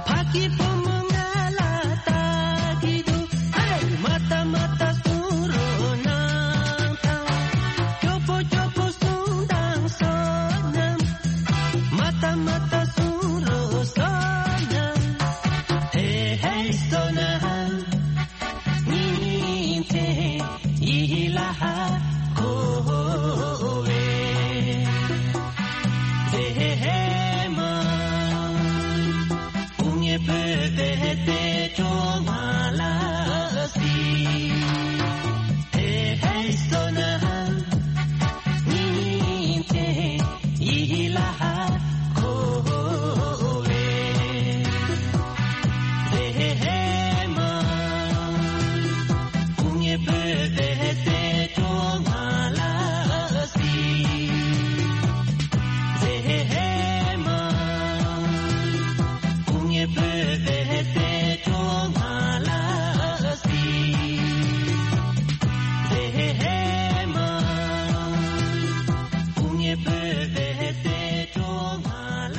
ཕ་གི་བུ་མོ་ང་ལ་ལྟ་གི་འདུག་ཧེ། མ་ལྟ་མ་ལྟ་གསུང་རོགས་གནང་དང་། སྐྱོ་པོ་སྐྱོ་པོ་གསུང་དང་བསོད་ནམས། མ་ལྟ་མ་ལྟ་གསུང་རོགས་བསོད་ནམས། ཧེ་ཧེ་བསོད་ནམས། ཉིན་མཚན་ཡིད་ལ་འཁོར་བའི་མཛེས་མ། སྐུ་ངལ་བོད་པའི་སྲས་གྲོགས་མ་ལ་སྲིད། ཧེ་ཧེ་བསོད་ནམས། ཉིན་མཚན་ཡིད་ལ་འཁོར་བའི་མཛེས་མ། སྐུ་ངལ་བོད་པའི་སྲས་གྲོགས་མ་ལ་སྲིད། མཛེས་མ། སྐུ་ངལ་བོད་པའི་སྲས་གྲོགས་མ་ལ་སྲིད། མཛེས་མ། སྐུ་ངལ་བོད་པའི་སྲས་གྲོགས་མ་ལ།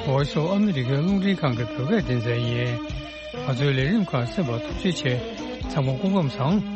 འོ་ཤོ་ཨ་མི་རི་ཀའི་རླུང་འཕྲིན་ཁང་གི་བོད་སྐད་སྡེ་ཚན་ཡིན། ང་ཚོའི་ལས་རིམ་ཁག་གསན་པར་ཐུགས་རྗེ་ཆེ། ཚང་མ་སྐུ་ཁམས་བཟང་།